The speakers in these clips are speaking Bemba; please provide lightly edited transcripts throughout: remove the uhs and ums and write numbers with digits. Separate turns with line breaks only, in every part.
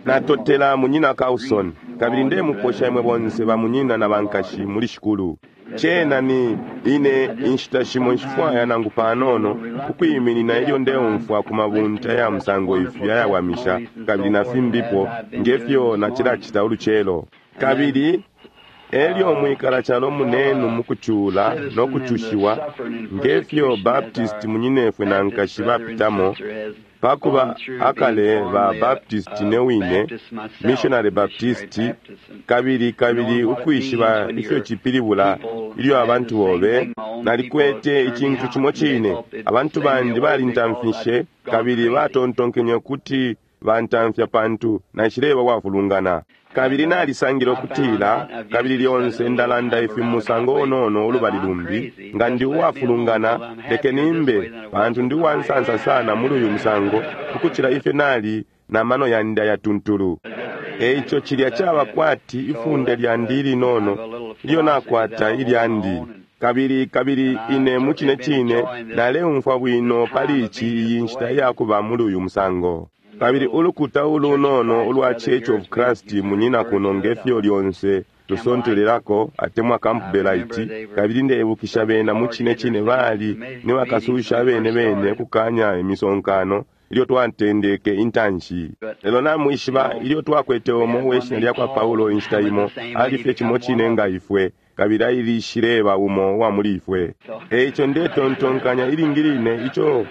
Natotela Munyina Carlson, kabili ndemuposha imwe bonse ba munyina na bankashi muli Shikulu. Cena ni ine inshita shimo nshifwaya nangu panono ukwiminina ilyo ndeumfwa ku mabunta ya musango ifi ayawamisha kabili na fimbipo ngefyo nacilacita ulucelo. Kabili elyo mwikala calo munenu mukucula no kucushiwa ngefyo Baptist munyinefwe na nkashi bapitamo, pakuba akale ba Baptist ne wine, Missionary Baptist, kabili kabili ukwishiba ifyo cipilibula ilyo abantu bobe. Nalikwete icintu cimo cine, abantu bandi balintamfishe kabili batontonkenye ukuti bantamfya pantu naishileba wafulungana. Kabili nalisangile ukutila, kabili lyonse ndalanda ifi mu musango unono ulubali lumbi, nga ndi uwafulungana, lekeni mbe, pantu ndi uwansansa sana muli uyu musango ukucila ifyo nali na mano yandi ayatuntulu. Eico cilya caba kwati ifunde lyandi ilinono ilyo nakwata ilyandi. Kabili kabili ine mucine cine naleumfwa bwino pali ici iyi nshita iyakuba muli uyu musango. Kabili ulukuta ulunono ulwa Church of Christ munyina kuno ngefyo lyonse tusontelelako atemwa Campbellite, kabili ndeibukisha bena mucine cine bali ni bakasusha abene bene kukanya imisonkano ilyo twatendeke intanshi. Lelo namwishiba ilyo twakwete umo uwe shina lyakwa Paulo inshita imo, ali fye cimo cine nga ifwe, kabili ailishileba umo uwa muli ifwe. Eico ndetontonkanya ilingi line ico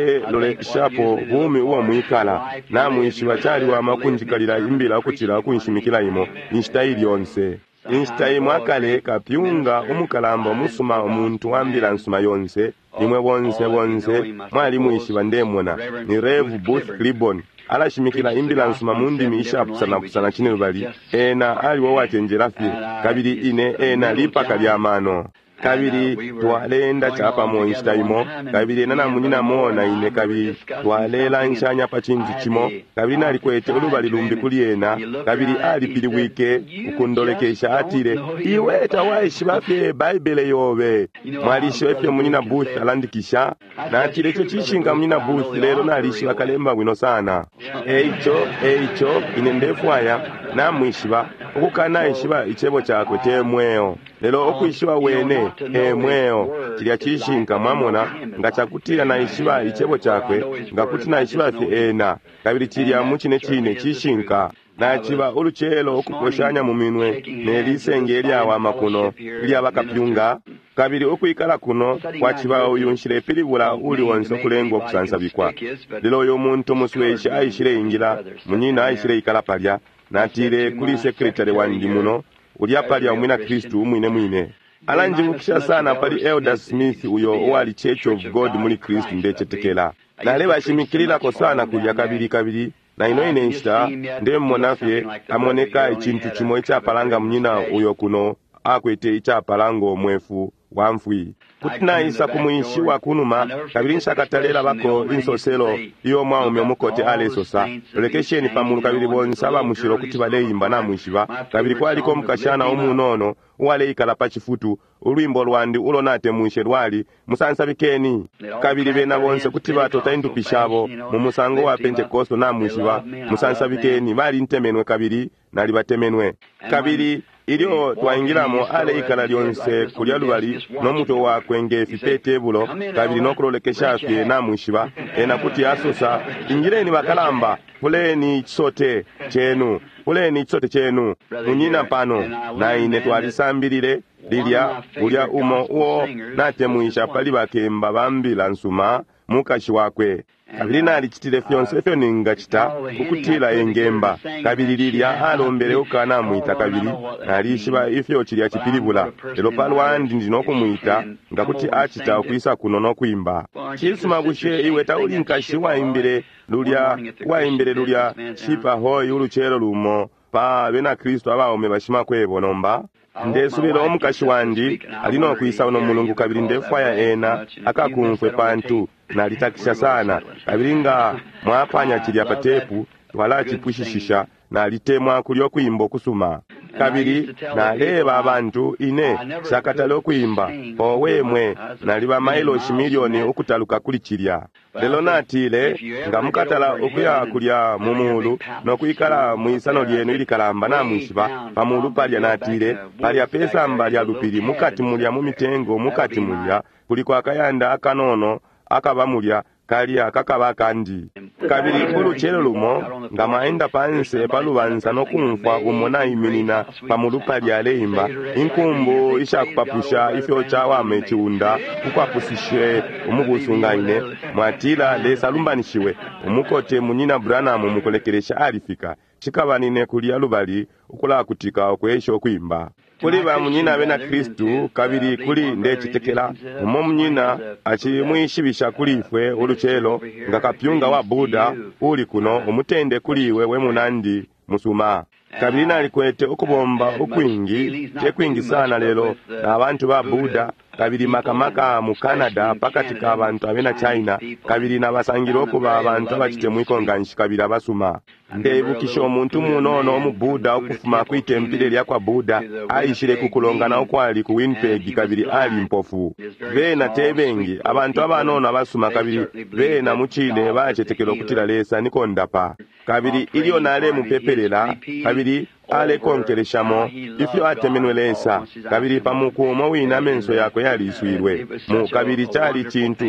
baleloleshapo bumi ubo mwikala. Namwishiba caliwama ukunjikalila imbila ukucila ukunshimikila imo inshita ili yonse. Inshita imo akale kapyunga umukalamba umusuma umuntu wa mbila nsuma yonse, imwe bonse bonse mwalimwishiba ndemona, ni Rev Booth Clibborn. Alashimikila imbila nsuma mu ndimi ishapusanapusana cine lubali. Ena aliwo wacenjela fye, kabili ine ena lipaka lya mano. Kabili twaleenda capamo inshita imo, kabili ena na munyina mona ine, kabili twalelanshanya pa cintu cimo, kabili nalikwete ulubali lumbi kuli ena, kabili alipilibwike ukundolekesha, atile, iwe tawaishiba fye Baibele yobe. Mwalishiba ifyo munyina Booth alandikisha? Natile, ico cishinka munyina Booth, lelo nalishiba kalemba bwino sana. Eico, eico, ine ndefwaya namwishiba, ukukanaishiba icebo cakwe te mweo, lelo ukwishiba wene e mweo. Cilya cishinka, mwamona, nga cakutila naishiba icebo cakwe, nga kuti naishiba fye ena, kabili cilya mucine cine cishinka. Naciba ulucelo ukuposhanya mu minwe ne lisenge ilyawama kuno ilya bakapyunga, kabili ukwikala kuno kwaciba uyu nshilepilibula uli onse ukulengwa ukusansabikwa. Lelo uyu muntu musweshi aishile ingila, munyina aishile ikala palya. Natile kuli sekretary wandi muno, ulya palya umwina Kristu umwine mwine. Alanjibukisha sana pali Elder Smith uyo uwali Church of God muli Kristu ndecetekela. Nalebashimikililako sana kulya kabili kabili na ino ine nshita ndemona fye amoneka icintu cimo icapalanga munyina uyo kuno akwete icapalanga umwefu wa mfwi. Kuti naisa ku mwinshi wa kunuma, kabili nshakatalelabako insoselo iyo mwaume umukote alesosa, lolekesheni pamulu kabili bonse abamushilo kuti baleimba namwishiba. Kabili kwaliko umukashana umunono uwaleikala pa cifutu, ulwimbo lwandi ulo natemwishe lwali musansabikeni. Kabili bena bonse kuti batota indupi shabo mu musango wa Pentekosto namwishiba, musansabikeni. Balintemenwe kabili nalibatemenwe. Kabili ilyo twaingilamo aleikala lyonse kulya lubali no mutwe wakwe ngefi pe tebulo, kabili no kulolekesha fye namwishiba. Ena kuti asosa, ingileni bakalamba, puleni icisote chenu, puleni icisote chenu. Munyina pano na ine twalisambilile lilya ulya umo uo natemwisha pali bakemba ba mbila nsuma mukashi wakwe. Kabili nalicitile fyonse ifyo ningacita ukutila engemba, kabili lilya alombele ukanamwita, kabili nalishiba ifyo cilya cipilibula, lelo palwandi ndi nokumwita nga kuti acita ukwisa kuno nokwimba. Cisuma, bushe iwe tauli nkashi waimbile lulya uwaimbile lulya Shipahoyi ulucelo lumo pa bena Kristu abaume bashimakwebo nomba? Ndesubila umukashi wandi ali nokwisa uno mulungu, kabili ndefwaya ena akakumfwe pantu nalitakisha sana, kabili nga mwapanya cilya pa tepu twalacipwishishisha. Nalitemwa kulyo kwimbo kusuma. Kabili naleeba abantu ine nshakatale ukwimba. Owe mwe, naliba mailoshi milioni ukutaluka kuli cilya. Lelo natile, nga mukatala ukuya kulya mu mulu no kwikala mwisano lyenu ilikalamba, namwishiba pa mulu palya, natile, palya pesamba lya lupili mukati mulya mu mitengo mukati mulya kuliko akayanda akanono akaba mulya kalya kakaba kandi. Kabili ulucelo lumo nga mwaenda panse pa lubansa no kumfwa umo naiminina pa mulu palya aleimba inkumbu ishakupapusha ifyo cawama iciunda ukwapusishe umubusu nga ine, mwatila Lesa alumbanishiwe. Umukote munyina Branham mukulekelesha alifika. Cikaba nine kulya lubali ukulakutika ukwesha ukwimba. Kuli ba munyina abena Kristu, kabili kuli ndecetekela umo munyina acimwishibisha kuli ifwe ulucelo nga kapyunga wa Buddha uli kuno, umutende kuli iwe we munandi musuma. Kabili nalikwete ukubomba ukwingi, te kwingi sana lelo na bantu ba Buddha, kabili makamaka mu Canada pakati ka bantu abena China, kabili nabasangile ukuba abantu abacitemwiko nganshi kabili abasuma. Ndeibukisha umuntu munono umu Buddha ukufuma kwi tempile lya kwa Buddha aishile ku kulongana ukwali ku Winnipeg, kabili ali mpofu. Bena te bengi, abantu abanono abasuma, kabili bena mucine bacetekela ukutila Lesa ni kondapa. Kabili ilyo nalemupepelela, kabili alekonkeleshamo ifyo atemenwe Lesa, kabili pa muku umo wine amenso yakwe yaliswilwe mu, kabili cali cintu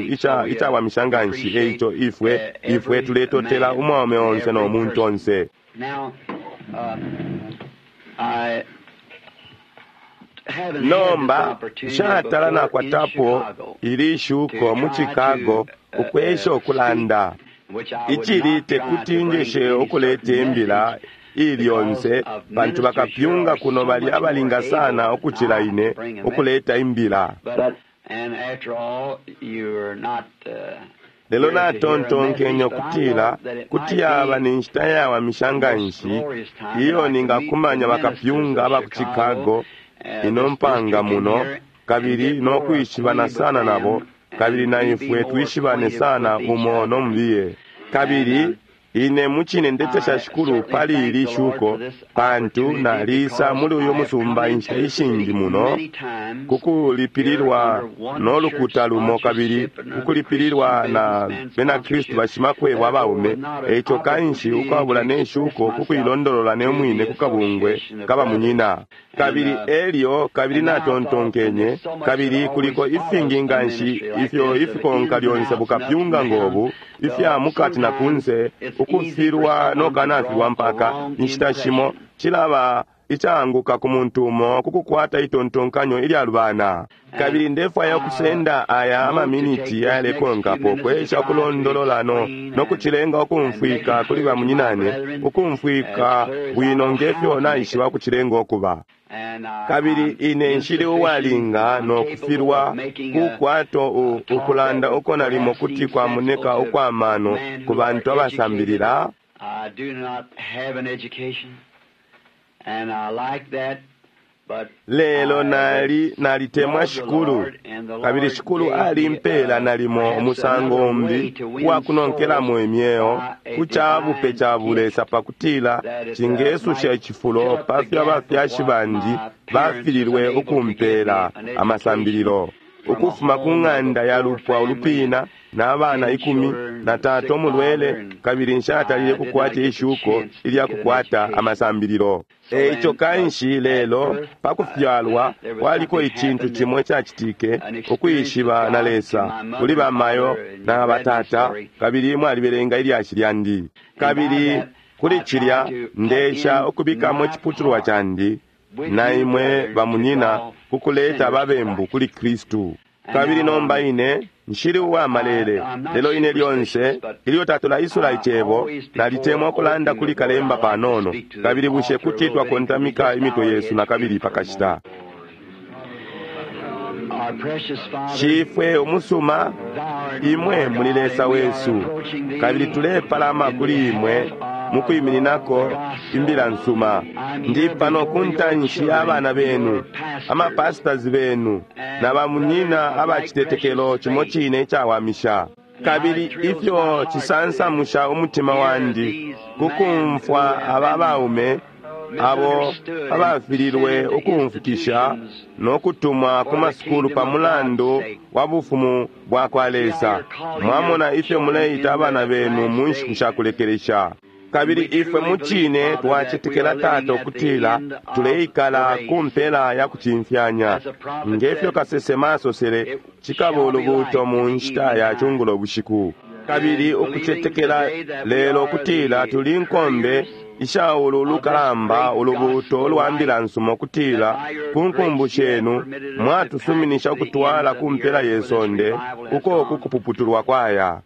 icawamisha nganshi. Eico ifwe ifwe tuletotela umwaume onse no muntu onse. Nomba nshatala nakwatapo ili shuko mu Chicago ukwesha ukulanda icili tekuti njeshe ukuleta imbila ili yonse, pantu bakapyunga kuno bali abalinga sana ukucila ine ukuleta imbila. Lelo natontonkenye ukutila kuti yaba ni nshita yawamisha nganshi iyo ningakumanya bakapyunga aba ku Chicago ino mpanga muno, kabili no kwishibana sana nabo, kabili na ifwe twishibane sana umo no mubiye. Kabili ine mucine ndetesha Shikulu pali ili shuko, pantu nalisa muli uyu musumba inshita ishingi muno kukulipililwa no lukuta lumo, kabili kukulipililwa na bena Kristu bashimakwebo abaume. Eico kanshi ukwabula ne shuko kukuilondolola ne mwine ku kabungwe kaba munyina. Kabili elyo kabili natontonkenye, kabili kuliko ifingi nganshi ifyo ifikonka lyonse bukapyunga ngobu ifya mukati na kunse, ukufilwa no kanafilwa mpaka inshita shimo cilaba icaanguka ku muntu umo kukukwata itontonkanyo ilyalubana. Kabili ndefwaya ukusenda aya amaminiti ayalekonkapo kwesha ukulondolola no kucilenga ukumfwika kuli bamunyinane, ukumfwika bwino ngefyo naishiba ukucilenga ukuba. Kabili ine nshili uwalinga no kufilwa kukwato ukulanda uko nalimo kuti kwamoneka ukwa mano ku bantu abasambilila. Lelo nalitemwa Shikulu, kabili Shikulu alimpela nalimo umusango umbi uwakunonkelamo imyeo ku cabupe ca bulesa, pakutila cingesusha icifulo pafyo abafyashi bandi bafililwe ukumpela amasambililo. Ukufuma ku ng'anda ya lupwa ulupina na abana 10 na tata umulwele, kabili nshatalile kukwata ishuko ilya kukwata amasambililo. Eico kanshi lelo pakufyalwa kwaliko icintu cimo icacitike, ukwishiba na Lesa kuli bamayo na batata, kabili mwalibelenga ilyashi lyandi. Kabili kuli cilya ndesha ukubikamo iciputulwa candi na imwe bamunyina kukuleta ababembu kuli Kristu. Kabili nomba ine nshili uwa malele, lelo ine lyonse ilyo tatulaisula icebo nalitemwa ukulanda kuli kalemba panono. Kabili bushe kuti twakontamika imitwe yesu na kabili pakashita. Shifwe umusuma, imwe muli Lesa wesu, kabili tulepalama kuli imwe mukwimininako imbila nsuma. Ndi pano ku ntanshi y'abana benu, amapasitazi benu, na bamunyina abacitetekelo cimo cine icawamisha. Kabili ifyo cisansamusha umutima wandi kukumfwa aba baume abo abafililwe ukumfukisha no kutumwa ku masukulu pa mulandu wa bufumu bwa kwa Lesa. Mwamona ifyo muleita abana benu mu nshiku sha kulekelesha. Kabili ifwe mucine twacetekela Tata ukutila tuleikala ku mpela ya kucimfyanya. Ngefyo kasesema asosele, cikaba ulubuuto mu nshita ya cungulo bushiku. Kabili ukucetekela lelo ukutila tuli nkombe isha ulu lukalamba ulubuuto ulwa mbila nsuma ukutila ku nkumbu shenu mwatusuminisha ukutwala ku mpela ye sonde uko kukupuputulwa kwaya.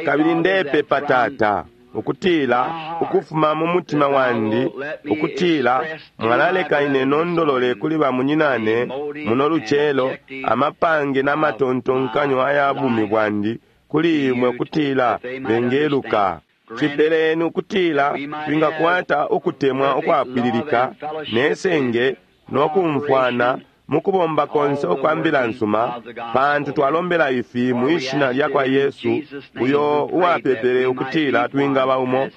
Kabili ndepepa Tata ukutila ukufuma mu mutima wandi ukutila mwalaleka ine nondolole kuli bamunyinane muno lucelo amapange n'amatontonkanyo aya bumi bwandi kuli imwe ukutila bengeluka. Cipeleni ukutila twingakwata ukutemwa ukwapwililika nesenge nokumfwana mukubomba konse ukwa mbila nsuma, pantu twalombela ifi mwishina lya kwa Yesu uyo uwapepele ukutila twingaba umo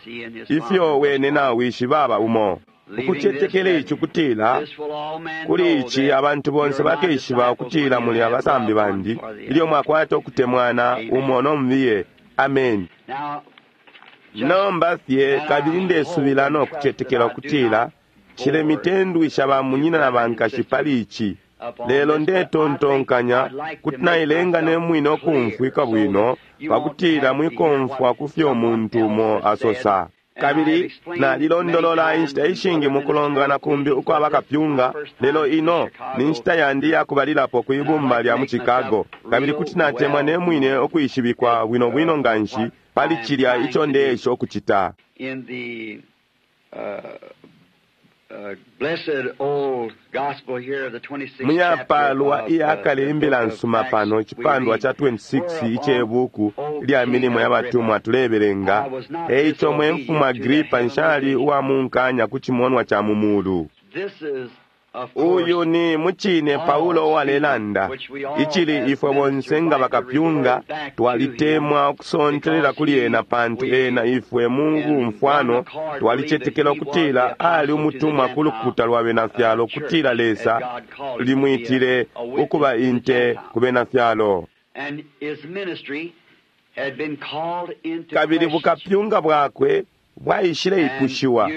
ifyo wene na wishi baba umo. Ukucetekela ici ukutila kuli ici abantu bonse bakeshiba ukutila muli abasambi bandi ilyo mwakwata ukutemwana umo nomubiye. Amen. Nomba fye kabili ndesubila no kucetekela ukutila cilemitendwisha bamunyina na bankashi pali ici, lelo ndetontonkanya kuti nailenga ne mwine ukumfwika bwino pakutila mwikomfwa kufyo umuntu umo asosa. Kabili nalilondolola inshita ishingi mukulongana kumbi ukwa bakapyunga, lelo ino ni nshita yandi yakubalilapo kwi bumba lya mu Chicago, kabili kuti natemwa ne mwine ukwishibikwa bwino bwino nganshi pali cilya ico ndeesha ukucita. Muyapalwa iyakale imbila nsuma pano icipandwa ca 26 ice buku lya milimo ya batumwa tulebelenga. Eico mwe mfumu Agripa nshali uwa munkanya ku cimonwa ca mu mulu. Uyu ni mucine Paulo uwalelanda icili ifwe bonse nga bakapyunga twalitemwa ukusontelela kuli ena, pantu ena ifwe mu bumfwano twalicetekela ukutila ali umutumwa ku lukuta lwa bena fyalo, ukutila Lesa limwitile ukuba inte ku bena fyalo. Kabili bukapyunga bwakwe bwaishile ipushiwa,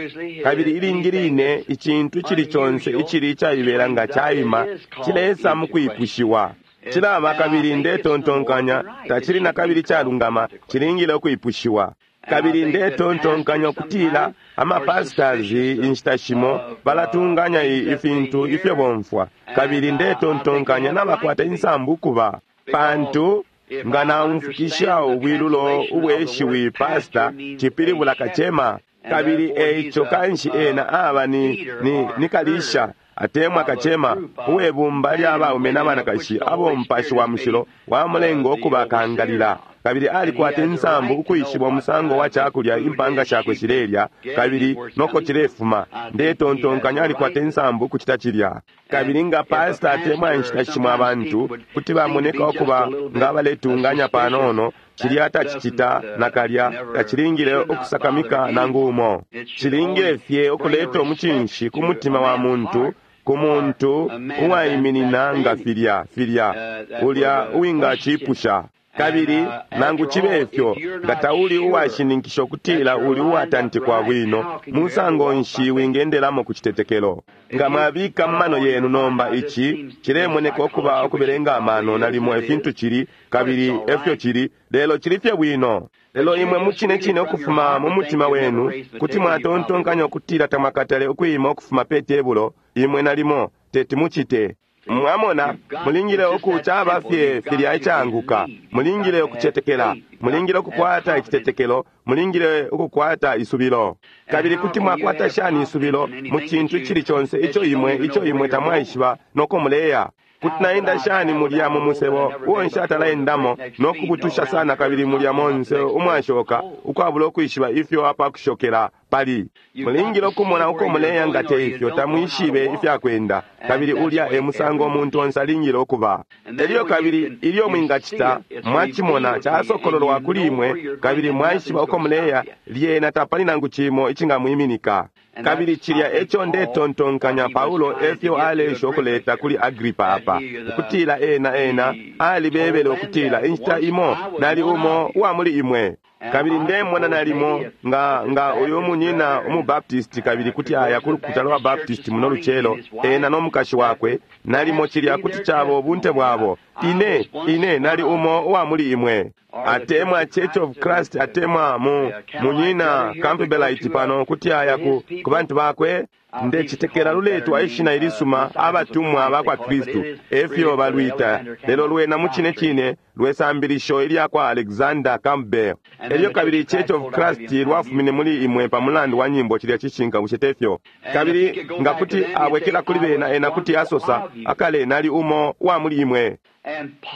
kabili ilingi line icintu icili conse icili icaibela nga caima cilesa mu kwipushiwa. Cilaba kabili ndetontonkanya tacili na kabili calungama, cilingile ukwipushiwa. Kabili ndetontonkanya ukutila amapastors inshita shimo balatunganya ifintu ifyo bomfwa, kabili ndetontonkanya nabakwata insambu ukuba, pantu nga naumfukisha ubwilulo ubweshiwi pasta cipilibula kacema, kabili eico kanshi ena aba ni kalisha atemwa kacema uwebumba lya baume na banakashi abo mupashi wa mushilo wamulenga ukuba kangalila, kabili alikwata insambu ukwishiba umusango wa cakulya impanga shakwe shilelya kabili noko cilefuma. Ndetontonkanya alikwata insambu ukucita cilya. Kabili nga pasta atemwa inshita shimo abantu kuti bamoneka ukuba nga baletunganya panono, cilya tacicita nakalya, tacilingile ukusakamika nangu umo. Cilingile fye ukuleta umucinshi ku mutima wa muntu, ku muntu uwaiminina nga filya filya ulya uwingacipusha. Kabili nangu cibe fyo, nga tauli uwashininkisha ukutila uli uwatantikwa bwino, musango nshi wingendelamo ku citetekelo? Nga mwabika mu mano yenu nomba ici cilemoneka ukuba ukubelenga amano nalimo ifintu cili, kabili efyo cili, lelo cili fye bwino. Lelo imwe mucine cine ukufuma mu mutima wenu kuti mwatontonkanya ukutila tamwakatale ukwima ukufuma pe tebulo, imwe nalimo teti mucite. Mwamona, mulingile ukucaba fye filya icaanguka, mulingile ukucetekela, mulingile ukukwata icitetekelo, mulingile ukukwata isubilo. Kabili kuti mwakwata shani isubilo mu cintu icili conse ico imwe ico imwe tamwaishiba noko muleya? Kuti naenda shani mulya mu musebo uo nshatalaendamo no kubutusha sana kabili mulya monse umwashoka ukwabula ukwishiba ifyo apakushokela pali? Mulingile ukumona uko muleya, nga te ifyo tamwishibe ifyakwenda, kabili ulya e musango umuntu onse alingile ukuba. Elyo kabili ilyo mwingacita mwacimona casokololwa kuli imwe kabili mwaishiba uko muleya, lyena tapali nangu cimo icingamwiminika. Kabili cilya eco ndetontonkanya Paulo efyo aleesha ukuleta kuli Agripa apa, ukutila ena ena alibebele ukutila inshita imo nali umo uwa muli imwe. Kabili ndemona nalimo nga nga uyu munyina umubaptisti kabili kuti aya ku lukuta lwa Baptist muno lucelo, ena no mukashi wakwe, nalimo cilya kuti caba ubunte bwabo. Ine, ine nali umo uwa muli imwe. Atemwa Church of Christ, atemwa mu munyina Campbellite pano kuti aya ku, ku bantu bakwe. Ndecitekela luletwa ishina ilisuma abatumwa bakwa Kristu, efyo balwita, lelo lwena mucine cine lwesambilisho ilya kwa Alexander Campbell. Elyo kabili Church of Christ lwafumine muli imwe pa mulandu wa nyimbo cilya cishinka, bushe tefyo? Kabili nga kuti abwekela kuli bena, ena kuti asosa, akale nali umo wa muli imwe.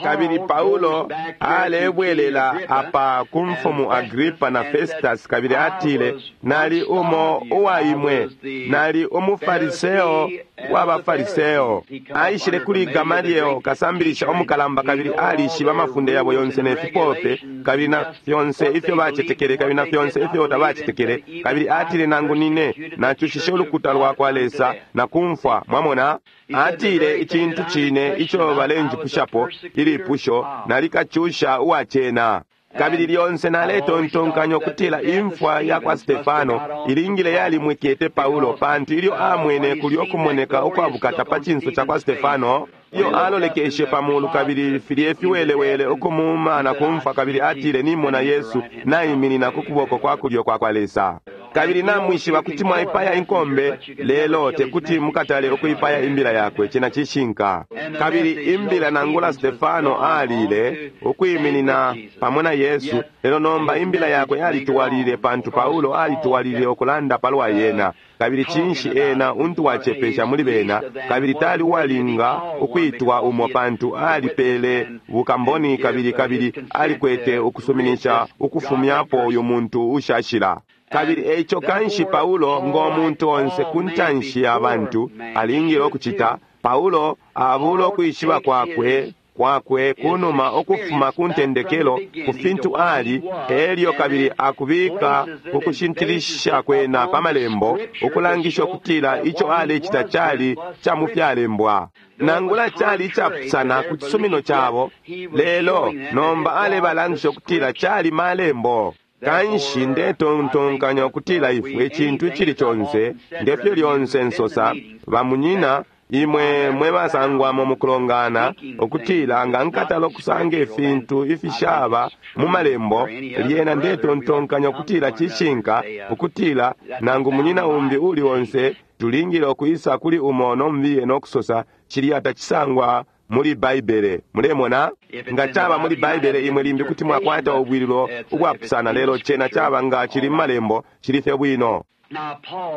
Kabili Paulo alebwelela apa ku mfumu Agripa na Festus, kabili atile, nali umo uwa imwe, nali umufariseo wa bafariseo. Aishile kuli Gamaliel, kasambilisha umukalamba, kabili alishiba amafunde yabo yonse ne fipope, kabili na fyonse ifyo bacetekele, kabili na fyonse ifyo tabacetekele. Kabili atile, nangu nine nacushishe ulukuta lwa kwa Lesa na kumfwa. Mwamona, atile icintu cine ico balenjipushapo ilipusho, nalikacusha uwacena. Kabili lyonse naletontonkanya ukutila imfwa ya kwa Stefano ilingile yalimwikete Paulo, pantu ilyo amwene kulyo kumoneka ukwabukata pa cinso ca kwa Stefano, iyo alolekeshe pa mulu kabili filye fiwelewele ukumuuma na kumfwa, kabili atile, nimona Yesu naiminina ku kuboko kwa kulyo kwa kwa Lesa. Kabili namwishiba kuti mwaipaya inkombe, lelo tekuti mukatale ukuipaya imbila yakwe. Cena cishinka. Kabili imbila nangula Stefano alile ukwiminina pamo na Yesu, lelo nomba imbila yakwe yalituwalile, pantu Paulo alituwalile ukulanda palwa yena. Kabili cinshi ena untu wacepesha muli bena, kabili tali uwalinga ukwitwa umo, pantu alipele bukamboni kabili kabili alikwete ukusuminisha ukufumyapo uyu muntu ushashila. Kabili eico kanshi Paulo ngo muntu onse ku ntanshi ya bantu alingile ukucita, Paulo abula ukwishiba kwakwe kwakwe kunuma ukufuma ku ntendekelo ku fintu ali, elyo kabili akubika ukushintilisha kwena pa malembo ukulangisha ukutila ico alecita cali ca mu fyalembwa, nangula cali icapusana ku cisumino cabo, lelo nomba alebalangisha ukutila cali malembo. Kanshi ndetontonkanya ukutila ifwe icintu icili conse, ngefyo lyonse nsosa, bamunyina imwe mwe basangwamo mukulongana, ukutila nga nkatala ukusanga ifintu ifishaba mu malembo, lyena ndetontonkanya ukutila cishinka ukutila nangu munyina umbi uli onse tulingile ukwisa kuli umo nombiye nokusosa cilya tacisangwa muli Baibele. Mulemona, nga caba muli Baibele imwe limbi kuti mwakwata ubwililo ubwapusana, lelo cena caba nga chili mumalembo chili fye bwino.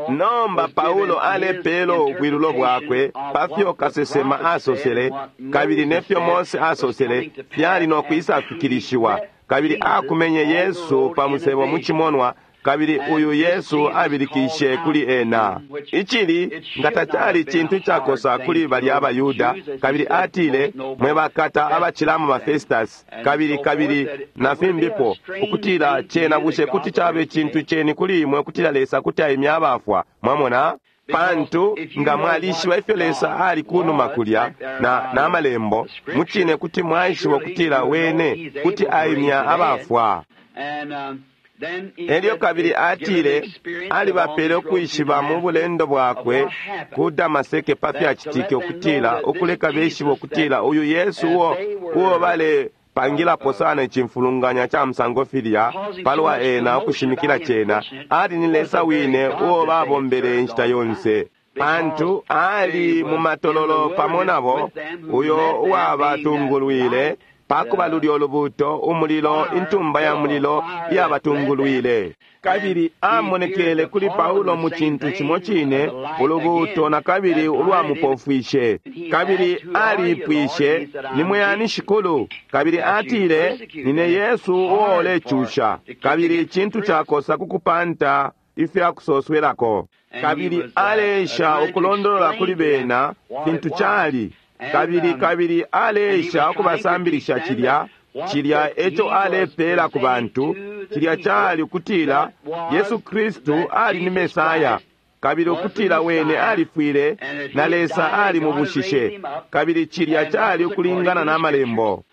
Nomba Paulo alepela ubwilulo bwakwe pafyo kasesema asosele kabili nefyo Mose asosele fyali no kwisafikilishiwa, kabili akumenye Yesu pa musebo mu cimonwa, kabili uyu Yesu abilikishe kuli ena. Icili nga tacali cintu cakosa kuli balya abaYuda, kabili atile, mwe bakata abacilamo ba Festus, kabili kabili na fimbipo, ukutila cena bushe kuti cabe cintu ceni kuli imwe ukutila Lesa kuti aimya abafwa. Mwamona? Pantu nga mwalishiba ifyo Lesa ali kunuma kulya na namalembo, mucine kuti mwaishiba ukutila wene kuti aimya abafwa. Elyo kabili atile alibapele ukwishiba mu bulendo bwakwe ku Damaseke pa fyacitike, ukutila ukuleka beshiba ukutila uyu Yesu uo uo balepangilapo sana icimfulunganya ca musango filya palwa ena ukushimikila cena, ali ni Lesa wine uo babombele inshita yonse. Pantu ali mu matololo pamo nabo, uyo uwabatungulwile pakuba lulyo lubuto, umulilo, intumba ya mulilo iyabatungulwile. Kabili amonekele kuli Paulo mu cintu cimo cine, ulubuto na kabili ulwamupofwishe. Kabili alipwishe, nimwe ani Shikulu? Kabili atile, nine Yesu uo ulecusha. Kabili icintu cakosa kukupanta ifyakusoswelako. Kabili aleesha ukulondolola kuli bena fintu cali. Kabili kabili aleesha ukubasambilisha cilya cilya eco alepela ku bantu, cilya cali ukutila Yesu Kristu ali ni Mesaya. Kabili ukutila wene alifwile na Lesa alimubushishe, kabili cilya cali ukulingana na Malembo.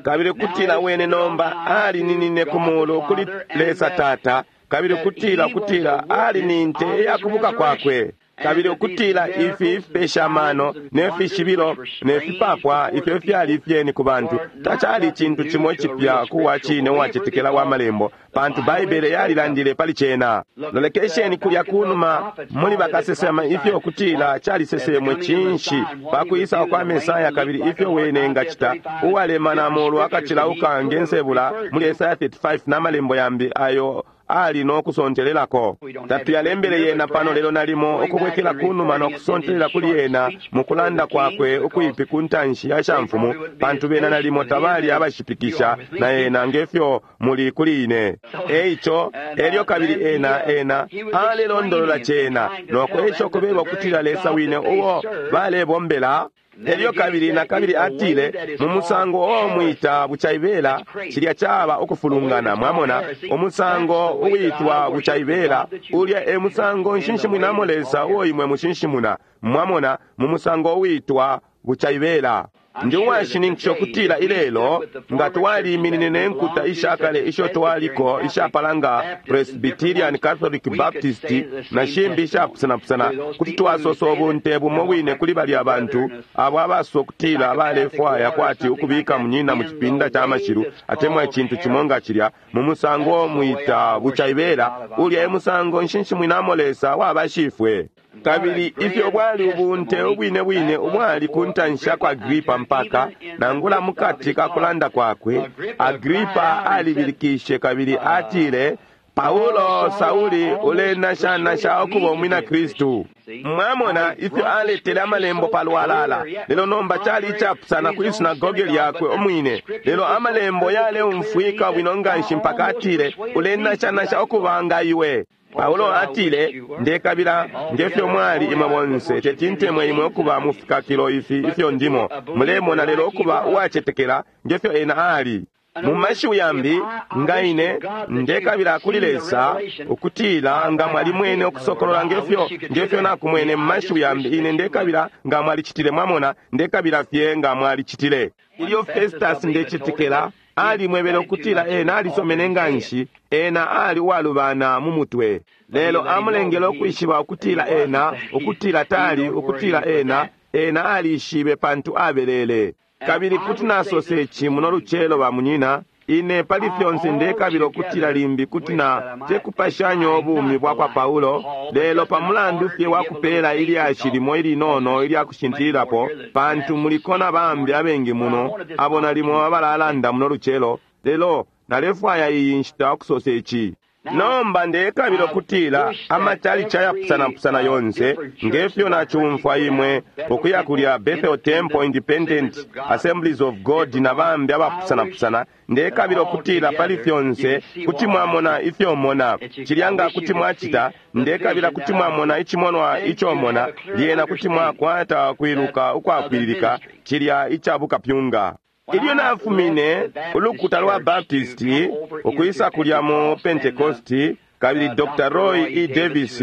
Kabili ukutila wene nomba alininine ku mulu kuli Lesa Tata, kabili ukutila ukutila ali ni nte ya kubuka kwakwe, kabili ukutila ifi ifipesha mano ne fishibilo ne fipapwa ifyo fyali ifyeni ku bantu tacali icintu cimo icipya ku wa cine uwacetekela wa Malembo, pantu Baibele yalilandile pali cena. Lolekesheni kulya kunuma muli bakasesema ifyo kutila calisesemwe cinshi pa kwisa kwa Mesaya, kabili ifyo wene ngacita uwalemana mulu akacilauka nge nsebula muli Esaya 35 na malembo yambi ayo ali no kusontelelako. Tatuyalembele yena pano lelo nalimo ukubwekela kunuma no kusontelela kuli yena mukulanda kwakwe ukwipi ku ntanshi ya shamfumu, pantu bena nalimo tabali abashipikisha na yena ngefyo muli kuli ine. Eico elyo kabili ena ena alelondolola cena no kwesha ukubeba ukutila Lesa wine uo balebombela. Elyo kabili na kabili atile mu musango uo mwita bucaibela, cilya caba ukufulungana. Mwamona umusango uwitwa bucaibela, ulya e musango nshinshimwinamo Lesa uo imwe mushinshimuna. Mwamona mu musango uwitwa bucaibela. Ndi uwashininkisha ukutila ilelo nga twaliminine ne nkuta ishakale isho twaliko ishapala nga Presbyterian, Catholic, Baptist na shimbi ishapusanapusana, kuti twasosa ubunte bumo bwine kuli balya bantu abo abasosa ukutila balefwaya kwati ukubika munyina mu cipinda ca mashilu atemwa icintu cimo nga cilya mu musango mwita bucaibela. Ulya e musango nshinshimwinamo Lesa wabashifwe. Kabili ifyo bwali ubunte ubwine bwine ubwali ku ntanshi ya kwa Agripa, mpaka nangula mukati ka kulanda kwakwe Agripa alibilikishe kabili atile, Paulo, Sauli, ulenashanasha ukuba umwina Kristu. Mwamona ifyo aletele amalembo palwalala. Lelo nomba cali icapusana kwi sinagoge lyakwe umwine, lelo amalembo yaleumfwika bwino nganshi mpaka atile, ulenashanasha ukuba nga iwe. Paulo atile, ndekabila ngefyo mwali imwe bonse, teti ntemwe imwe ukuba mufikakilo ifi ifyo ndimo. Mulemona, lelo ukuba uwacetekela ngefyo ena ali. Mu mashiwi yambi, nga ine ndekabila kuli Lesa ukutila nga mwalimwene ukusokolola ngefyo ngefyo nakumwene. Mu mashiwi yambi, ine ndekabila nga mwalicitile. Mwamona, ndekabila fye nga mwalicitile. Ilyo Festus ndecetekela alimwebele ukutila ena alisomene nganshi, ena ali uwalubana mu mutwe, lelo amulengele ukwishiba ukutila ena ukutila tali ukutila ena ena alishibe pantu abelele. Kabili kuti nasosa ici muno lucelo, ba munyina, ine pali fyonse ndekabila ukutila limbi kuti na tekupashanya ubumi bwa kwa Paulo, lelo pa mulandu fye wa kupela ilyashi limo ilinono ilya kushintililapo, pantu muliko na bambi abengi muno abo nalimo abalalanda muno lucelo, lelo nalefwaya iyi nshita ukusosa ici. Nomba ndekabila ukutila amachalichi ayapusanapusana yonse ngefyo nachumfwa imwe ukuya kulya Bethel Temple, Independent Assemblies of God na bambi abapusanapusana, ndekabila ukutila pali fyonse kuti mwamona ifyo mona. Cilya nga kuti mwacita, ndekabila kuti mwamona icimonwa ico mona, lyena kuti mwakwata kwiluka ukwapwililika cilya icabukapyunga. Ilyo nafumine ulukuta lwa Baptisti ukwisa kulya mu Pentecosti, kabili Dr. Roy E. Davis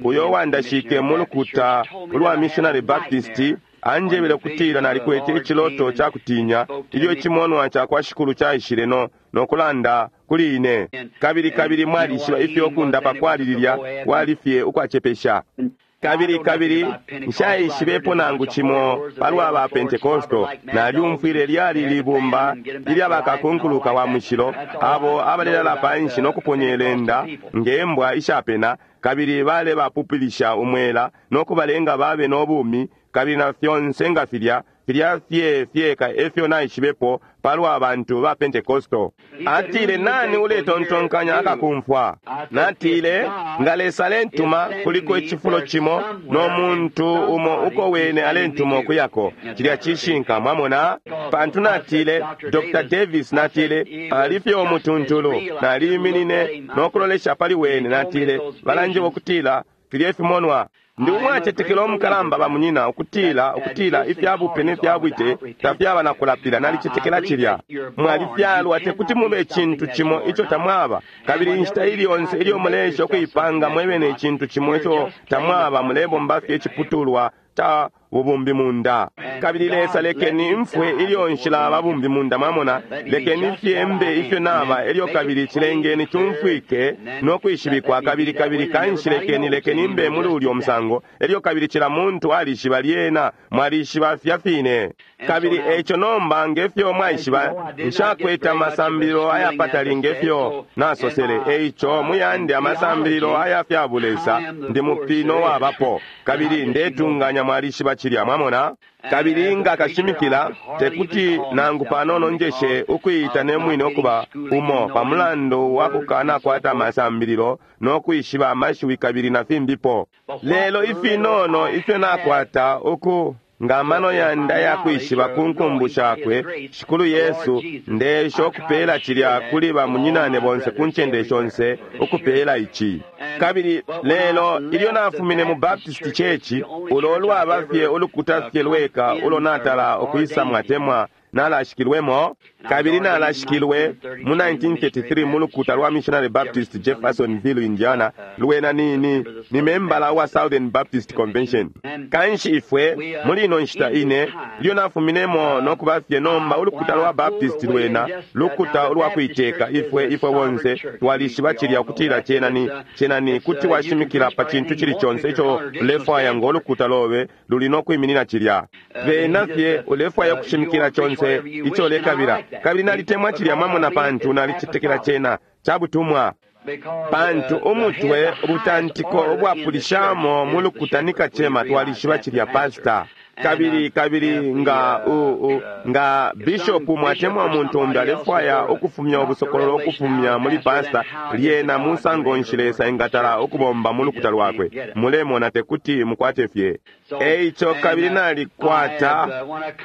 uyo wandashike mu lukuta ulwa Missionary Baptist anjebele ukutila nalikwete iciloto ca kutinya ilyo icimonwa ca kwa Shikulu caishile no kulanda kuli ine. Kabili kabili mwalishiba ifyo kundapa kwali lilya kwali fye ukwacepesha. Kabili kabili nshaishibepo nangu cimo palwa ba Pentekosto. Nalyumfwile lyali libumba ilya bakakunkuluka wa mushilo abo abalelala panshi no kuponyelenda nge mbwa ishapena, kabili balebapupilisha umwela no kubalenga babe no bumi, kabili na fyonse nga filya filya fye fyeka efyo naishibepo palwa bantu ba Pentekosto. Atile, nani uletontonkanya akakumfwa? Natile, nga Lesa alentuma kuliko icifulo cimo no muntu umo uko wene alentuma ukuyako. Cilya cishinka, mwamona? Pantu natile, Dr. Davis, natile, alifye umutuntulu. Naliminine no kulolesha pali wene, natile, balanjeba ukutila Filye fimonwa. Ndi umwacetekela umukalamba ba munyina ukutila ukutila ifyabupe ne fyabwite tafyaba na kulapila. Nalicetekela cilya. Mwalifyalwa, tekuti mube icintu cimo ico tamwaba. Kabili inshita ili yonse ilyo muleesha ukuipanga mwebene icintu cimo ico tamwaba, mulebomba fye iciputulwa ca bubumbi munda. Kabili Lesa, lekeni mfwe ilyo nshilaba bumbi munda, mwamona, lekeni fye mbe ifyo naba, elyo kabili cilengeni cumfwike no kwishibikwa. Kabili kabili kanshi lekeni lekeni mbe muli ulyo musango, elyo kabili cila muntu alishiba lyena, mwalishiba fya fine. Kabili eco nomba ngefyo mwaishiba, nshakwete amasambililo ayapatali ngefyo nasosele. Eico muyande amasambililo aya fya bulesa, ndi mupino wabapo, kabili ndetunganya mwalishiba cilya, mwamona. Kabili nga kashimikila, tekuti nangu panono njeshe ukuita ne mwine ukuba umo pamulandu wa kukanakwata amasambililo no kwishiba amashiwi kabili na fimbipo. Lelo ifinono ifyo nakwata uku nga mano yanda ya kwishiba ku nkumbu shakwe Shikulu Yesu, ndesha ukupeela cilya kuli bamunyinane bonse ku ncende shonse, ukupeela ici. Kabili lelo ilyo nafumine mu Baptist Church, ulo lwaba fye ulukuta fye lweka ulo natala ukwisa mwatemwa nalashikilwemo. Kabili nalashikilwe mu 1933 mu lukuta lwa Missionary Baptist Jeffersonville, Indiana. Lwena ni, ni, ni membala wa Southern Baptist Convention. Kanshi ifwe muli ino nshita ine ilyo nafuminemo no kuba fye nomba ulukuta lwa Baptist lwena lukuta ulwa kuiteka. Ifwe ifwe bonse twalishiba cilya ukutila cena ni cena ni kuti washimikila pa cintu cili conse ico ulefwaya ngo lukuta lobe luli no kwiminina cilya. Bena fye ulefwaya ukushimikila conse ico lekabila. Kabili nalitemwa cilya, mwamona, pantu nalicetekela cena cabutumwa. Pantu umutwe ubutantiko ubwapulishamo mu lukuta ni kacema, twalishiba cilya, pasta. Kabili kabili nga u, u, nga bishopu mwatemwa umuntu umbi alefwaya ukufumya ubusokololo ukufumya muli pasta, lyena musango nshi Lesa engatala ukubomba mu lukuta lwakwe? Mulemona, tekuti mukwate fye. Eico kabili nalikwata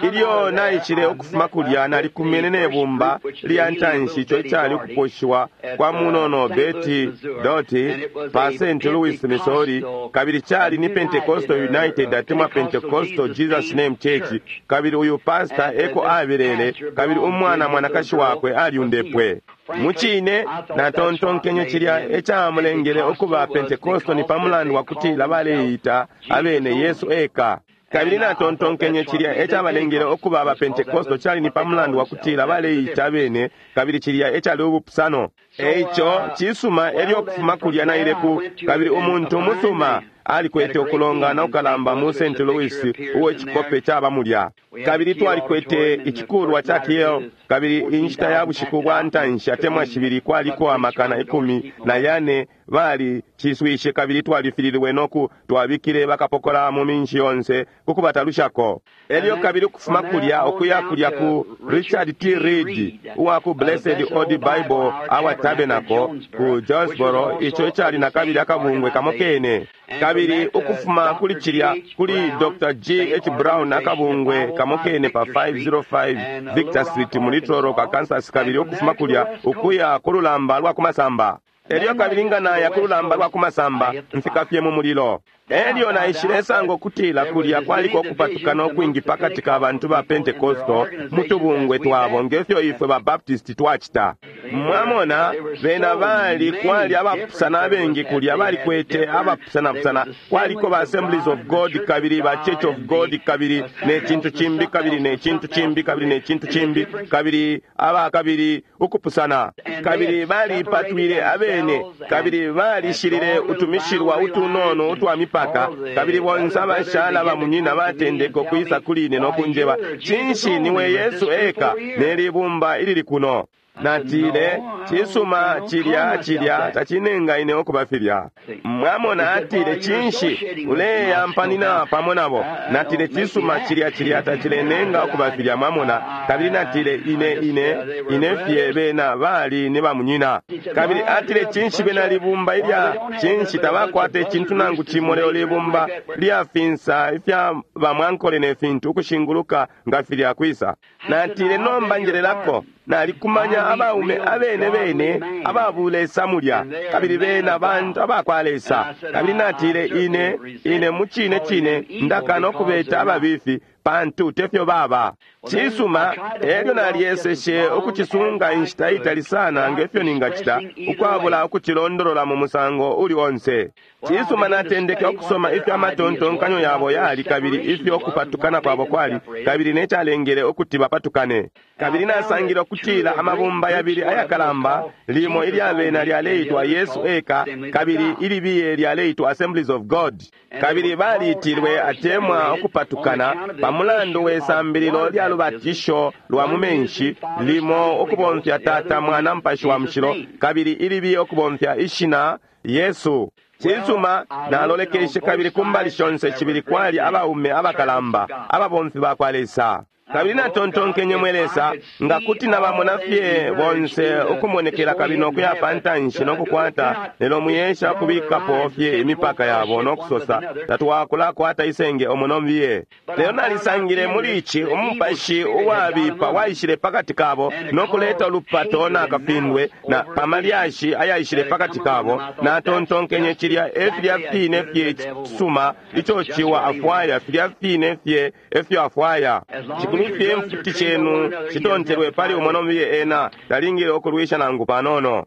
ilyo naishile ukufuma kulya, nalikumene ne bumba lya ntanshi ico icali ukuposhiwa kwa munono Betty Doti pa St. Louis, Missouri. Kabili cali ni Pentecostal United atemwa Pentecostal Jesus Name Church. Kabili uyu pasta eko abelele, kabili umwana mwanakashi wakwe aliundepwe. Mucine natontonkenye cilya ecamulengele ukuba Pentecostal ni pamulandu wa kutila baleita abene Yesu eka. Kabili natontonkenye cilya ecabalengele ukuba aba Pentecostal cali ni pamulandu wa kutila baleita abene, kabili cilya ecali ubupusano. Eico cisuma, elyo ukufuma kulya naile ku, kabili umuntu umusuma alikwete ukulongana ukalamba mu St. Louis uwo icikope caba mulya. Kabili twalikwete icikulwa ca Kiel, kabili inshita ya bushiku bwa ntanshi atemwa shibili kwaliko 14,000 bali ciswishe, kabili twalifililwe noku twabikile bakapokola mu minshi yonse kukubatalushako. Elyo kabili ukufuma kulya ukuya kulya ku Richard T. Reed uwa ku Blessed Old Bible Hour Tabernacle ku Jonesboro, ico icali na kabili akabungwe kamo kene. Kabili ukufuma kuli cilya kuli Dr. G. H. Brown akabungwe kamo kene pa 505 Victor Street mu Little Rock, Kansas. Kabili ukufuma kulya ukuya ku lulamba lwa kumasamba. Elyo kabili nga naya ku lulamba lwa kumasamba mfika fye mu mulilo. Elyo naishile sanga ukutila kulya kwaliko ukupatukana ukwingi pakati ka bantu ba Pentecostal mu tubungwe twabo ngefyo ifwe ba Baptist twacita. Mwamona, bena bali kwali abapusana abengi kulya, balikwete abapusanapusana. Kwaliko ba Assemblies of God kabili ba Church of God kabili ne cintu cimbi kabili ne cintu cimbi kabili ne cintu cimbi kabili aba kabili ukupusana. Kabili balipatwile abene kabili balishilile utumishilwa utunono utwa mipaka. Kabili bonse abashala bamunyina batendeka ukwisa kuli ine no kunjeba, cinshi niwe Yesu eka nelibumba ilili kuno? Natile, cisuma cilya cilya tacinenga ine ukuba filya. Mwamona, atile, cinshi uleyampanina pamo nabo? Natile, cisuma cilya cilya tacilenenga ukuba filya. Mwamona, kabili natile, ine ine ine fye bena bali ni bamunyina. Kabili atile, cinshi bena libumba ilya cinshi tabakwata icintu nangu cimo lelo libumba lyafinsa ifya bamwankole ne fintu ukushinguluka nga filya kwisa. Natile, nomba njelelako. Nalikumanya abaume abene bene ababulesa mulya, kabili bena bantu abakwa Lesa. Kabili natile ine, ine mucine cine ndakana ukubeta ababifi, pantu tefyo baba. Cisuma, elyo nalyeseshe ukucisunga inshita itali sana ngefyo ningacita, ukwabula ukucilondolola mu musango uli onse. Cisuma, natendeke ukusoma ifyo amatontonkanyo yabo yali, kabili ifyo kupatukana kwabo kwali, kabili necalengele ukuti bapatukane. Kabili nasangile ukutila amabumba yabili ayakalamba, limo ilyabena lyaleitwa Yesu Eka, kabili ilibiye lyaleitwa Assemblies of God. Kabili baliitilwe atemwa ukupatukana pamulandu we sambililo lya lubatisho lwa mu menshi, limo ukubomfya Tata, Mwana, Mupashi wa Mushilo, kabili ilibiye ukubomfya ishina Yesu. Cisuma, nalolekeshe kabili kumbali shonse shibili kwali abaume abakalamba, ababomfi bakwa Lesa. Kabili natontonkenye, mwe Lesa, nga kuti nabamona fye bonse ukumonekela kabili nokuya pantanshi nokukwata, lelo muyesha ukubikapo fye imipaka yabo nokusosa, tatwakulakwata isenge omo nombiye. Lelo nalisangile muli ici umupashi uwabipa waishile pakati kabo nokuleta ulupato na kafindwe na pamalyashi ayaishile pakati kabo. Natontonkenye cilya e filya fine fye cisuma ico ciwa afwaya, filya fine fye efyo afwaya. Cikulu fye mfuti cenu citontelwe pali umo nombiye, ena talingile ukulwisha nangu panono.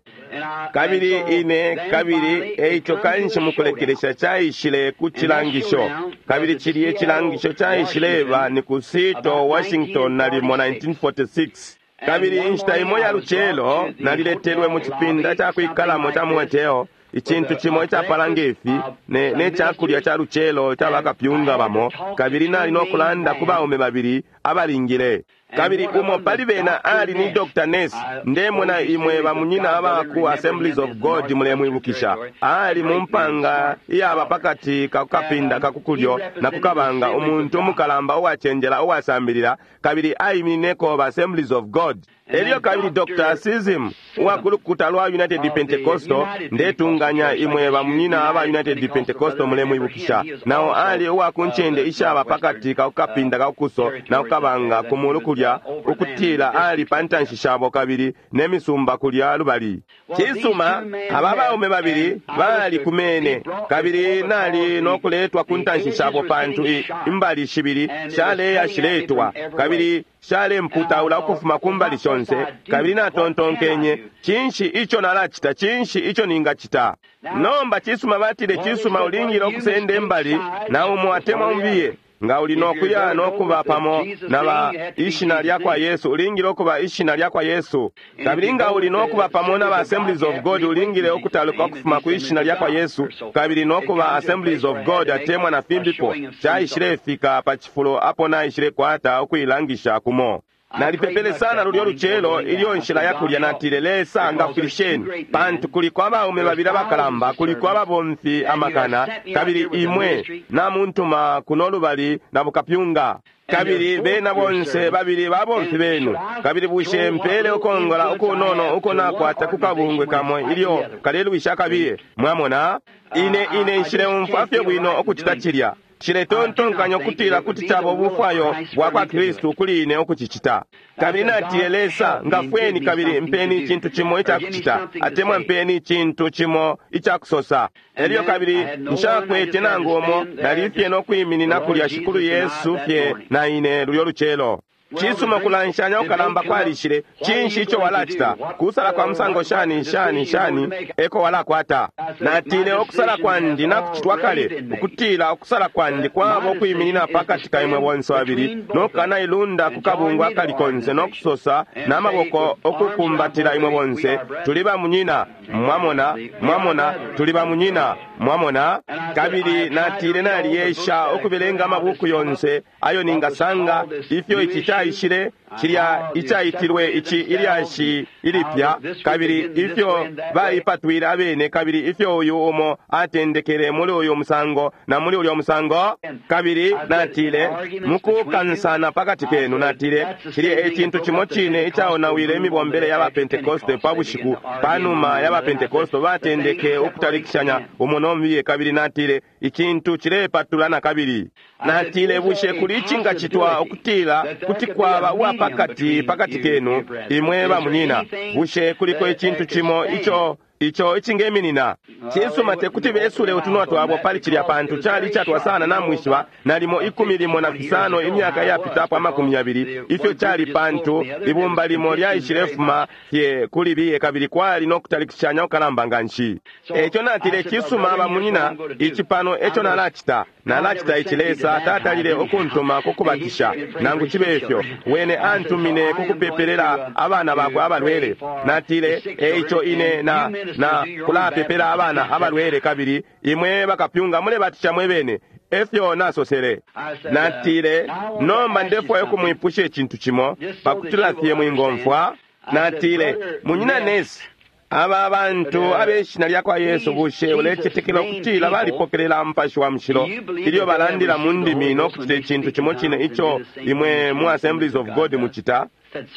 Kabili ine kabili eico kanshi mukulekelesha caishile ku cilangisho, kabili cilye cilangisho caishileba ni ku Seattle, Washington, nalimo 1946. Kabili inshita imo ya lucelo naliletelwe mu cipinda ca kwikalamo ca mu hotelo, icintu cimo icapala ngefi ne, ne cakulya ca lucelo ca bakapyunga bamo, kabili nali no kulanda ku baume babili abalingile. Kabili umo pali bena ali ni Dr. Ness. Ndemona imwe bamunyina aba ku Assemblies of God mulemwibukisha. Ali mu mpanga iyaba pakati ka kukapinda ka kukulyo na kukabanga, umuntu umukalamba uwacenjela uwasambilila, kabili aiminineko ba Assemblies of God. Elyo kabili Dr. Sism uwa ku lukuta lwa United Pentecostal, ndetunganya imwe bamunyina aba United Pentecostal mulemwibukisha. Nao ali uwa ku ncende ishaba pakati ka kukapinda ka kukuso na kukabanga ku mulu kulya, ukutila ali pa ntanshi shabo kabili ne misumba kulya lubali. Cisuma, aba baume babili bali kumene, kabili nali no kuletwa ku ntanshi shabo pantu imbali shibili shaleya shiletwa, kabili shalemputaula ukufuma ku mbali shonse. Kabili natontonkenye, cinshi ico nalacita? Cinshi ico ningacita? Nomba cisuma, batile, cisuma, ulingile ukusenda imbali na umo atemwa umbiye. Nga uli nokuya nokuba pamo na ba ishina lya kwa Yesu, ulingile ukuba ishina lya kwa Yesu. Kabili nga uli nokuba pamo na ba Assemblies of God, ulingile ukutaluka ukufuma ku ishina lya kwa Yesu, kabili nokuba Assemblies of God atemwa na fimbipo. Caishilefika pa cifulo apo naishile kwata ukuilangisha kumo. Nalipepele sana lulyo lucelo ilyo nshila ya kulya, natile, Lesa ngafwilisheni, pantu kuliko abaume babili abakalamba, kuliko ababomfi amakana, kabili imwe namuntuma kuno lubali na bukapyunga, kabili bena bonse babili babomfi benu. Kabili bushe mpele ukongola ukunono uko nakwata ku kabungwe kamo ilyo kalelwisha kabiye? Mwamona, ine ine nshileumfwa fye bwino ukucita cilya. Nshiletontonkanya ukutila kuti caba ubufwayo bwa kwa Kristu kuli ine ukucicita. Kabili natile, Lesa ngafweni kabili mpeni icintu cimo icakucita, atemwa mpeni icintu cimo icakusosa. Elyo kabili nshakwete nangu umo, nali fye no kwiminina kulya Shikulu Yesu fye na ine lulyo lucelo. Cisuma, kulanshanya ukalamba kwalishile. Cinshi ico walacita? Kusala kwa musango shani shani shani eko walakwata? Natile, ukusala kwandi nakucitwa kale, ukutila ukusala kwandi kwaba ukwiminina pakati ka imwe bonse babili, nokukanailunda ku kabungwe akali konse, nokusosa n'amaboko okukumbatila imwe bonse, tuli bamunyina. Mwamona, mwamona, tuli bamunyina. Mwamona. Kabili natile, naliyesha ukubelenga amabuku yonse ayo ningasanga ifyo ici caishile, cilya icaitilwe ici ilyashi ilipya, kabili ifyo baipatwile abene, kabili ifyo uyu umo atendekele muli uyu musango na muli ulyo musango. Kabili natile, mukukansana pakati kenu, natile, cilya ecintu cimo cine icaonawile imibombele ya bapentekoste pa bushiku panuma ya bapentekoste batendeke ukutalikishanya umo. no mubiye, kabili natile icintu cilepatula na kabili. Natile, bushe kuli icingacitwa ukutila kuti kwaba uwapakati pakati kenu imwe bamunyina? Bushe kuliko icintu cimo ico ico icingeminina? Cisuma, tekuti besule utunwa twabo pali cilya, pantu cali icatwa sana, namwishiba, nalimo 15 imyaka iyapitapo 20 ifyo cali, pantu ibumba limo lyaishilefuma fye kuli biye, kabili kwali no kutalikishanya kukalamba nganshi. Eco natile, cisuma bamunyina, ici pano eco nalacita. Nalacita ici. Lesa tatalile ukuntuma kukubatisha, nangu cibe ifyo wene antumine kukupepelela abana bakwe abalwele. Natile, eico ine na na kulapepela abana abalwele, kabili imwe bakapyunga mulebatisha mwebene. Efyo nasosele. Natile, nomba ndefwaya ukumwipusha icintu cimo pakutila fye mwingomfwa. Natile, munyina Nesi, aba bantu abeshina lya kwa Yesu, bushe ulecetekela ukutila balipokelela Mupashi wa Mushilo ilyo balandila mu ndimi no kucita icintu cimo cine ico imwe mu Assemblies of God mucita?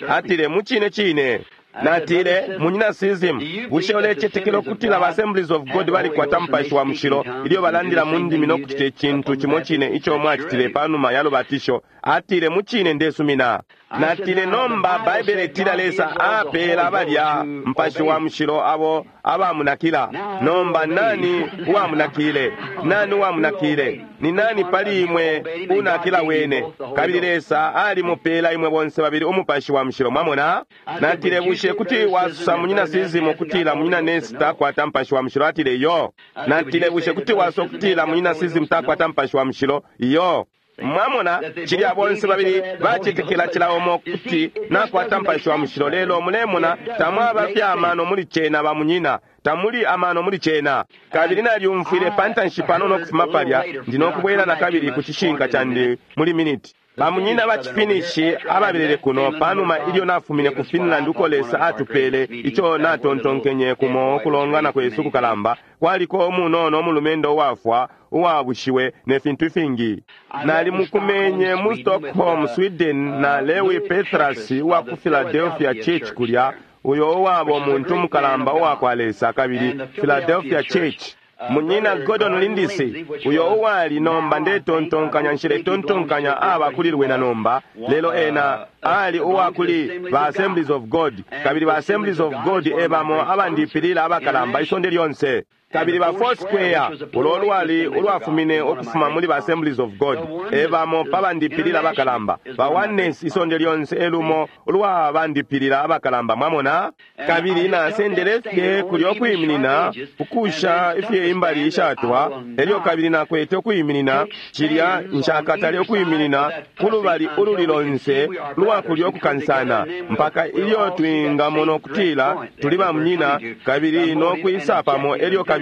Atile, mu cine cine. Natile, munyina Sism, bushe ulecetekela ukutila ba Assemblies of God balikwata Mupashi wa Mushilo ilyo balandila mu ndimi no kucita icintu cimo cine ico mwacitile panuma ya lubatisho? Atile, mu cine ndesumina. Natile, nomba Baibele itila Lesa apeela balya Mupashi wa Mushilo abo abamunakila. Nomba nani uwamunakile? Nani uwamunakile? Ni nani pali imwe unakila wene? Kabili Lesa alimupeela imwe bonse babili Umupashi wa Mushilo. Mwamona? Natile, bushe kuti wasusa munyina Sism ukutila munyina Nesi takwata Mupashi wa Mushilo? Atile, iyo. Natile, bushe kuti wasusa ukutila munyina Sism takwata Mupashi wa Mushilo? Iyo. Mwamona, cilya bonse babili bacetekela cila umo kuti nakwata Mupashi wa Mushilo. Lelo mulemona, tamwaba fye amano muli cena, bamunyina, tamuli amano muli cena. Kabili nalyumfwile pantanshi panono kufuma palya, ndi nokubwela na kabili ku cishinka candi muli miniti. Bamunyina ba Cifinishi ababelele kuno panuma ilyo nafumine ku Finland, uko Lesa atupele ico natontonkenye kumo kulongana kwesu kukalamba, kwaliko umunono umulumendo uwafwa uwabushiwe ne fintu ifingi. Nalimukumenye mu Stockholm, Sweden, na Lewi Petras uwa ku Philadelphia Church kulya, uyo uwaba umuntu mukalamba uwa kwa Lesa, kabili Philadelphia Church. Munyina Gordon Lindsay, uyo uwali nomba ndetontonkanya, nshiletontonkanya aba kuli lwena nomba, lelo ena ali uwa kuli ba Assemblies of God, kabili ba Assemblies of God ebamo abandipilila abakalamba isonde lyonse. Kabili ba Foursquare, ulo lwali ulwafumine ukufuma muli ba Assemblies of God, ebamo pa bandipilila abakalamba. Ba Oneness isonde lyonse elumo ulwa bandipilila abakalamba. Mwamona? Kabili nasendele fye kulyo kwiminina ukusha ifye imbali ishatwa, elyo kabili nakwete ukwiminina cilya nshakatale ukwiminina kulubali ululi lonse lwa kulyo kukansana, mpaka ilyo twingamona ukutila tuli bamunyina kabili no kwisa pamo, elyo kabili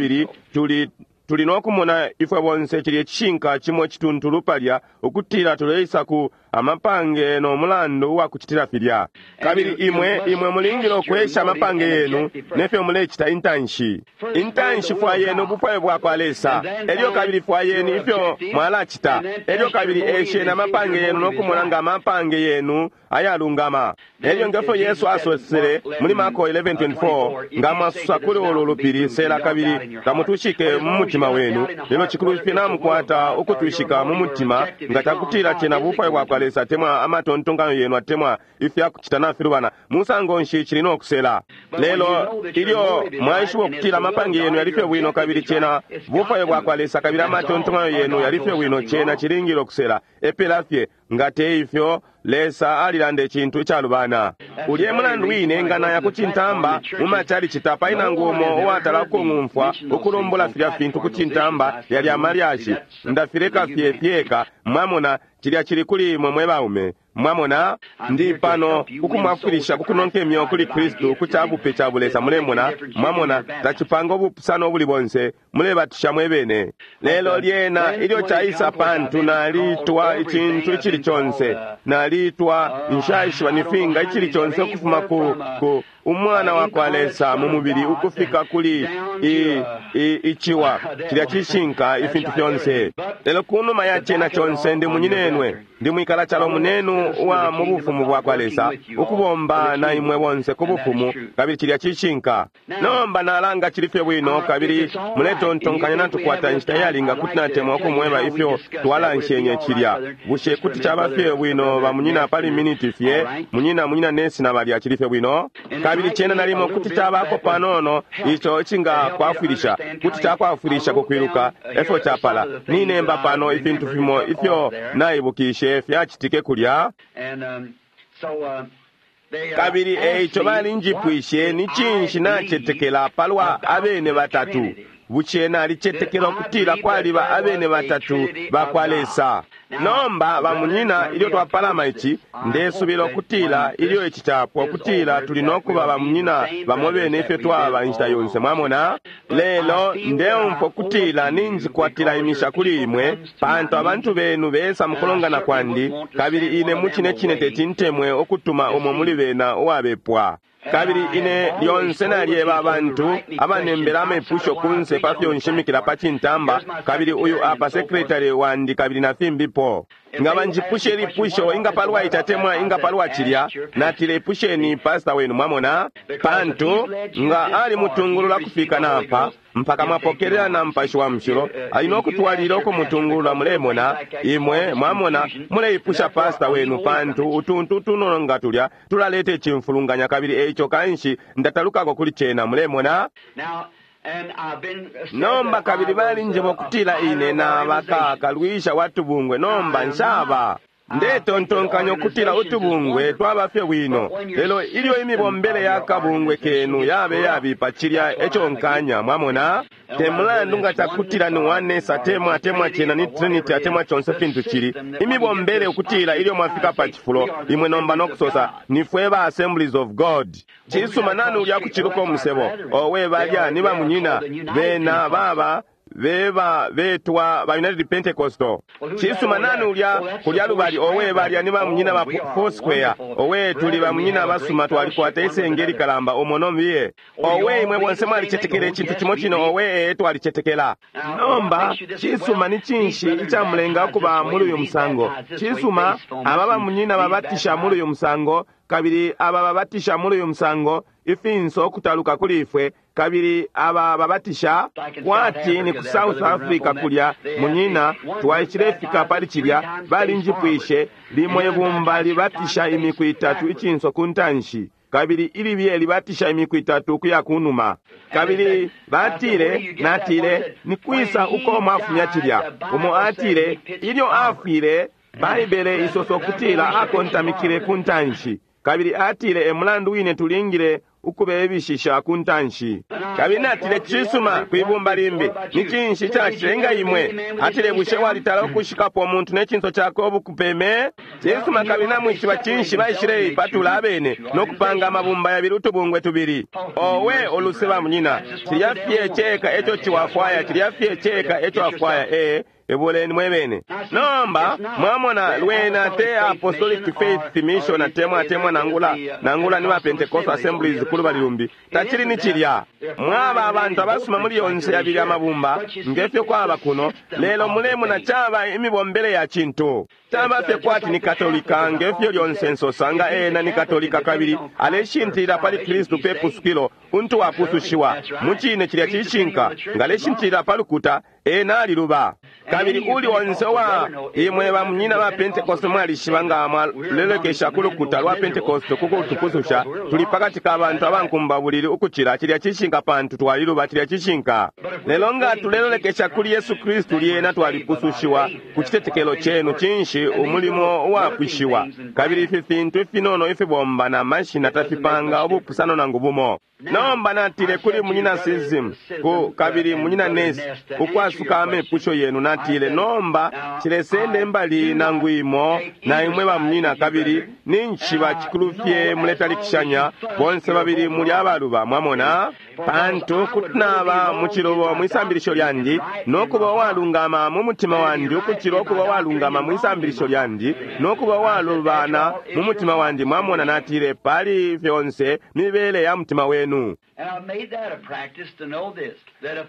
tuli nokumona ifwe bonse cilye cishinka cimo cituntulu palya, ukutila tuleisa ku amapange no mulandu uwa kucitila filya. Kabili imwe imwe mulingile ukwesha amapange yenu nefyo mulecita intanshi. Intanshi fwayeni ubufwayo bwa kwa Lesa, elyo kabili fwayeni ifyo mwalacita, elyo kabili esheni amapange yenu no kumona nga amapange yenu ayalungama. Elyo ngefyo Yesu asosele muli Marko 11:24, nga mwasusa kuli ulu lupili, sela kabili tamutushike mu mutima wenu, lelo cikulu fye namukwata ukutushika mu mutima, nga cakutila cena bufwayo bwa kwa Lesa atemwa amatontonkanyo yenu atemwa ifyakucita nafilubana, musango nshi cili no kusela. Lelo ilyo mwaishiba ukutila amapange yenu yali fye bwino kabili cena bufwayo bwa kwa Lesa kabili amatontonkanyo yenu yali fye bwino, cena cilingile ukusela. Epela fye nga te ifyo, Lesa alilanda icintu icalubana. Ulye mulandu wine nganaya ku cintamba mu machalichi tapali nangu umo uwatala ukung'umfwa ukulumbula filya fintu ku cintamba yali amalyashi. Ndafileka fye fyeka. Mwamona, cilya cili kuli imwe mwe baume. Mwamona, ndi pano kukumwafwilisha kukunonka imyeo kuli Kristu ku cabupe ca bulesa. Mulemona, mwamona, tacipanga ubupusano ubuli bonse, mulebatisha mwebene. Lelo lyena ilyo caisa pantu nalitwa icintu icili conse, nalitwa nshaishiba nifinga icili conse ukufuma ku umwana wa kwa Lesa mu mubili ukufika kuli iciwa cilya cishinka ifintu fyonse. Lelo kunuma ya cena conse ndi munyinenwe, ndi mwikala calo munenu uwa mu bufumu bwa kwa Lesa, ukubomba na imwe bonse ku bufumu, kabili cilya cishinka. Nomba nalanga cili fye bwino, kabili muletontonkanya. Ndetontonkanya natukwata inshita iyalinga, kuti natemwa ukumweba ifyo twalanshenye cilya. Bushe kuti caba fye bwino, bamunyina, pali miniti fye? Munyina Nesi na balya, cili fye bwino. Kabili cena nalimo kuti cabako panono ico icingakwafwilisha, kuti cakwafwilisha kukwiluka efyo capala. Ninemba pano ifintu fimo ifyo naibukishe fyacitike kulya. Kabili eico balinjipwishe ni cinshi nacetekela palwa abene batatu. Bushe nalicetekela ukutila kwaliba abene batatu bakwa Lesa? Nomba bamunyina, ilyo twapalama ici, ndesubila ukutila ilyo ici capwa ukutila tuli nokuba bamunyina bamo bene ifyo twaba inshita yonse, mwamona. Lelo ndeumfwa ukutila ninjikwatila imisha kuli imwe, pantu abantu benu besa mukulongana kwandi, kabili ine mucine cine teti ntemwe ukutuma umo muli bena uwabepwa. Kabili ine lyonse nalyeba abantu abanembela amepusho kunse pa fyo nshimikila pa cintamba, kabili uyu apa sekretary wandi kabili na fimbipo. Nga banjipushe ilipusho inga palwa ici atemwa inga palwa cilya, natile ipusheni pastor wenu, mwamona, pantu nga alimutungulula kufika napa mpaka mwapokelela na Mupashi wa Mushilo, ali nokutwalila ukumutungulula. Mulemona imwe, mwamona, muleipusha pasta wenu, pantu utuntu tunono nga tulya tulaleta icimfulunganya, kabili eico kanshi ndatalukako kuli cena, mulemona. Nomba kabili balinjeba ukutila ine naba kalwisha wa tubungwe. Nomba nshaba. Ndetontonkanya ukutila utubungwe twaba fye bwino, lelo ilyo imibombele ya kabungwe kenu yabe yabipa, cilya eco nkanya, mwamona. Te mulandu nga cakutila ni Oneness atemwa atemwa cena ni Trinity atemwa conse fintu cili, imibombele ukutila ilyo mwafika pa cifulo imwe nomba nokusosa nifwe ba Assemblies of God. Cisuma, nani ulya kuciluka umusebo? Owe, balya ni bamunyina bena baba beba betwa ba United Pentecostal. Cisuma, nani ulya kulya lubali? Owe, balya ni bamunyina ba Foursquare. Owe, tuli bamunyina basuma, twalikwata isenge likalamba umo nombiye. Owe, imwe bonse mwalicetekela icintu cimo cino. Owe, ee, twalicetekela. Nomba cisuma, ni cinshi icamulenga ukuba muli uyu musango? Cisuma, aba bamunyina babatisha muli uyu musango, kabili aba babatisha muli uyu musango, ifinso ukutaluka kuli ifwe, kabili aba babatisha kwati ni ku South Africa kulya, munyina, twaishilefika pali cilya, balinjipwishe limo ibumba libatisha imiku itatu icinso ku ntanshi, kabili ilibye libatisha imiku itatu ukuya kunuma. Kabili batile, natile, ni kwisa uko mwafumya cilya? Umo atile, ilyo afwile, Baibele isosa ukutila akontamikile ku ntanshi, kabili atile e mulandu wine tulingile ukubebishisha ku ntanshi. Kabili natile, cisuma, kwibumba limbi, ni cinshi cacilenga imwe? Atile, bushe walitala ukushikapo umuntu ne cinso cakwe ubukupeme? Cisuma, kabili namwishiba cinshi baishile ipatula abene no kupanga amabumba yabili, utubungwe tubili. Owe, oluse bamunyina, cilya fye ceka eco ciwafwaya, cilya fye ceka eco afwaya. Ee, ebuleni mwebene. Nomba mwamona, lwena te Apostolic Faith Mission atemwa atemwa nangula nangula ni ba Pentecostal Assemblies kulubali lumbi, tacili ni cilya. Mwaba abantu abasuma muli yonse yabili amabumba ngefyo kwaba kuno, lelo mulemona caba imibombele ya cintu. Caba fye kwati ni Katolika, ngefyo lyonse nsosa nga ena ni Katolika kabili aleshintilila pali Kristu pe pusukilo untu wapusushiwa. Mucine cilya cishinka, ngaleshintilila pa lukuta, ena aliluba. Kabili uli onse wa imwe bamunyina ba Pentecost mwalishiba nga mwalelekesha ku lukuta lwa Pentecost ku kutupususha, tuli pakati ka bantu abankumba bulili ukucila. Cilya cishinka, pantu twaliluba. Cilya cishinka. Lelo nga tulelolekesha kuli Yesu Kristu, lyena twalipusushiwa ku citetekelo cenu. Cinshi? Umulimo uwapwishiwa. Kabili ifi fintu ifinono ifibomba na mashina tafipanga ubupusano nangu bumo. Nomba natile kuli munyina Sism ku kabili munyina Nesi ukwasuka amepusho yenu, natile nomba cilesende mbali nangu imo na imwe bamunyina, kabili ninshi bacikulu fye muletalikishanya bonse babili muli abaluba, mwamona, pantu kuti naba mucilubo mwisambilisho lyandi nokuba uwalungama mu mutima wandi ukucila ukuba uwalungama mwisambilisho lyandi nokuba uwalubana mu mutima wandi, mwamona. Natile pali fyonse mibele ya mutima wenu.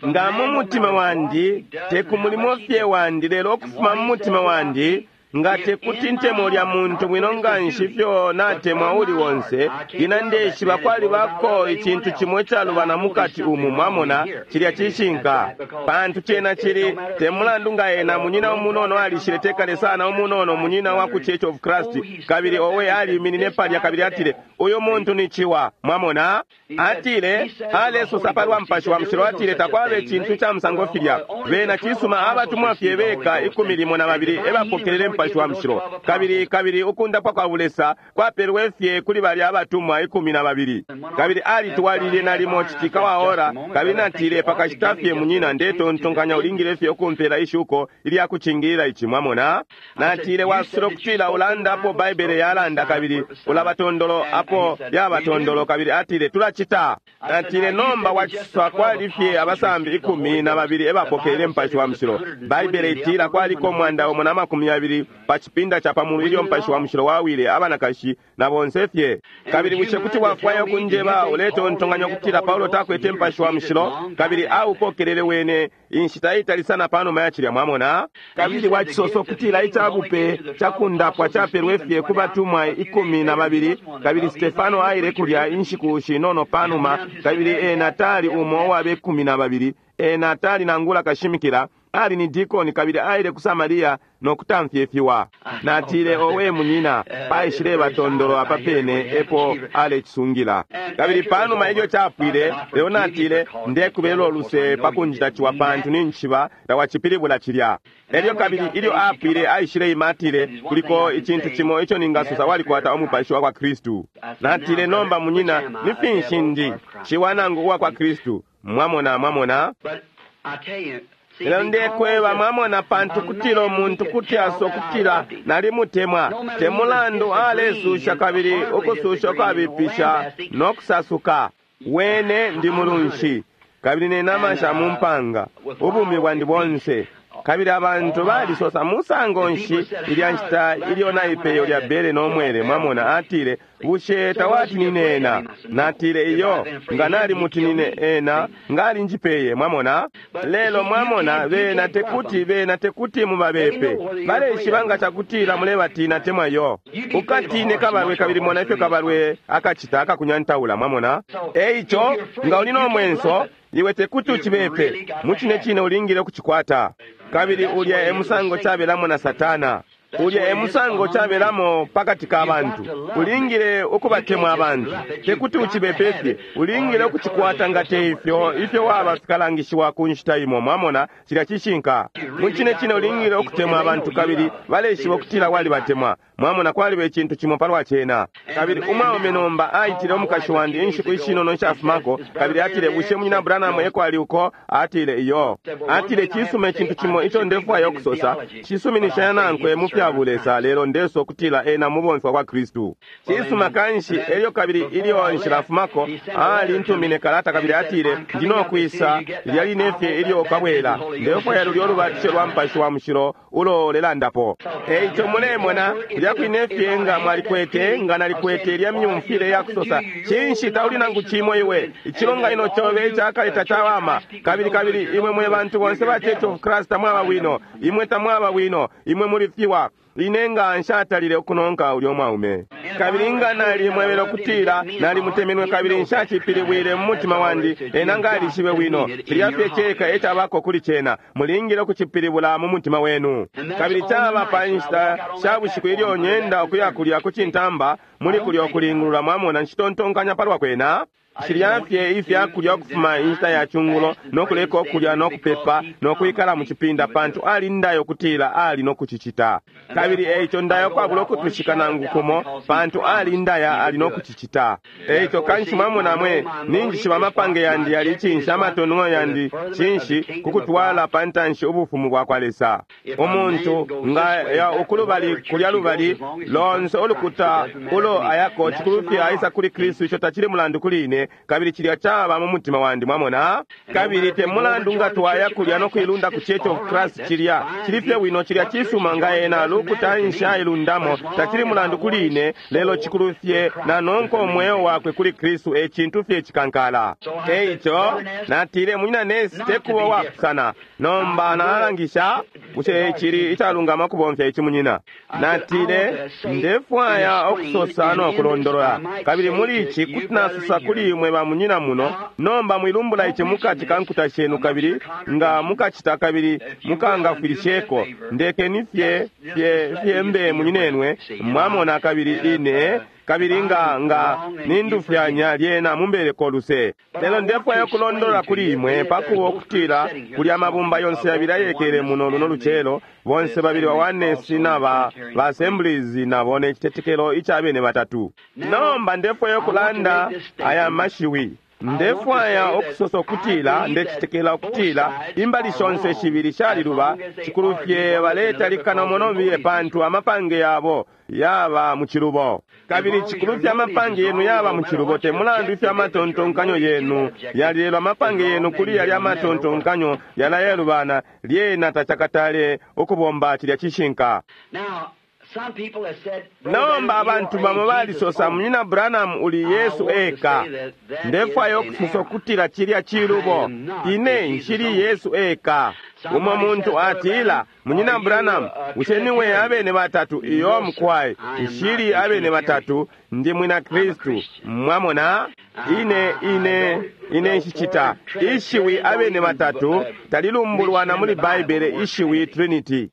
Nga mu mutima wandi, te ku mulimo fye wandi, lelo ukufuma mu mutima wandi, Nga tekuti ntemwe ulya muntu bwino nganshi ifyo natemwa uli onse, ina ndeshiba kwalibako icintu cimo icalubana mukati umu, mwamona, cilya cishinka. Pantu cena cili, te mulandu nga ena munyina umunono alishile tekale sana umunono munyina wa ku Church of Christ, kabili owe aliminine palya kabili atile, uyu muntu ni ciwa, mwamona? Atile, alesosa palwa Mupashi wa Mushilo, atile takwaba icintu ca musango filya. Bena cisuma abatumwa fye beka 12 ebapokelele Mupashi wa Mushilo. Kabili, kabili ukundapwa kwa bulesa kwapelwe fye kuli balya abatumwa 12. Kabili alitwalile nalimo citika wa ora, kabili natile pakashita fye munyina ndetontonkanya ulingile fye ukumpela ishuko ilya kucingilila ici, mwamona? Natile wasula ukutila ulanda apo Baibele yalanda kabili ulabatondolo apo yabatondolo, kabili atile tulacita. Natile nomba waciswa kwali fye abasambi 12 ebapokelele Mupashi wa Mushilo. Baibele itila kwaliko 120 pa cipinda ca pamulu ilyo Mupashi wa Mushilo wawile abanakashi na bonse fye. Kabili bushe kuti wafwaya ukunjeba uletontonkanya ukutila Paulo takwete Mupashi wa Mushilo kabili aupokelele wene inshita itali sana panuma ya cilya, mwamona? Kabili wacisosa ukutila icabupe cakundapwa capelwe fye ku batumwa 12, kabili Stefano aile kulya inshiku shinono panuma, kabili ena tali umo uwa 12, ena tali nangula kashimikila, ali ni dikoni kabili aile ku Samaria no kutamfya ifiwa. Natile owe munyina, paishile batondolo apa pene epo alecisungila. Kabili panuma ilyo capwile, lelo natile ndekubelwa uluse pa kunjita ciwa pantu ninjishiba tawacipilibula cilya. Elyo kabili ilyo apwile aishile ima atile kuliko icintu cimo ico ningasosa walikwata umupashi wa kwa Kristu. Natile nomba munyina, ni finshi ndi ciwa nangu uwa kwa Kristu? Mwamona, mwamona? Lelo ndekweba mwamona, pantu kutila umuntu kuti asokutila nalimutemwa, te mulandu alesusha kabili ukususha kwabipisha no kusasuka. Wene ndi mulunshi kabili ne nama sha mu mpanga ubumi bwandi bonse. Kabili abantu balisosa musango nshi ilya nshita ilyo naipeyo lya bele no mwele, mwamona. Atile bushe tawatinine ena? Natile iyo, nga nalimutinine ena ngali njipeye, mwamona. Lelo mwamona bena tekuti, bena tekuti mubabepe, baleshiba nga cakutila mulebatina temwa yo. Ukatine kabalwe kabili mona ifyo kabalwe akacita akakunyantaula, mwamona. Eico nga uli no mwenso iwe tekuti ucibepe, mucine cine ulingile ukucikwata. Kabili ulya e musango cabelamo na Satana, ulya e musango cabelamo pakati ka bantu. Ulingile ukubatemwa abantu, tekuti ucibepe fye, ulingile ukucikwata nga te ifyo ifyo waba fikalangishiwa ku nshita imo, mwamona. Cilya cishinka. Mucine cine ulingile ukutemwa abantu kabili baleshiba ukutila walibatemwa, mwamona. Kwaliba icintu cimo palwa cena. Kabili umwaume nomba aitile umukashi wandi inshiku ishinono nshafumako, kabili atile bushe munyina Branham eko ali uko? Atile iyo. Atile cisuma icintu cimo ico ndefwaya ukusosa, cisuminishanya nankwe mu fya bulesa, lelo ndeso kutila ena mubomfi wa kwa Kristu. Cisuma kanshi. Elyo kabili ilyo nshilafumako alintumine kalata kabili atile ndinokwisa lilya line fye ilyo ukabwela, ndefwaya lulyo ulubatisho lwa Mupashi wa Mushilo ulo lelandapo. Eico mulemona kulya kwine fye nga mwalikwete, nga nalikwete ilya myumfile ya kusosa cinshi tauli nangu cimo iwe, icilonganino cobe icakale tacawama, kabili kabili imwe mwe bantu bonse ba Church of Christ tamwaba bwino, imwe tamwaba bwino, imwe muli fiwa. Ine nga nshatalile ukunonka ulyo mwaume, kabili nga nalimwebele ukutila nalimutemenwe kabili nshacipilibwile mu mutima wandi, ena nga alishibe bwino. Cilya fye ceka ecabako kuli cena, mulingile ukucipilibula mu mutima wenu. Kabili caba pa nshita sha bushiku ilyo nyenda ukuya kulya ku cintamba muli kulya ukulingulula, mwamona, nshitontonkanya palwa kwena. Shilya fye ifya kulya ukufuma inshita ya cungulo no kuleka ukulya no kupepa no kwikala mu cipinda, pantu ali ndayo kutila ali no kucicita. Kabili eico ndayo kwabula ukutwishika nangu kumo, pantu ali ndaya ali no kucicita. Eico kanshi mwamona mwe ninjishiba amapange yandi yali cinshi, amatongo yandi cinshi, kukutwala pa ntanshi ubufumu bwa kwa Lesa. Umuntu nga ya ukulubali kulya lubali lonse ulukuta ulo ayako cikulu fye aisa kuli Kristu, ico tacili mulandu kuli ine, kabili cilya caba mu mutima wandi, mwamona. Kabili te mulandu nga twaya kulya no kuilunda ku Church of Christ, cilya cili fye bwino, cilya cisuma nga ena lukuta nshailundamo, tacili mulandu kuli ine, lelo cikulu fye nanonka umweo wakwe kuli Kristu, e cintu fye cikankala. Eico natile munyina Nesi tekuba wapusana nomba nalangisha. Bushe cili icalungama kubomfya ici, munyina? Natile, ndefwaya ukusosa no kulondolola, kabili muli ici kuti nasosa kuli imwe ba munyina muno. Nomba mwilumbula ici mukati ka nkuta shenu, kabili nga mukacita kabili mukangafwilisheko, ndekeni fye fye fye mbe munyinenwe, mwamona. Kabili ine kabili nga nga nindufyanya, lyena mumbeleko luse. Lelo ndefwaya ukulondolola kuli imwe pakuba ukutila kuli amabumba yonse yabili ayekele muno luno lucelo, bonse babili ba Oneness na ba Assemblies nabo ne citetekelo ica bene batatu. Nomba ndefwaya ukulanda aya mashiwi. Ndefwaya ukusosa ukutila ndecetekela ukutila imbali shonse shibili shaliluba, cikulu fye baletalikana umo pantu amapange yabo yaba mu cilubo. Kabili cikulu fye amapange yenu yaba mu cilubo, te mulandu ifyo amatontonkanyo yenu yali, lelo amapange yenu kuli yali amatontonkanyo yalayelubana, lyena tacakatale ukubomba. Cilya cishinka. Nomba abantu bamo balisosa, munyina Branham, uli Yesu eka. Ndefwaya ukusosa ukutila cilya cilubo. Ine nshili Yesu eka. Umo muntu atila, munyina Branham, bushe niwe abene batatu? Iyo mukwai, nshili abene batatu, ndi mwina Kristu. Mwamona, ine ine ine nshicita. Ishiwi abene batatu talilumbulwa na muli Baibele, ishiwi Trinity.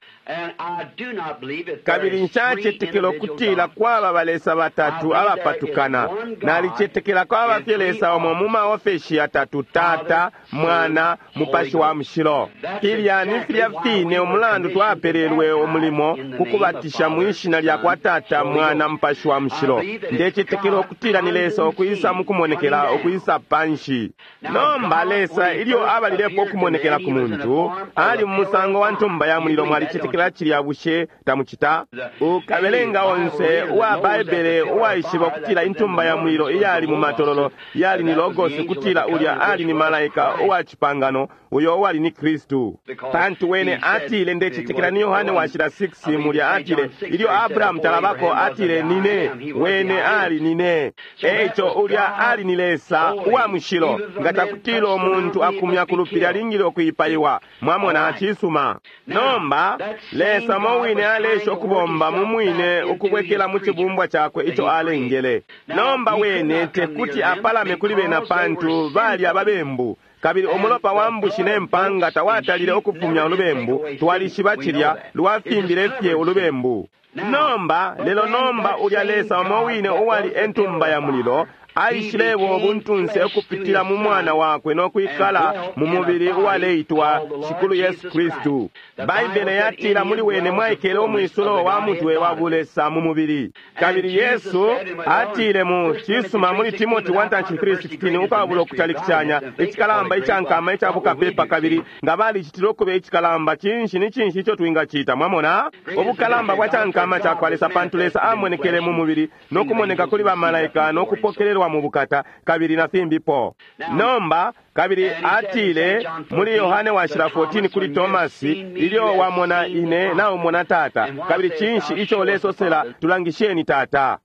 Kabili nshacetekela ukutila kwaba balesa batatu abapatukana. Nalicetekela kwaba fye Lesa umo mu maofeshi yatatu, Tata, Mwana, Mupashi wa Mushilo. Filya ni filya fine umulandu twapelelwe umulimo ku kubatisha mu ishina lya kwa Tata, Mwana, Mupashi wa Mushilo. Ndecetekela ukutila ni Lesa ukwisa mukumonekela, ukwisa panshi. Nomba Lesa ilyo abalilepo ukumonekela ku muntu, ali mu musango wa ntumba ya mulilo. Mwalicetekela cilya, bushe tamucita? Ukabelenga onse uwa Baibele uwaishiba ukutila intumba ya mulilo iyali mu matololo yali ni Logos, ukutila ulya ali ni malaika uwa cipangano, uyo uwali ni Kristu. Pantu wene atile, ndecetekela ni Yohane washila 6 mulya, atile ilyo Abrahamu talabako, atile nine wene ali nine. Eico ulya ali ni Lesa uwa mushilo. Nga takutila umuntu akumya ku lupili alingile ukuipaiwa. Mwamona, cisuma. Nomba Lesa mo wine alesha ukubomba mu mwine ukubwekela mu cibumbwa cakwe ico alengele. Nomba wene tekuti apalame kuli bena pantu bali ababembu, kabili umulopa wa mbushi ne mpanga tawatalile ukufumya ulubembu. Twalishiba cilya, lwafimbile fye ulubembu. Nomba lelo nomba ulya Lesa umo wine uwali entumba ya mulilo aishilebo ubuntunse ukupitila mu mwana wakwe no kwikala mu mubili uwaleitwa Shikulu Yesu Kristu. Baibele yatila muli wene mwaikele umwisulo wa mutwe wa bulesa mu mubili. Kabili Yesu atile mu cisuma muli Timoti 1:3-16, ukwabula ukutalikishanya, icikalamba icankama ica bukapepa, kabili nga balicitile ukuba icikalamba, cinshi ni cinshi ico twingacita? Mwamona ubukalamba bwa cankama ca kwa Lesa, pantu Lesa amonekele mu mubili no kumoneka kuli bamalaika no kupokelelwa mu bukata, kabili na fimbipo. Nomba kabili atile muli Yohane washila 14 kuli Tomasi, ilyo wamona ine naumona Tata. Kabili cinshi ico ulesosela, tulangisheni Tata?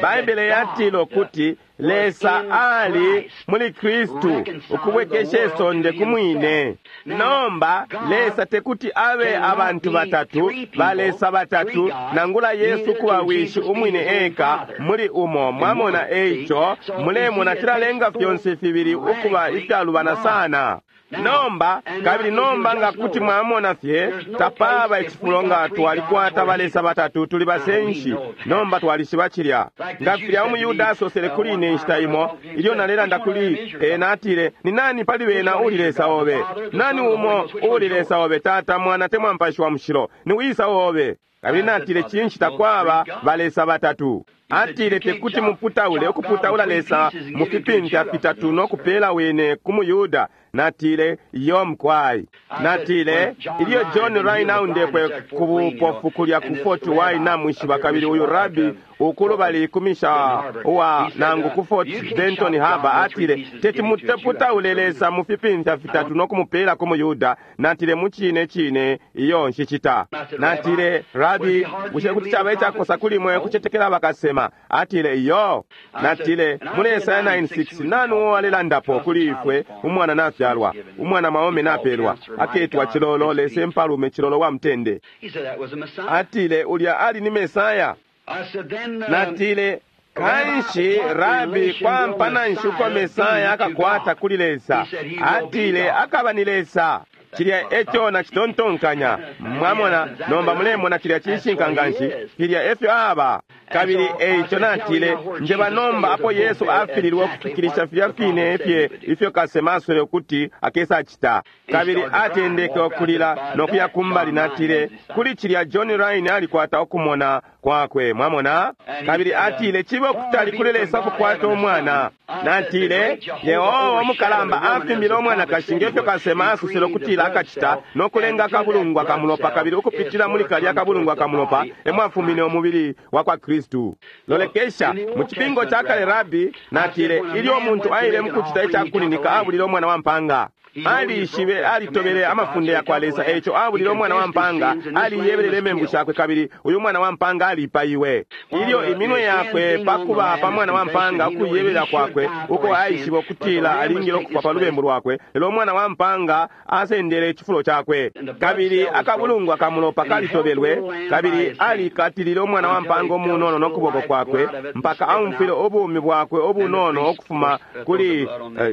Baibele yatile ukuti Lesa ali muli Kristu ukubwekesha isonde ku mwine. Nomba Lesa tekuti abe abantu batatu, balesa batatu, nangula Yesu kuba wishi umwine eka muli umo. Mwamona, eico mulemona cilalenga fyonse fibili ukuba ifyalubana sana. Nomba kabili nomba nga kuti mwamona fye, tapaba icifulo nga twalikwata balesa batatu, tuli basenshi. Nomba twalishiba cilya. Nga filya umuyuda asosele kuli ine inshita imo ilyo nalelanda kuli ena, atile, ni nani pali bena uli Lesa obe? Nani umo uli Lesa obe, Tata, Mwana, temwa Mupashi wa Mushilo? Ni wisa obe? Kabili natile, cinshi takwaba balesa batatu? Atile tekuti muputaule ukuputaula Lesa mu fipimfya fitatu no kupela wene ku muyuda. Natile, iyo mkwai. Natile ilyo John Rhyn aundepwe ku bupofu kulya ku Fort Wayne, namwishiba, kabili uyu rabi Ukulubali kumisha uwa nangu ku Fort Benton Harbor, atile, teti muteputaule Lesa mu fipimfya fitatu no kumupela ku muYuda. Natile, mucine cine iyo nshicita. Natile, Rabi, bushe kuti caba icakosa kuli mwe kucetekela bakasema? Atile, iyo. Natile, muli Esaya 9:6 nani uo alelandapo kuli ifwe? Umwana nafyalwa, umwana mwaume napelwa, aketwa Cilolo, Lesa Impalume, Cilolo wa mutende. Atile, ulya ali ni Mesaya. Natile, kanshi Rabi, kwampana nshi uko Mesaya akakwata kuli Lesa? Atile, akaba ni Lesa. Cilya eco nacitontonkanya. Mwamona, nomba mulemona cilya cishinka nganshi, filya efyo aba. Kabili eico natile, njeba nomba apo Yesu afililwe ukufikilisha filya fine fye ifyo kasema aswele ukuti akesa cita. Kabili atendeke ukulila no kuya kumbali. Natile, kuli cilya John Rhyn alikwata ukumona kwakwe. Mwamona? Kabili atile, cibe ukutali kuli Lesa kukwata umwana. Natile, Yehova umukalamba afimbile umwanakashi ngefyo kasema asosele ukutila akacita, no kulenga akabulungwa kamulopa, kabili ukupitila muli kalya akabulungwa kamulopa emwafumine umubili wa kwa Kristu. Lolekesha mu cipingo ca kale, Rabi, natile, ilyo umuntu aile mukucita icakuninika abulile umwana wa mpanga. Alishibe, alitobele amafunde ya kwa Lesa, eico abulile umwana wa mpanga, aliyebelele imembu shakwe, kabili uyu mwana wa mpanga alipaiwe. Ilyo iminwe yakwe pakuba pa mwana wa mpanga, ukuyebelela kwakwe uko aishibe ukutila alingile ukufa pa lubembu lwakwe, lelo umwana wa mpanga asendele icifulo cakwe, kabili akabulungwa kamulopa kalitobelwe, kabili alikatilile umwana wa mpanga umunono no kuboko kwakwe mpaka aumfwile ubumi bwakwe ubunono ukufuma kuli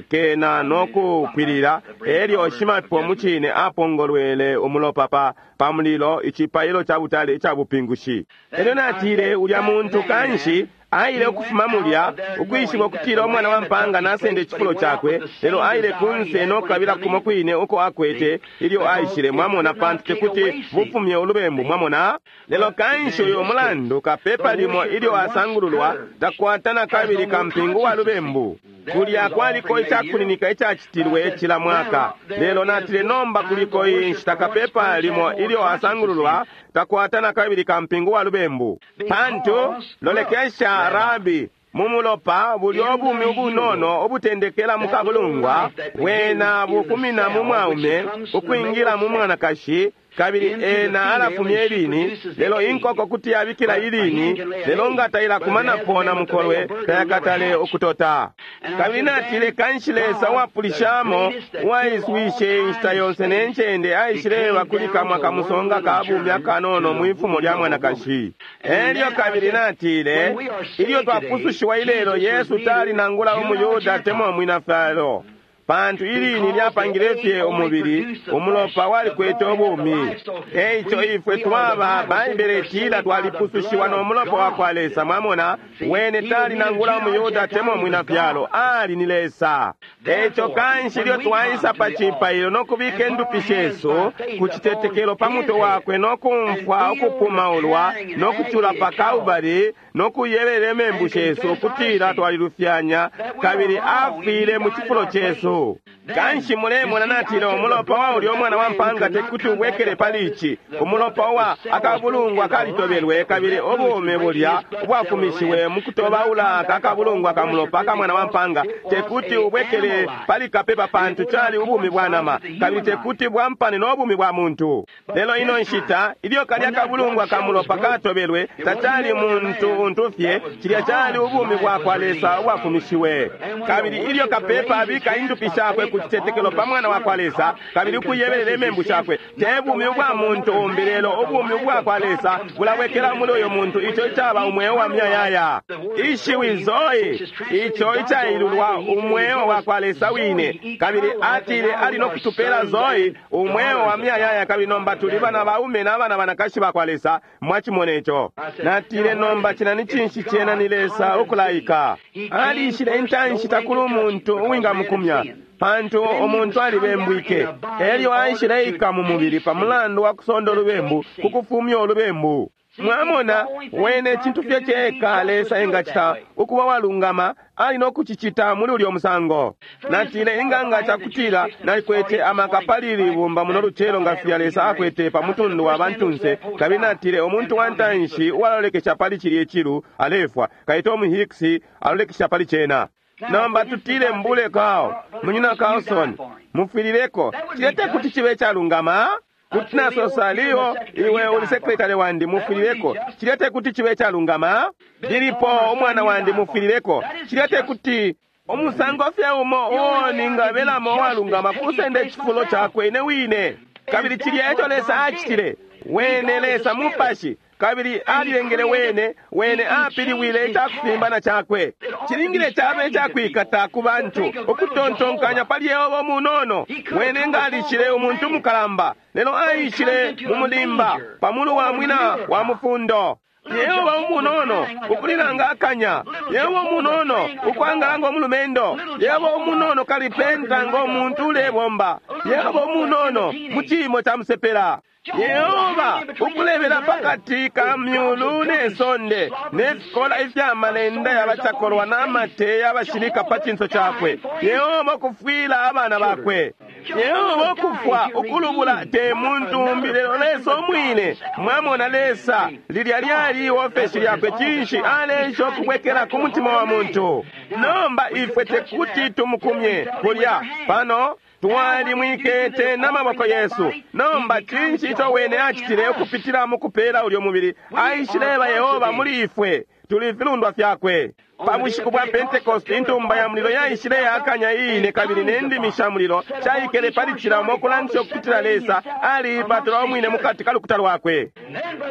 kena no kupwilila. Elyo shimapepo mucine apongolwele umulopa pa mulilo, icipailo ca butale ica bupingushi. Elyo natile, ulya muntu kanshi aile ukufuma mulya ukwishiba ukutila umwana wa mpanga nasenda icifulo cakwe, lelo aile kunse no kukabila kumo kwine uko akwete ilyo aishile. Mwamona, pantu tekuti bufumye ulubembu. Mwamona? Lelo kanshi uyo mulandu kapepa limo ilyo asangululwa takwata na kabili kampingu wa lubembu. Kulya kwaliko icakuninika icacitilwe cila mwaka, lelo natile nomba kuliko inshita kapepa limo ilyo asangululwa takwata na kabili kampingu wa lubembu. Pantu lolekesha, Rabi, mumulopa bulyo ubumi ubunono ubutendekela mukabulungwa bwena bufumina mu mwaume ukwingila mu mwanakashi, kabili ena alafumya ilini, lelo inkoko kuti yabikila ilini, lelo nga tailakumanapo na mukolwe tayakatale ukutota. Kabili natile, kanshi Lesa uwapulishamo uwaiswishe inshita yonse ne ncende aishileba kuli kamwa kamusonga ka bumi akanono mwifumo lya mwanakashi. Elyo kabili natile, ilyo twapusushiwa ilelo, Yesu tali nangula umuYuda temwa umwina fyalo, pantu ilini lyapangile fye umubili, umulopa walikwete ubumi. Eico ifwe twaba, Baibele itila twalipusushiwa no mulopa wa kwa Lesa. Mwamona, wene tali nangula umuyuda temwa umwina fyalo, ali ni Lesa. Eico kanshi ilyo twaisa pa cipailo no kubika indupi shesu ku citetekelo pa mutwe wakwe no kumfwa ukupumaulwa no kucula pa Kalbari no kuyebelela imembu shesu ukutila twalilufyanya, kabili afwile mu cifulo cesu. Kanshi mulemona, natile, umulopa wa ulya umwana wa mpanga tekuti ubwekele pali ici. Umulopa wa akabulungwa kalitobelwe, kabili ubumi bulya ubwafumishiwe mukutobaula akabulungwa kamulopa ka mwana wa mpanga tekuti ubwekele pali kapepa, pantu cali ubumi bwa nama, kabili tekuti bwampane no bumi bwa muntu. Lelo ino nshita ilyo kalya kabulungwa kamulopa katobelwe, tacali muntu untu fye, cilya cali ubumi bwa kwa Lesa ubwafumishiwe. Kabili ilyo kapepa abika indupi shakwe ku citetekelo pa mwana wa kwa Lesa, kabili ukuyebelela imembu shakwe, te bumi ubwa muntu umbi, lelo ubumi ubwa kwa Lesa bulabwekela muli uyo muntu, ico icaba umweo wa muyayaya. Ishiwi Zoe, ico icailulwa umweo wa kwa Lesa wine. Kabili atile ali no kutupela Zoe, umweo wa muyayaya, kabili nomba tuli bana baume na bana banakashi ba kwa Lesa. Mwachimona ico? Natile, nomba cina ni cinshi? Cena ni Lesa ukulaika. Alishile intanshi takuli umuntu uwingamukumya, pantu umuntu alibembwike. Elyo aishileika mu mubili pa mulandu wa kusonda ulubembu, ku kufumya ulubembu. Mwamona, wene cintu fye ceka Lesa engacita ukuba walungama, ali no kucicita muli ulyo musango. Natile inganga cakutila nalikwete amaka pali ili bumba muno lucelo nga filya Lesa akwete pa mutundu wa bantunse, kabili natile umuntu wa ntanshi uwalolekesha pali cilye cilu alefwa, kabili Tom Hicks alolekesha pali cena. Nomba tutile mbule Carl, munyina Carlson, mufwilileko, cilya tekuti cibe calungama? Kuti nasosa Leo, iwe uli sekretari wandi, mufwilileko, cilya tekuti cibe calungama? Lilipo umwana wandi, mufwilileko, cilya tekuti umusango fye umo uo ningabelamo uwalungama kusenda icifulo cakwe ine wine. Kabili cilya eco Lesa acitile, wene Lesa mupashi, kabili alilengele wene, wene apiliwile icakufimbana cakwe. Cilingile caba icakwikata ku bantu ukutontonkanya pali Yehova munono. Wene nga alishile umuntu mukalamba, lelo aishile mu mulimba pamulu wa mwina wa mufundo. Yehova umunono ukulilanga akanya, Yehova umunono ukwangala ngo mulumendo, Yehova umunono kalipenta ngo muntu ulebomba, Yehova umunono mu ciimo ca musepela. Yehova ukulebela pakati ka myulu ne sonde ne fikola ifya malenda yabacakolwa n'amate y'abashilika pa cinso cakwe. Yehova ukufwila abana bakwe. Yehova ukufwa ukulubula te muntu umbi lelo Lesa umwine. Mwamona Lesa lilya lyali iofeshi lyakwe, cinshi alesha ukubwekela ku mutima wa muntu. Nomba ifwe tekuti tumukumye kulya pano twalimwikete n'amaboko yesu. Nomba cinshi ico wene acitile ukupitila mu kupela ulyo mubili? Aishileba Yehova muli ifwe, tuli filundwa fyakwe. Pa bushiku bwa Pentecost intumba ya mulilo yaishile yakanya iine, kabili ne ndimi sha mulilo shaikele pali cila umo ukulangisha ukutila Lesa aliipatula umwine mukati ka lukuta lwakwe.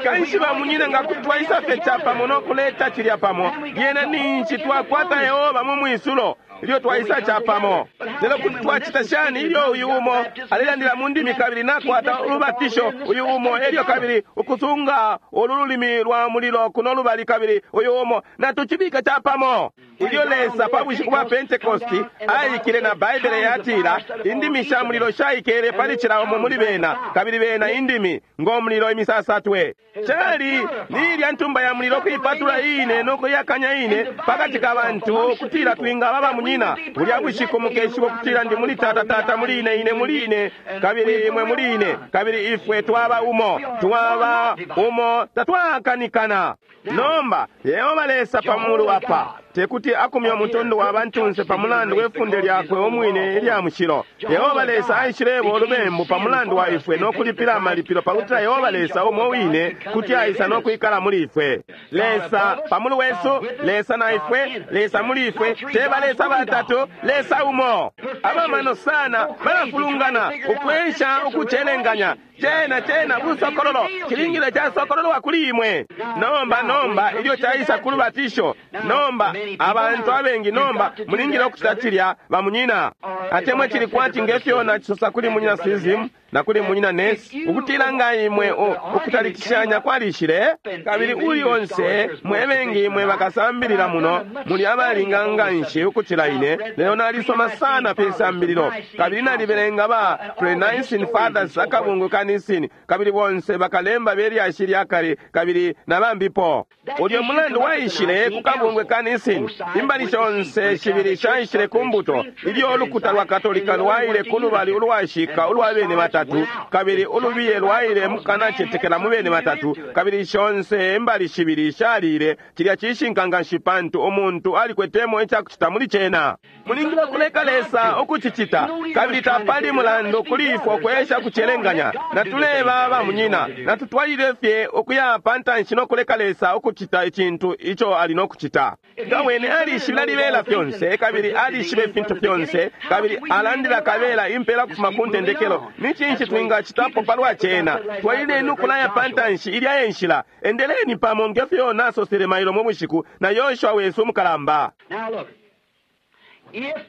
Kanshi bamunyina nga kuti twaisa fye capamo no kuleta cilya pamo, lyena ninshi twakwata Yehova mu mwisulo ilyo twaisa capamo. Lelo kuti twacita shani ilyo uyu umo alelandila mu ndimi kabili nakwata ulubatisho uyu umo, elyo kabili ukusunga ulu lulimi lwa mulilo kuno lubali, kabili uyu umo natucibika capamo? Ilyo Lesa pa bushiku bwa Pentecosti aikile, na Baibele yatila indimi sha mulilo shaikele pali cila umo muli bena, kabili bena indimi ngo mulilo imisasatwe. Cali ni ilya ntumba ya mulilo kuipatula iine no kuyakanya iine pakati ka bantu ukutila twingaba bamunyina. Bulya bushiku mukeshiba ukutila ndi muli tata, tata muli ine, ine muli ine, kabili imwe muli ine, kabili ifwe twaba umo, twaba umo, tatwakanikana. Nomba Yehova Lesa pa mulu apa tekuti akumye umutundu wa bantunse pa mulandu we funde lyakwe umwine ilya mushilo. Yehova Lesa aishileba ulubembu pa mulandu wa ifwe no kulipila amalipilo pakutila Yehova Lesa umo wine kuti aisa no kwikala muli ifwe. Lesa pa mulu wesu, Lesa na ifwe, Lesa muli ifwe, teba Lesa batatu, Lesa umo. Abamano sana balafulungana ukwensha ukucelenganya. Cena cena busokololo cilingile casokololwa kuli imwe. Nomba nomba ilyo caisa ku lubatisho, nomba abantu abengi nomba mulingile ukucita cilya bamunyina. Atemwe cili kwati ngefyo nacisosa kuli munyina Sizim na kuli munyina Nesi, ukutila nga imwe ukutalikishanya kwalishile, kabili uli onse mwe bengi imwe bakasambilila muno muli abalinga nganshi ukucila ine, lelo nalisoma sana pe sambililo, kabili nalibelenga ba Pre-Nicene Fathers akabungu ka Nicene, kabili bonse bakalemba belyashi lya kale, kabili na bambipo. Ulyo mulandu waishile ku kabungwe ka Nicene, imbali shonse shibili shaishile ku mbuto, ilyo ulukuta lwa Katolika lwaile ku lubali ulwashika ulwa bene batatu, kabili ulubiye lwaile mukanacetekela mu bene batatu, kabili shonse imbali shibili shalile. Cilya cishinka nganshi pantu umuntu alikwetemo icakucita muli cena. Mulingile kuleka Lesa ukucicita, kabili tapali mulandu kuli ifwe ukwesha kucelenganya. Natuleba bamunyina, natutwalile fye ukuya pa ntanshi no kuleka Lesa ukucita icintu ico ali no kucita. Nga wene alishibila libela fyonse, kabili alishiba ifintu fyonse, kabili alandila kabela impela kufuma ku ntendekelo, ni cinshi twingacitapo palwa cena? Twalileni ukulaya pa ntanshi ilya e nshila. Endeleni pamo ngefyo nasosele mailo mu bushiku na Yoshua wesu umukalamba.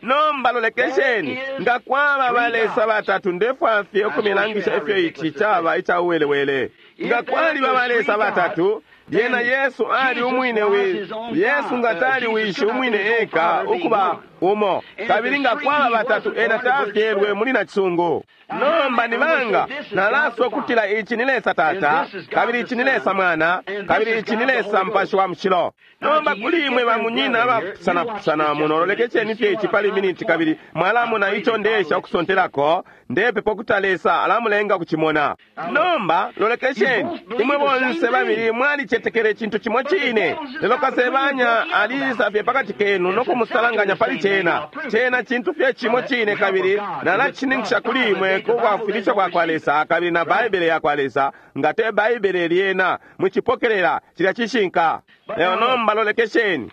Nomba lolekesheni, nga kwaba balesa batatu, ndefwa fye ukumilangisha ifyo ici caba ica uwelewele. Nga kwaliba balesa batatu, lyena Yesu ali umwine wi Yesu nga tali wishi umwine eka ukuba Umo. Kabili nga kwaba batatu, ena tafyelwe muli nacisungu. Nomba ni banga nalaswa ukutila ici ni Lesa Tata, kabili ici ni Lesa Mwana, kabili ici ni Lesa Mupashi wa Mushilo. Nomba kuli imwe bamunyina abapusanapusana muno, lolekesheni fye ici pali miniti, kabili mwalamona ico ndeesha ukusontelako. Ndepepa ukuti Lesa alamulenga ukucimona. Nomba lolekesheni, imwe bonse babili mwalicetekele icintu cimo cine, lelo kasebanya aliisa fye pakati kenu no kumusalanganya pali cena. Cena cintu fye cimo cine, kabili nalacishininkisha kuli imwe ku bwafwilisho bwa kwa Lesa kabili na Baibele ya kwa Lesa. Nga te Baibele lyena mucipokelela cilya cishinka. Lelo nomba lolekesheni,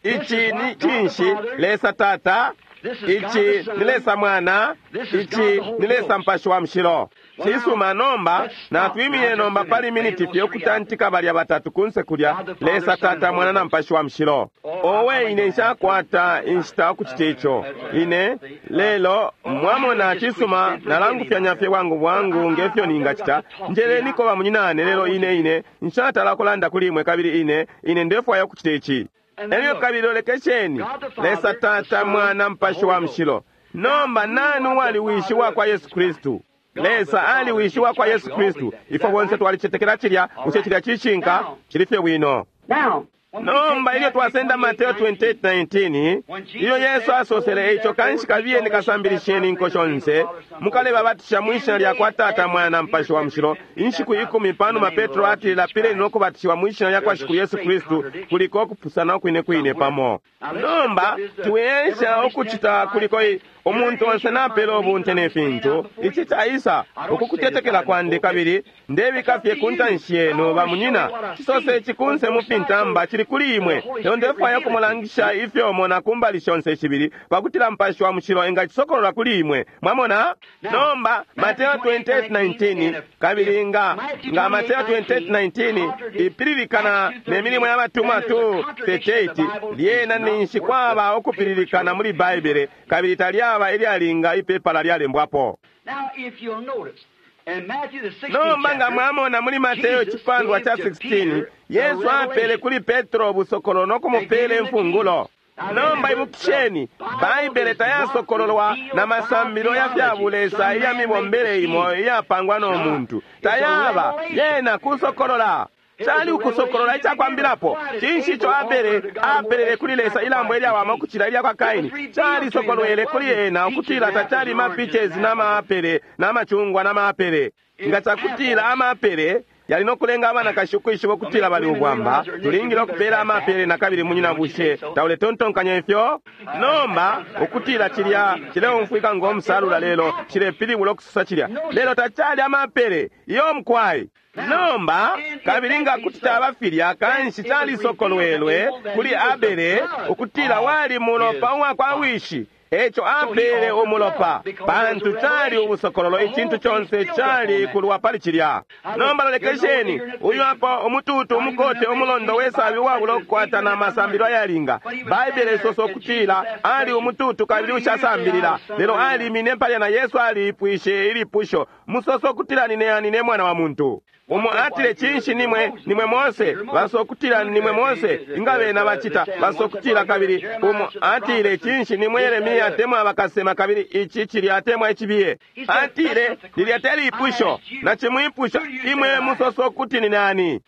ici ni cinshi? Lesa Tata, ici ni Lesa Mwana, ici ni Lesa Mupashi wa Mushilo. Cisuma, nomba natwimiye nomba pali miniti fye ukutantika balya batatu kunse kulya, Lesa Tata, Mwana na Mupashi wa Mushilo. Owe, ine nshakwata inshita ukucita ico ine lelo, mwamona. Cisuma, nalangufyanya fye bwangu bwangu ngefyo ningacita. Njeleniko bamunyinane, lelo ine ine nshatala kulanda kuli imwe, kabili ine ine ndefwaya ukucita ici. Elyo kabili lolekesheni, Lesa Tata, Mwana, Mupashi wa Mushilo. Nomba nani uwali wishi wa kwa Yesu Kristu? Lesa ali wishi wa kwa Yesu Kristu. Ifwe bonse twalicetekela cilya. Bushe cilya cishinka? Cili fye bwino. Nomba ilyo twasenda Mateo 28:19, ilyo Yesu asosele ico, kanshi kabiyeni kasambilisheni inko shonse, mukalebabatisha mwishina lya kwa Tata, Mwana, Mupashi wa Mushilo. Inshiku 10 panuma Petro atile, lapileni no kubatishiwa mwishina lya kwa Shikulu Yesu Kristu. Kuliko ukupusana ukwine kwine pamo. Nomba tuesha ukucita kuliko umuntu onse napela ubunte ne fintu. Ici caisa ukukutetekela kwandi, kabili ndebika fye ku ntanshi yenu bamunyina. Cisose ici kunse mu fintamba cili kuli imwe, lelo ndefwaya kumulangisha ifyo mona kumbali shonse shibili, pakutila Mupashi wa Mushilo engacisokolola kuli imwe. Mwamona? Nomba Mateo 28:19, kabili nga Mateo 28:19 ipililikana ne milimo ya batumwa 2:38, lyena ninshi kwaba ukupililikana muli Baibele, kabili talyaba ilyalinga ipepala lyalembwapo. Nomba nga mwamona muli Mateo icipandwa ca 16, Yesu apele kuli Petro ubusokolo no kumupela imfungulo. Nomba ibukisheni, Baibele tayasokololwa na masambilo ya fya bulesa iya mibombele imo iyapangwa no muntu. Tayaba yena kusokolola. Cali ukusokolola icakwambilapo. Cinshi ico Abele apelele kuli Lesa ilambo ilyawama ukucila ilya kwa Kaini? Calisokolwele kuli ena ukutila tacali mapichezi na maapele na machungwa na maapele. Nga cakutila amaapele yali nokulenga abanakashi ukwishiba ukutila bali ubwamba, tulingile ukupela amaapele na kabili. Munyina, bushe tauletontonkanya ifyo? Nomba ukutila cilya cileumfwika ngo musalula, lelo cilepilibula ukusosa cilya, lelo tacali amaapele iyo mukwai. Nomba kabili nga kuti caba filya, kanshi calisokolwelwe kuli Abele ukutila wali mulopa uwa kwa wishi. Eco apele umulopa, pantu cali ubusokololo. Icintu conse cali kulwa pali cilya. Nomba lolekesheni, uyu apo umututu umukote umulondo wesabi uwabula ukukwata na masambilo ayalinga. Baibele isosa ukutila ali umututu kabili ushasambilila, lelo alimine palya na Yesu aliipwishe ilipusho, musosa ukutila nine ani ne mwana wa muntu? Umo atile, cinshi nimwe nimwe Mose? Basokutila nimwe Mose. Inga bena bacita basokutila. Kabili umo atile, cinshi nimwe Yeremia atemwa bakasema, kabili ici cili atemwa icibiye? Atile, lilya telipusho nacimwipusha imwe, musoso kuti ni nani?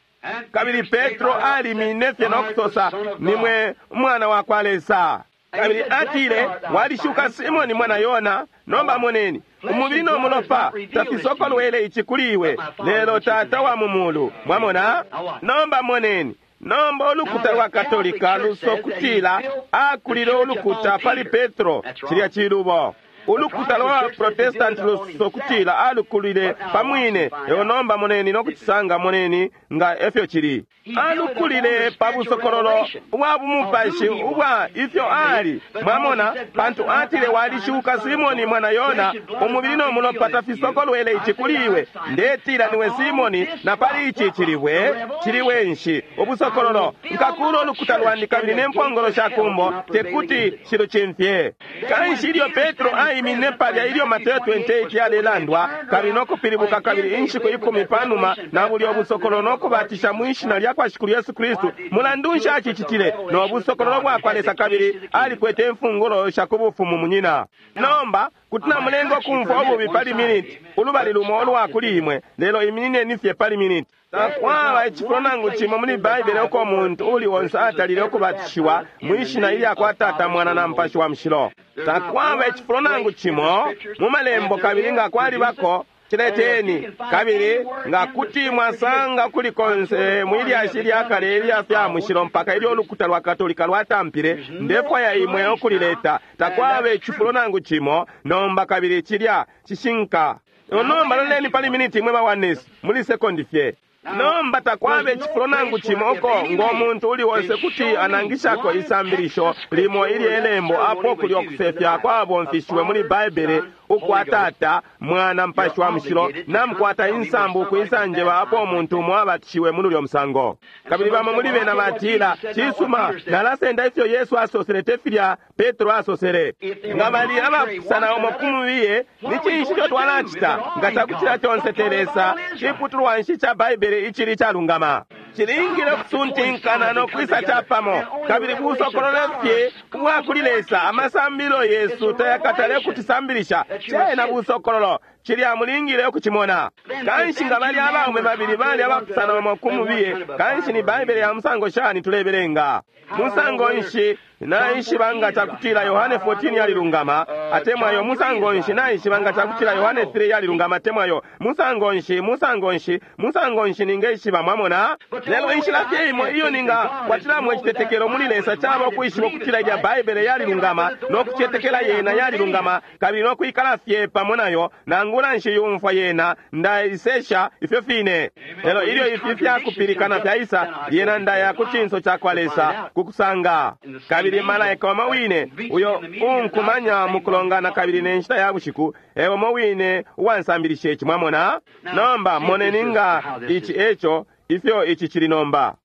Kabili Petro alimine fye no kusosa, nimwe umwana wa kwa Lesa. Kabili atile, walishuka Simoni mwana Yona. Nomba moneni, umubili no mulopa tafisokolwele ici kuli iwe, lelo Tata wa mu mulu. Mwamona? Nomba moneni. Nomba ulukuta lwa Katolika lusokutila akulile ulukuta pali Petro. Cilya cilubo. Ulukuta lwa Protestanti lusokutila alukulile pamwine. Lelo nomba moneni no kucisanga, moneni nga efyo cili. Alukulile pa busokololo ubwa bumupashi ubwa ifyo ali. Mwamona? Pantu atile, walishuka Simoni mwana Yona, umubili no mulopa tafisokolwele ici kuli iwe. Ndetila niwe Simoni, na pali ici cilibwe, ciliwe nshi ubusokololo, nkakula ulukuta lwandi, kabili ne mpongolo sha kumbo tekuti shilucimfye. Kanshi ilyo Petro Aiminine palya ilyo Mateo 28 yalelandwa, kabili no kupilibuka kabili inshiku 10 panuma na bulyo busokololo no kubatisha mu ishina lya kwa Shikulu Yesu Kristu. Mulandu nshi acicitile? No busokololo bwa kwa Lesa, kabili alikwete imfungulo sha ku bufumu munyina. Nomba kuti namulenga ukumfwa ububi pali miniti, ulubali lumo ulwa kuli imwe, lelo iminineni fye pali miniti. Takwaba icifulo nangu cimo muli Baibele uko umuntu uli onse atalile ukubatishiwa mwishina ilya kwa Tata, Mwana na Mupashi wa Mushilo. Takwaba icifulo nangu cimo mu malembo, kabili nga kwalibako cileteni, kabili nga kuti mwasanga kuli konse mwilyashi lya kale ilya fya mushilo mpaka ilyo ulukuta lwa Katolika lwatampile, ndefwaya imwe ukulileta. Takwaba icifulo nangu cimo nomba, kabili cilya cishinka. Nomba loleni pali miniti imwe bawanesi muli sekondi fye. Nomba takwaba icifulo nangu cimo uko ngo muntu uli onse kuti anangishako isambilisho limo ilye lembo apo kuli okusefya kwabomfishiwe muli Baibele ukwa Tata, Mwana, Mupashi wa Mushilo, namukwata insambu ukwisanjeba apo umuntu umo abatishiwe muli ulyo musango. Kabili bamo muli bena batila, cisuma, nalasenda ifyo Yesu asosele te filya Petro asosele. Nga bali abapusana umo ku mubiye, ni cinshi ico twalacita? Nga cakutila conse te Lesa, ciputulwa nshi ca Baibele icili calungama? Cilingile ukusuntinkana no kwisa capamo, kabili busokololo fye ubwa kuli Lesa. Amasambilo yesu tayakatale kutisambilisha cena busokololo, cilya mulingile ukucimona. Kanshi nga bali abaume babili bali abapusana umo ku mubiye, kanshi ni Baibele ya musango shani tulebelenga? Musango nshi naishiba nga cakutila Yohane 14 yalilungama atemwayo? Musango nshi naishiba nga cakutila Yohane 3 yalilungama atemwayo? Musango nshi, musango nshi, musango nshi ningeishiba? Mwamona? Lelo inshila fye imo iyo ningakwatilamo icitetekelo muli Lesa caba ukwishiba ukutila ilya Baibele yalilungama, no kucetekela yena yalilungama, kabili no kwikala fye pamo nayo, nangula nshiyumfwa yena, ndaisesha ifyo fine. Lelo ilyo ifi fyakupilikana fyaisa, lyena ndaya ku cinso ca kwa Lesa kukusanga. Kabili malaika umo wine uyo unkumanya mukulongana kabili ne nshita ya bushiku, e umo wine uwansambilisha ici. Mwamona? Nomba moneni nga ici eco ifyo ici cili nomba.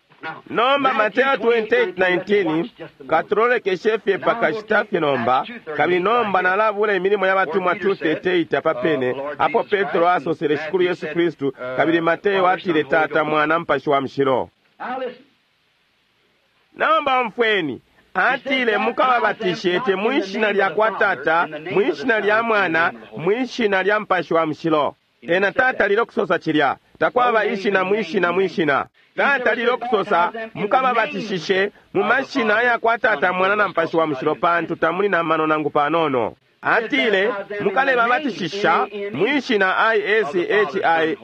Nomba Mateo 28:19 katulolekeshe fye pakashita fye nomba, kabili nomba nalabula imilimo ya batumwa 2:38 apa pene apo Petro asosele Shikulu Yesu Kristu, kabili Mateo atile Tata, Mwana, Mupashi wa Mushilo. Nomba umfweni, atile mukababatishe te mwishina lya kwa Tata, mwishina lya Mwana, mwishina lya Mupashi wa Mushilo. Ena Tata lilo kusosa cilya, takwaba ishina mwishina mwishina. Tata lilo kusosa mukababatishishe mu mashina ya kwa Tata, Mwana na Mupashi wa Mushilo, pantu tamuli na mano nangu panono. Atile mukalebabatishisha mwishina ISHINA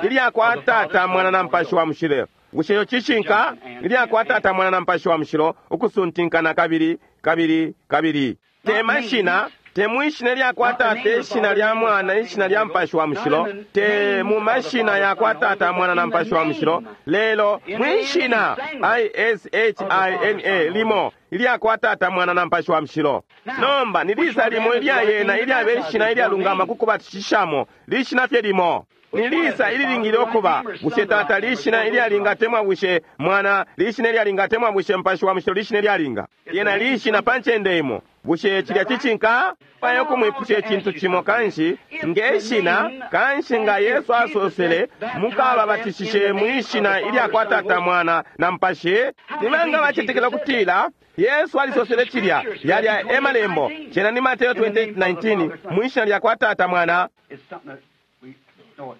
ilya kwa Tata, Mwana na Mupashi wa Mushilo. Bushe iyo cishinka? Ilya kwa Tata, Mwana na Mupashi wa Mushilo, ukusuntinkana kabili kabili kabili. Te mashina, te mwishina lya kwa Tata, ishina lya Mwana, ishina lya Mupashi wa Mushilo, te mu mashina ya kwa Tata, Mwana na Mupashi wa Mushilo, lelo mwishina ISHINA limo ilya kwa Tata, Mwana na Mupashi wa Mushilo. Nomba nilisa limo ilya yena ilyabe ishina ilyalungama kukubatishishamo, lishina fye limo. Nilisa ililingile okuba? Bushe Tata lishina ilyalinga temwa bushe Mwana lishina ilyalinga temwa bushe Mupashi wa Mushilo lishina ilyalinga? Yena lishina pa ncende imo. Bushe cilya cicinka? Payo kumwipusha icintu cimo kanshi ngeshina kanshi nga Yesu asosele mukababatishishe mwishina ilya kwa Tata, Mwana na Mupashi. Nibanga bacetekela kutila Yesu alisosele cilya yalya emalembo cena ni Mateo 28:19 mwishina lya kwa Tata, Mwana.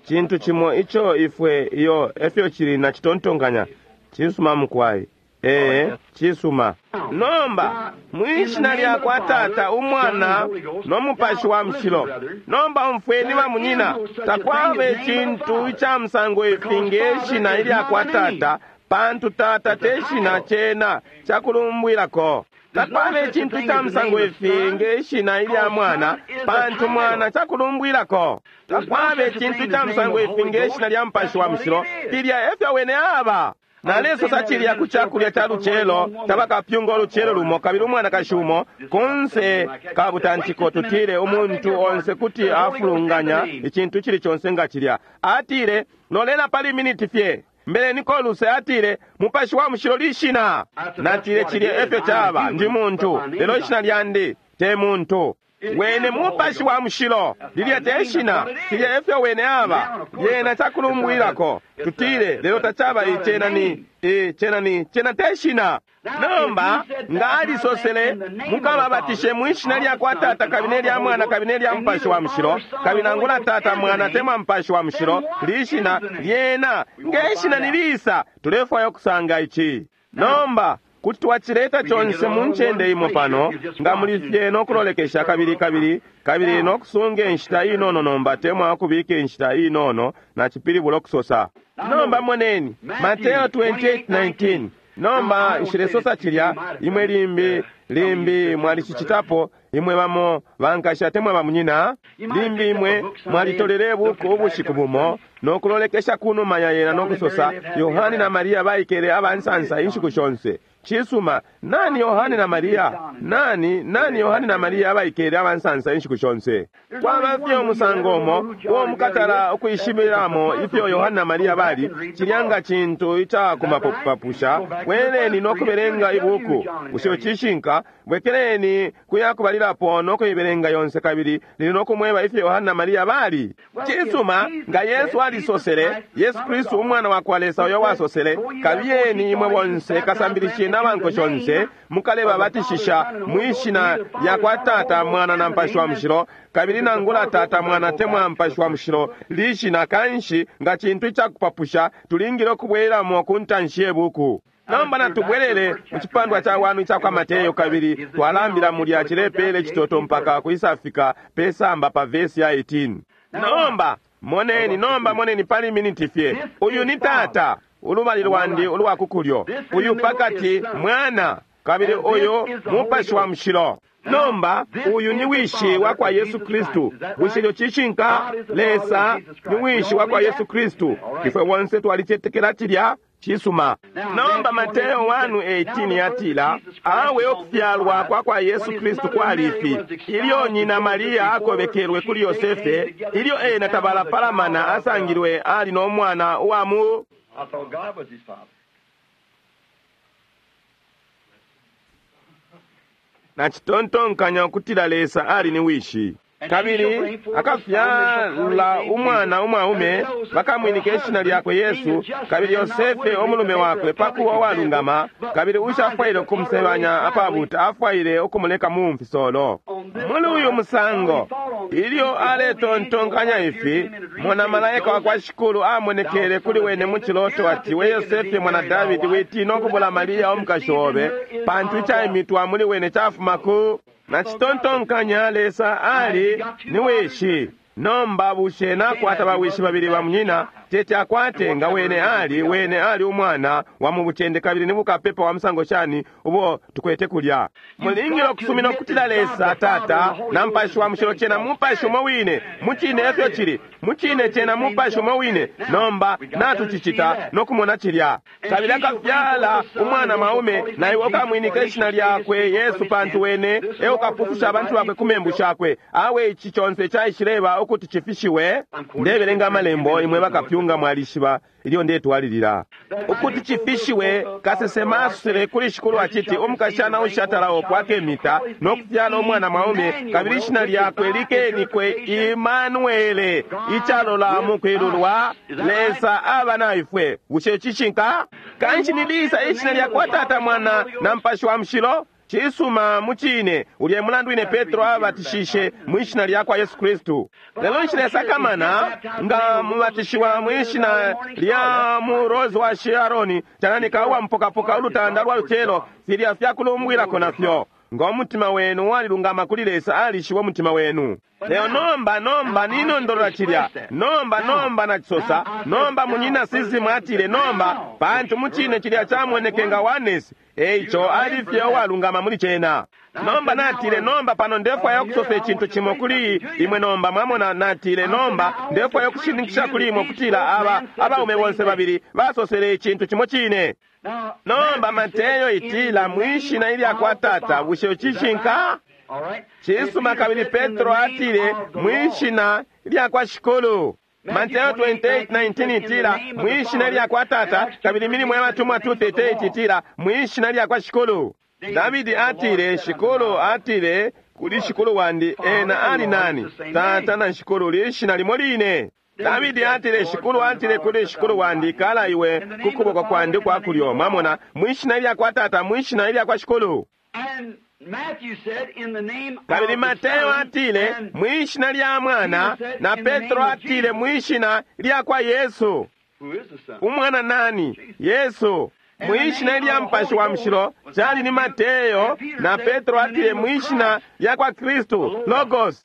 Cintu cimo ico ifwe iyo efyo cili na citontonkanya cisuma mukwai. Ee, cisuma. Nomba mwishina lya kwa Tata, Umwana no Mupashi wa Mushilo. Nomba umfweni bamunyina, takwaba icintu ica musango ifi nge shina ilya kwa Tata, pantu Tata te shina, cena cakulumbwilako. Takwaba icintu ca musango ifi nge ishina ilya Mwana, pantu Mwana cakulumbwilako. Takwaba icintu ca musango ifi nge ishina lya Mupashi wa Mushilo, filya efyo wene aba. Nalesosa cilya ku cakulya ca lucelo tabakapyunga ulucelo lumo, kabili umwanakashi umo kunse ka butantiko, tutile umuntu onse kuti afulunganya icintu cili conse nga cilya. Atile, lolela pali miniti fye. Mbele niko luse atile, Mupashi wa Mushilo lishina. Natile cilya efyo caba, ndi muntu, lelo ishina lyandi te muntu. Wene Mupashi wa Mushilo. Lilya te shina, filya efyo wene aba. Lyena cakulumbwilako. Tutile, lelo tacaba icena ni, cena ni, cena te shina. Nomba, nga alisosele, mukababatishe mwishina lya kwa Tata kabili ne lya Mwana kabili ne lya Mupashi wa Mushilo, kabili nangula Tata, Mwana temwa Mupashi wa Mushilo, lishina lyena, nge shina ni lisa, tulefwaya ukusanga ici. Nomba, kuti twacileta conse mu ncende imo pano, nga muli fye no kulolekesha kabili kabili kabili no kusunga inshita inono nomba temwa ukubika inshita inono na cipilibula ukusosa. Nomba moneni, Mateo 28:19. Nomba nshilesosa cilya, imwe limbi limbi mwalicicitapo, imwe bamo bankasha temwa bamunyina, limbi imwe mwalitolele buku ubushiku bumo no kulolekesha kunuma ya yena no kusosa, Yohani na Maria baikele abansansa inshiku shonse. Cisuma, nani Yohani na Maria? Nani nani Yohani na Maria abaikele abansansa inshiku shonse? Kwaba fye umusango umo uo mukatala ukwishibiramo ifyo Yohani na Maria bali, cilya nga cintu icakumapapusha. Bweleni no kubelenga ibuku. Bushe cishinka? Bwekeleni kuya kubalilapo no kuibelenga yonse kabili lili no kumweba ifyo Yohani na Maria bali. Cisuma, nga Yesu alisosele, Yesu Kristu umwana wa kwa Lesa uyo wasosele, kabiyeni imwe bonse kasambilisheni abanko shonse, mukalebabatishisha mwishina lya kwa Tata, Mwana na Mupashi wa Mushilo, kabili nangula Tata, Mwana temwa Mupashi wa Mushilo lishina. Kanshi nga cintu icakupapusha, tulingile ukubwelamo ku ntanshi ye buku. Nomba natubwelele mu cipandwa ca wanu ica kwa Mateyo kabili twalambila mulya cilepele citoto mpaka kuisafika pesamba pa vesi ya 18. Nomba moneni, nomba moneni pali miniti fye. Uyu ni Tata, ulubali lwandi ulwa kukulyo, uyu pakati Mwana, kabili uyu Mupashi wa Mushilo. Nomba uyu ni wishi wa kwa Yesu Kristu. Bushe cishinka? Lesa ni wishi wa kwa Yesu Kristu. Ifwe bonse twalicetekela cilya. Cisuma. Nomba Mateo 1:18 yatila, awe okufyalwa kwa kwa Yesu Kristu kwali ifi: ilyo nyina Maria akobekelwe kuli Yosefe, ilyo ena tabalapalamana asangilwe ali no mwana uwa mu
I thought God was his father.
Nacitontonkanya ukutila Lesa ali ni wishi. Kabili akafyala umwana umwaume, bakamwinika ishina lyakwe Yesu. Kabili Yosefe omulume wakwe pakuwa walungama, kabili ushafwaile ukumusebanya apabuta, afwaile ukumuleka mu mfisolo. Muli uyu musango, ilyo aletontonkanya ifi, mona malaika wa kwa Shikulu amonekele kuli wene mu ciloto ati, we Yosefe mwana Davidi, witina ukubula Maria omukashi obe, pantu icaimitwa muli wene cafuma ku nacitontonkanya Lesa ali ni wishi. Nomba bushe nakwata bawishi babili bamunyina? Teti akwate nga wene ali wene ali umwana wa mu bucende kabili ni bukapepa wa musango shani ubo tukwete kulya. Mulingile ukusumina ukutila Lesa Tata na Mupashi wa Mushilo cena Mupashi umo wine. Mucine efyo cili, mucine cena Mupashi umo wine. Nomba natucicita no kumona cilya. Kabili akafyala umwana mwaume, na iwe ukamwinika ishina lyakwe Yesu, pantu wene e ukapufusha abantu bakwe ku membu shakwe. Awe ici conse caishileba ukuti cifishiwe. Ndebelenga amalembo, imwe bakapyunga mwalishiba ilyo ndetwalilila. Ukuti cifishiwe, kasesema asosele kuli Shikulu aciti, umukashana ushatalawo akemita no kufyala umwana mwaume, kabili ishina lyakwe likenikwe Imanuele, icalola mu kwilulwa Lesa aba na ifwe. Bushe cishinka? Kanshi ni lisa ishina lya kwa Tata, Mwana na Mupashi wa Mushilo? Cisuma mucine, ulye mulandu ine Petro abatishishe mwishina lya kwa Yesu Kristu. Lelo nshilesakamana nga mubatishiwa mwishina lya mu Rose wa Sharon, cananika uwa mpokapoka ulutanda lwa lucelo, filya fyakulumbwilako nafyo. Nga umutima wenu walilungama kuli Lesa, alishiwa umutima wenu. Leo nomba nomba ninondolola cilya. Nomba nomba nacisosa. Nomba munyina sizimu atile nomba, pantu mucine cilya camoneke nga oneness. Eico ali fye uwalungama muli cena. Nomba natile nomba pano ndefwaya ukusosa icintu cimo kuli imwe nomba mwamona. Natile nomba ndefwaya ukushininkisha kuli imwe ukutila aba abaume bonse babili basosele icintu cimo cine. Nomba Mateyo itila mwishina ilya kwa Tata. Bushe cishinka? Cisuma. Kabili Petro atile mwishina ilya kwa Shikulu. Mateo 28:19 itila mwishina lya kwa Tata, kabili milimo ya batumwa 2:38 itila mwishina lya kwa Shikulu. Davidi atile, Shikulu atile Kuli Shikulu wandi, ena ali nani? Tata na Shikulu lishina limo line. Davidi atile, Shikulu atile kuli Shikulu wandi, kala iwe ku kuboko kwandi kwa kulyo. Mwamona, mwishina ilya kwa Tata, mwishina ilya kwa Shikulu. Kabili Mateo atile, mwishina lya Mwana, na Petro atile, mwishina lya kwa Yesu. Umwana nani? Yesu. Mwishina lya Mupashi wa Mushilo cali ni Mateyo, na Petro atile mwishina lya kwa Kristu, Logos.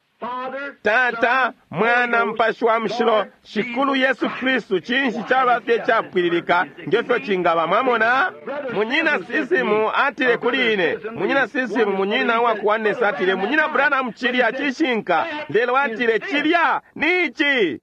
Tata, Mwana, Mupashi wa Mushilo, Shikulu Yesu Kristu. Cinshi caba fye capwililika ngefyo cingaba? Mwamona, munyina Sisimu atile kuli ine, munyina Sisimu, munyina wa kuwanesa atile, munyina Branham, cilya cishinka, lelo atile cilya ni ici.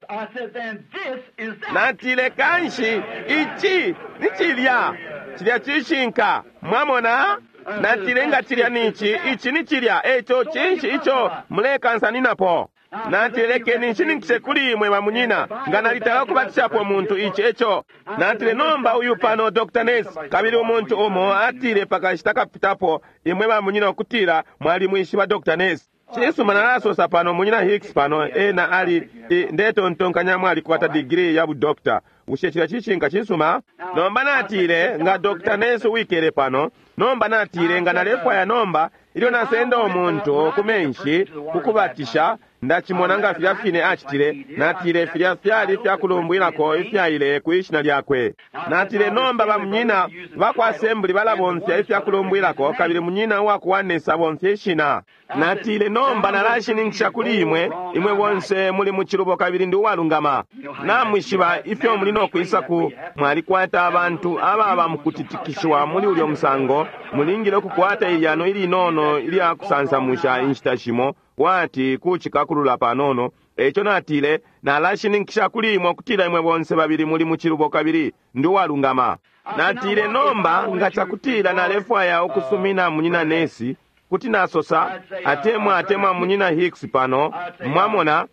Natile kanshi ici ni cilya, cilya cishinka. Mwamona? Natile nga cilya ni ici, ici ni cilya, eco cinshi ico mulekansaninapo? Natile lekeni nshininkishe kuli imwe bamunyina, nga nalitala ukubatishapo umuntu ici eco. Natile nomba uyu pano Dr. Ness, kabili umuntu umo atile pakashita kapitapo imwe bamunyina ukutila mwalimwishiba Dr. Ness. Cisuma, nalasosa pano munyina Hicks pano, ena ali ndetontonkanya mwalikwata digiri ya budokta. Bushe cilya cishinka? Cisuma. Nomba natile nga Dr. Ness wikele pano, nomba natile nga nalefwaya nomba ilyo nasenda umuntu ku menshi kukubatisha, ndacimona nga filya fine acitile. Natile filya fyali fyakulumbwilako ifyaile ku ishina lyakwe. Natile nomba bamunyina bakwa assembly balabomfya ifyakulumbwilako, kabili munyina uwakuwanesa bomfya ishina. Natile nomba nalashininkisha kuli imwe, imwe bonse muli mu cilubo kabili ndi uwalungama. Namwishiba ifyo muli no kwisa ku mwalikwata abantu ababa mukutitikishiwa muli ulyo musango. Mulingile ukukwata ilyano ilinono ilya kusansamusha inshita shimo, kwati kucikakulula panono. Eco natile nalashininkisha kuli imwe ukutila imwe bonse babili muli mu cilubo kabili ndi uwalungama. Natile nomba nga cakutila nalefwaya ukusumina munyina Nesi, kuti nasosa atemwa atemwa munyina Hicks pano, mwamona,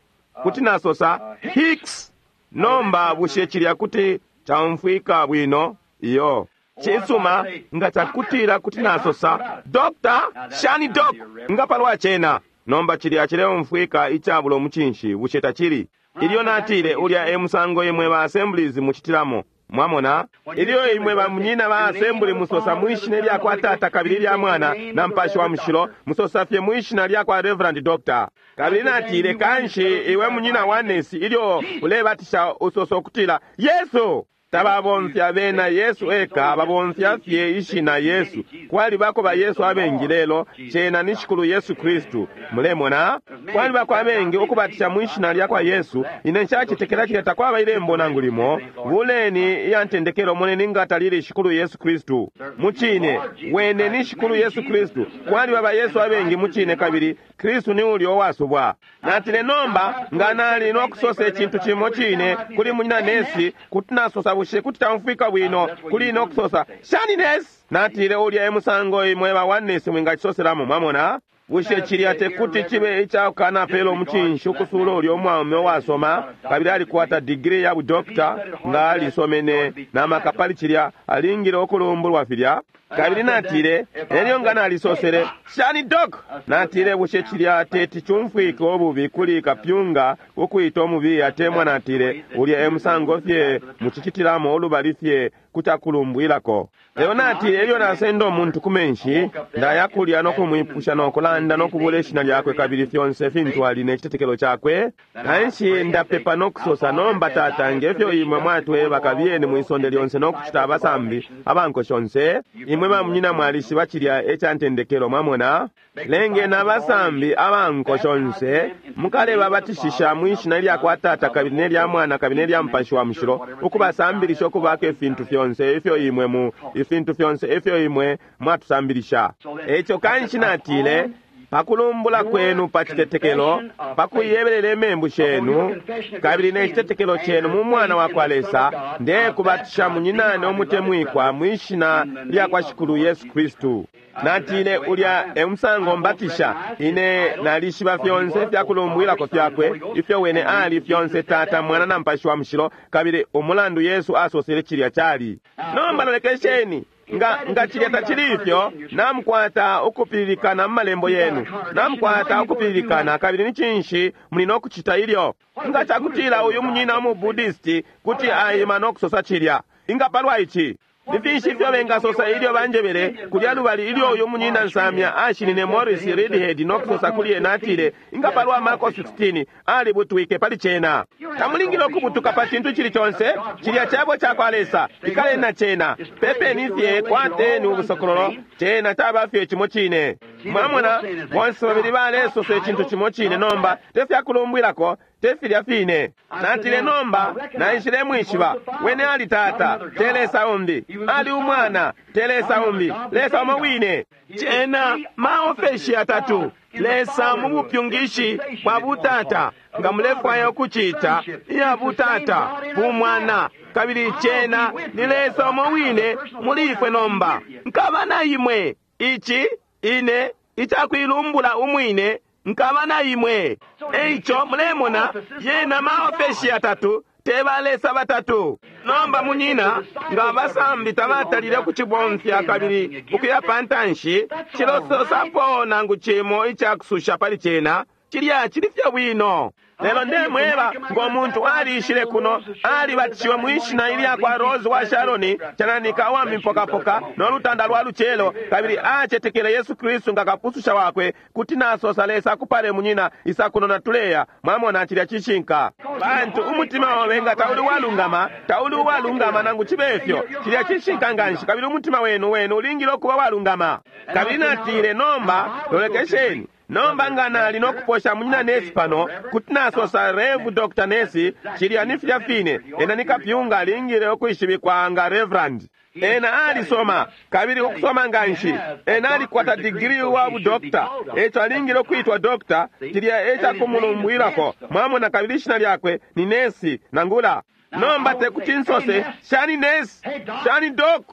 kuti nasosa Hicks. Nomba bushe cilya kuti caumfwika bwino? Iyo. Cisuma, nga cakutila kuti nasosa Dr. Shani Doc, nga palwa cena. Nomba cilya cileumfwika icabulo mucinshi, bushe tacili? Ilyo natile ulya e musango imwe ba assemblies mucitilamo. Mwamona, ilyo imwe bamunyina ba assembly musosa mwishina lya kwa Tata kabili lya Mwana na Mupashi wa Mushilo, musosa fye mwishina lya kwa Reverend Doctor. Kabili natile kanshi iwe munyina wa Nesi ilyo ulebatisha usosa ukutila Yesu. Tababomfya bena Yesu eka, babomfya fye ishina Yesu. Kwalibako ba Yesu abengi lelo cena ni Shikulu Yesu Kristu. Mulemona, kwalibako abengi ukubatisha mwishina lya kwa Yesu. Ine nshacetekela cilya takwaba ilembo nangu limo. Buleni iya ntendekelo moneni nga talili Shikulu Yesu Kristu. Mucine wene ni Shikulu Yesu Kristu. Kwaliba ba Yesu abengi mucine, kabili Kristu ni ulyo uwasubwa. Natile nomba nga nali no kusosa icintu cimo cine kuli munyina Nesi, kuti nasosa bushe kuti tamfwika bwino kuli ino kusosa shani Nesi? Natile ulya e musango imwe ba wa Nesi mwingacisoselamo. Mwamona, bushe cilya tekuti cibe icakukanapela umucinshi ukusula ulya umwaume uwasoma kabili alikwata digiri ya budokta, nga alisomene na maka pali cilya, alingile ukulumbulwa filya. Kabili natile elyo nga nalisosele shani dok, natile bushe cilya teti cumfwike ububi kuli kapyunga ukwita umubi atemwa? Natile ulya e musango fye mucicitilamo ulubali fye kucakulumbwilako. Lelo natile elyo nasenda umuntu ku menshi, ndaya kulya no kumwipusha no kulanda no kubula ishina lyakwe kabili fyonse fintu ali ne citetekelo cakwe. Kanshi ndapepa no kusosa, nomba Tata, ngefyo imwe mwatweba, kabiyeni mwisonde lyonse no kucita abasambi abanko shonse. Imwe bamunyina mwalishiba cilya eca ntendekelo. Mwamona, lengeni abasambi abanko shonse, mukalebabatishisha mwishina lya kwa Tata kabili ne lya Mwana kabili ne lya Mupashi wa Mushilo, ukubasambilisha ukubaka ifintu fyonse ifyo imwe mu ifintu fyonse ifyo imwe mwatusambilisha. Eco kanshi natile pakulumbula kwenu pa citetekelo, pakuyebelela imembu shenu kabili ne citetekelo chenu mu Mwana wa kwa Lesa, ndekubatisha munyinane umutemwikwa mwishina lya kwa Shikulu Yesu Kristu. Natile ulya e musango mbatisha ine nalishiba fyonse ifyakulumbwilako fyakwe, ifyo wene ali fyonse Tata, Mwana na Mupashi wa Mushilo, kabili umulandu Yesu asosele cilya cali. Nomba lolekesheni. Nga, nga cilya tacili ifyo, namukwata ukupililikana mu malembo yenu, namukwata ukupililikana. Kabili ni cinshi muli no kucita ilyo? Nga cakutila uyu munyina umu Buddhist kuti aima no kusosa cilya, inga palwa ici? Ni finshi ifyo bengasosa ilyo banjebele kulya lubali ilyo uyu munyina nsamya ashinine Morris Reidhead no kusosa kuli ena, atile, inga palwa Marko 16, alibutwike pali cena. Tamulingile ukubutuka pa cintu cili conse, cilya cebo cakwa Lesa, ikaleni na cena, pepeni fye, kwateni ubusokololo, cena caba fye cimo cine. Mwamona, bonse babili balesosa icintu cimo cine nomba, te fyakulumbwilako, te filya fine. Natile nomba, naishile mwishiba, wene ali tata, te Lesa umbi, ali umwana, te Lesa umbi, Lesa umo wine. Cena maofeshi yatatu, Lesa mu bupyungishi bwa butata, nga mulefwaya ukucita iya butata, bumwana, kabili cena ni Lesa umo wine muli ifwe nomba. Nkaba na imwe, ici, ine, icakwilumbula umwine, nkaba na imwe. Eico mulemona, yena maofeshi yatatu, te ba Lesa batatu. Nomba munyina, nga abasambi tabatalile kucibomfya kabili ukuya pantanshi, cilososapo nangu cimo icakususha pali cena, cilya cili fye bwino. Lelo ndemweba, ngo muntu aliishile kuno, alibatishiwe mwishina ilya kwa Rose wa Sharoni, cananika uwa mipokapoka no lutanda lwa lucelo, kabili acetekele Yesu Kristu nga kapususha wakwe, kuti nasosa Lesa akupale munyina, isa kuno na tuleya. Mwamona, cilya cishinka. Pantu umutima obe nga tauli walungama, tauli uwalungama nangu cibe ifyo, cilya cishinka nganshi, kabili umutima wenu wenu ulingile ukuba walungama. Kabili natile nomba, lolekesheni. Nomba nga nali no kuposha munyina Nesi pano, kuti nasosa Rev Dr. Nesi, cilya ni filya fine, ena ni kapyunga alingile ukwishibikwa nga Reverend. Ena alisoma, kabili ukusoma nganshi, ena alikwata digiri wa budokta, eco alingile ukwitwa dokta, cilya eca kumulumbwilako. Mwamona, kabili ishina lyakwe ni Nesi nangula. Nomba tekuti nsose, shani Nesi, shani Dok,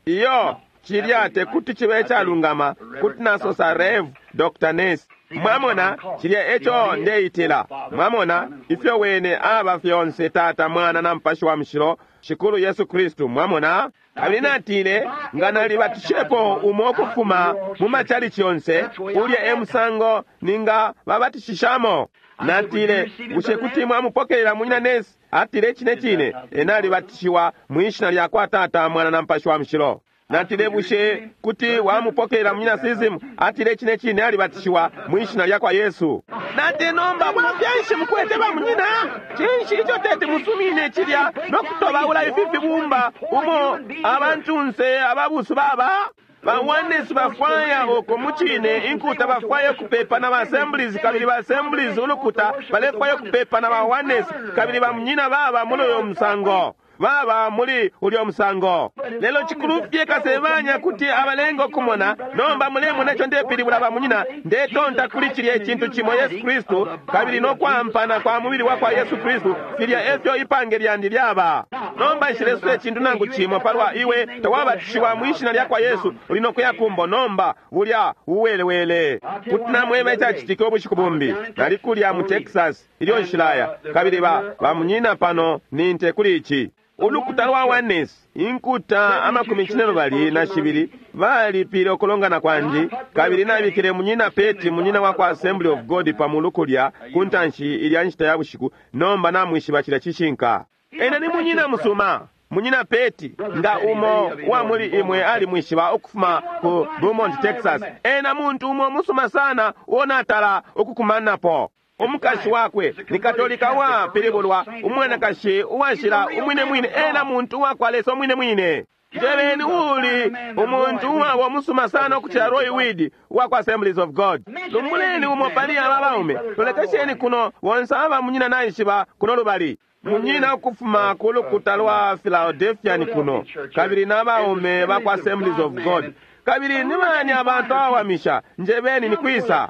iyo cilya tekuti cibe calungama, kuti nasosa Rev Dr. Nesi. Mwamona, cilya eco ndeitila. Mwamona, ifyo wene aba fyonse Tata, Mwana na Mupashi wa Mushilo, Shikulu Yesu Kristu. Mwamona, kabili natile nga nalibatishilepo umo ukufuma mu machalichi yonse, ulya e musango ninga babatishishamo. Natile, bushe kuti mwamupokelela munyina Nesi? Atile cine cine, ena alibatishiwa mwishina lya kwa Tata, Mwana na Mupashi wa Mushilo. Natile, bushe kuti wamupokelela munyina Sizimu? Atile cine cine, alibatishiwa mwishina lya kwa Yesu. Natile, nomba bwafya nshi mukwete ba munyina? Cinshi ico teti musumine cilya no kutobaula ifi fibumba umo abantunse ababusu baba? Ba Oneness bafwaya uko mucine inkuta bafwaya kupepa na ba Assemblies, kabili ba Assemblies ulukuta balefwaya kupepa na ba Oneness, kabili ba munyina baba muli uyo musango, baba muli ulyo musango. Lelo cikulu fye kasebanya kuti abalenga okumona. Nomba mulemona ico ndepilibula ba munyina, ndetonta kuli cilya icintu cimo Yesu Kristu, kabili no kwampana kwa mubili wa kwa Yesu Kristu, filya efyo ipange lyandi lyaba. Nomba nshilesosa icintu nangu cimo palwa iwe tawabatishiwa mwishina lya kwa Yesu, uli no kuya kumbo. Nomba bulya uwelewele. Kuti namweba icacitike ubushiku bumbi, nali kulya mu Texas ilyo nshilaya, kabili ba munyina pano ni nte kuli ici. Ulukuta lwa Oneness, inkuta amakumi cine lubali na shibili, balipile ukulongana kwandi, kabili nabikile munyina Peti, munyina wa kwa Assembly of God, pa mulu kulya ku ntanshi ilya nshita ya bushiku. Nomba namwishiba cilya cishinka. Ena ni munyina musuma, munyina Peti, nga umo wa muli imwe alimwishiba ukufuma ku Beaumont, Texas. Ena muntu umo musuma sana uo natala ukukumanapo. Umukashi wakwe ni Katolika uwapilibulwa, umwanakashi uwashila umwine mwine, ena muntu uwakwa Lesa umwine mwine. Njebeni uli umuntu uwabo musuma sana ukucila Roy Weed uwakwa Assemblies of God. Lumbuleni umo pali aba baume, lolekesheni kuno bonse aba munyina naishiba kuno lubali. Munyina ukufuma ku lukuta lwa Philadelphia kuno, kabili n'abaume bakwa Assemblies of God. Kabili ni bani abantu abawamisha? Njebeni ni kwisa.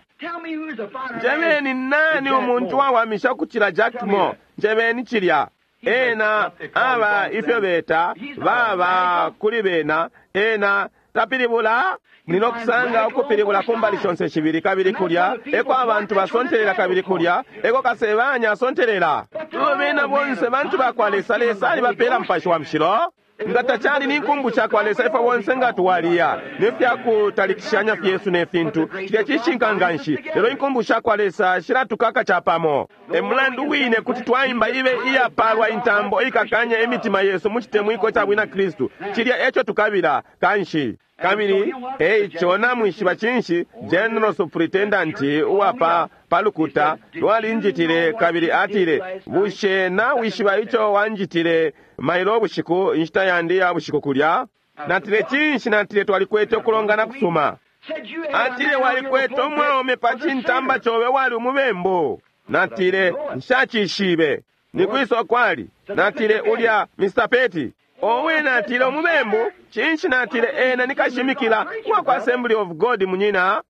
Njebeni nani umuntu wawamisha ukucila Jack Moore? Njebeni cilya. Ena aba ifyo beta baba kuli bena, ena tapilibula. Nino kusanga ukupilibula kumbali shonse shibili, kabili kulya eko abantu basontelela, kabili kulya eko kasebanya asontelela. Tulo bena bonse bantu bakwa Lesa, Lesa alibapela Mupashi wa Mushilo. Nga tacali ni nkumbu shakwa Lesa, ifwe bonse nga twaliya ne fya kutalikishanya fyesu ne fintu. Cilya cishinka nganshi. Lelo inkumbu shakwa Lesa shilatukaka capamo. E mulandu wine kuti twaimba ibe iyapalwa intambo ikakanya imitima yesu mu citemwiko ca bwina Kristu. Cilya eco tukabila kanshi. Kabili eico namwishiba cinshi, General Superintendent uwa pa lukuta lwalinjitile kabili atile, bushe nawishiba ico wanjitile mailo bushiku, inshita yandi ya bushiku kulya? Natile cinshi? Natile twalikwete ukulongana kusuma. Atile walikwete umwaume pa cintamba cobe wali umubembu. Natile nshacishibe. Nikwisa kwali? Natile ulya Mr. Petty. Owe, natile umubembu. Cinshi? Natile ena nikashimikila uwa kwa Assembly of God munyina.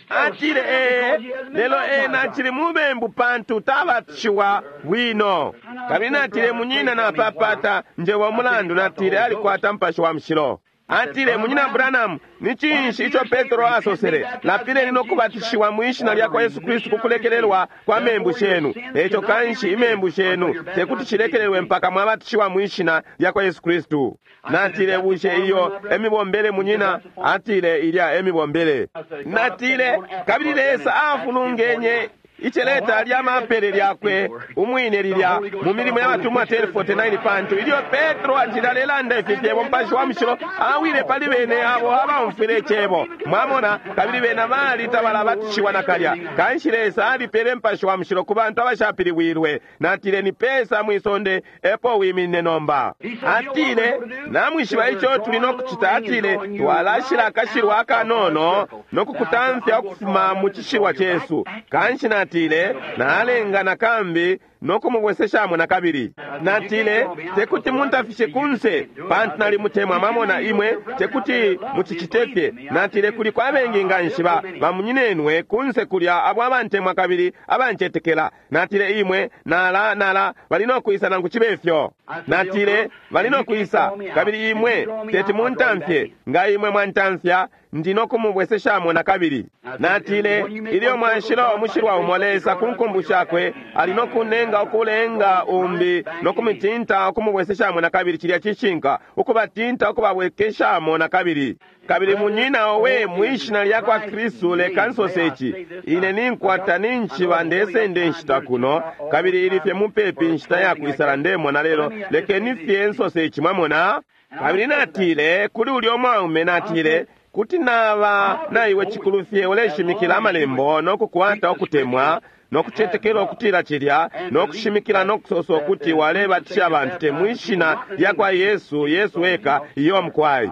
Atile ee, lelo ena acili mubembu pantu tabatishiwa bwino. Kabili natile munyina napapata njewa umulandu. Natile alikwata Mupashi wa Mushilo. Atile munyina Branham, ni cinshi ico Petro asosele? Lapileni no kubatishiwa mu ishina lya kwa Yesu Kristu kukulekelelwa kwa membu shenu. Eco kanshi imembu shenu tekuti shilekelelwe mpaka mwabatishiwa mu ishina lya kwa Yesu Kristu. Natile bushe iyo emibombele munyina? Atile ilya emibombele. Natile kabili Lesa afulungenye iceleta lya mapele lyakwe umwine lilya mu milimo ya batumwa 10:49, pantu ilyo Petro acili alelanda ifi fyebo, Mupashi wa Mushilo awile pali bene abo abaumfwile icebo. Mwamona, kabili bena bali tabalabatishiwa nakalya. Kanshi Lesa alipele Mupashi wa Mushilo ku bantu abashapilibwilwe. Natile ni pesa mwisonde epo wiminine nomba. Atile namwishiba ico tuli no kucita. Atile twalashila akashilwa akanono no kukutamfya ukufuma mu cishilwa cesu. Kanshi natile nalenga nakambi no kumubweseshamo nakabili. Natile tekuti muntafishe kunse pantu nalimutemwa. Mwamona imwe tekuti mucicite fye. Natile kuli kwa bengi nganshi bamunyinenwe kunse kulya abo abantemwa kabili abancetekela. Natile imwe nala nala bali no kwisa nangu cibe fyo. Natile bali no kwisa kabili imwe teti muntamfye. Nga imwe mwantamfya ndi no kumubweseshamo nakabili. Natile ilyo mwanshila umushilwa umo Lesa ku nkumbu shakwe ali no kunenga ukulenga umbi no kumitinta ukumubweseshamo nakabili. Cilya cishinka, ukubatinta ukubabwekeshamo nakabili. Kabili munyina owe, mwishina lya kwa Kristu leka nsose ici, ine ninkwata ninshiba ndesende nshita kuno kabili ili fye mupepi nshita ya kwisala ndemona, lelo lekeni fye nsose ici. Mwamona? Kabili natile kuli ulya umwaume, natile kuti naba naiwe cikulu fye uleshimikila amalembo no kukwata ukutemwa no kucetekela ukutila cilya no kushimikila no kusosa ukuti walebatisha abantu te mwishina lya kwa Yesu, Yesu eka iyo mukwai.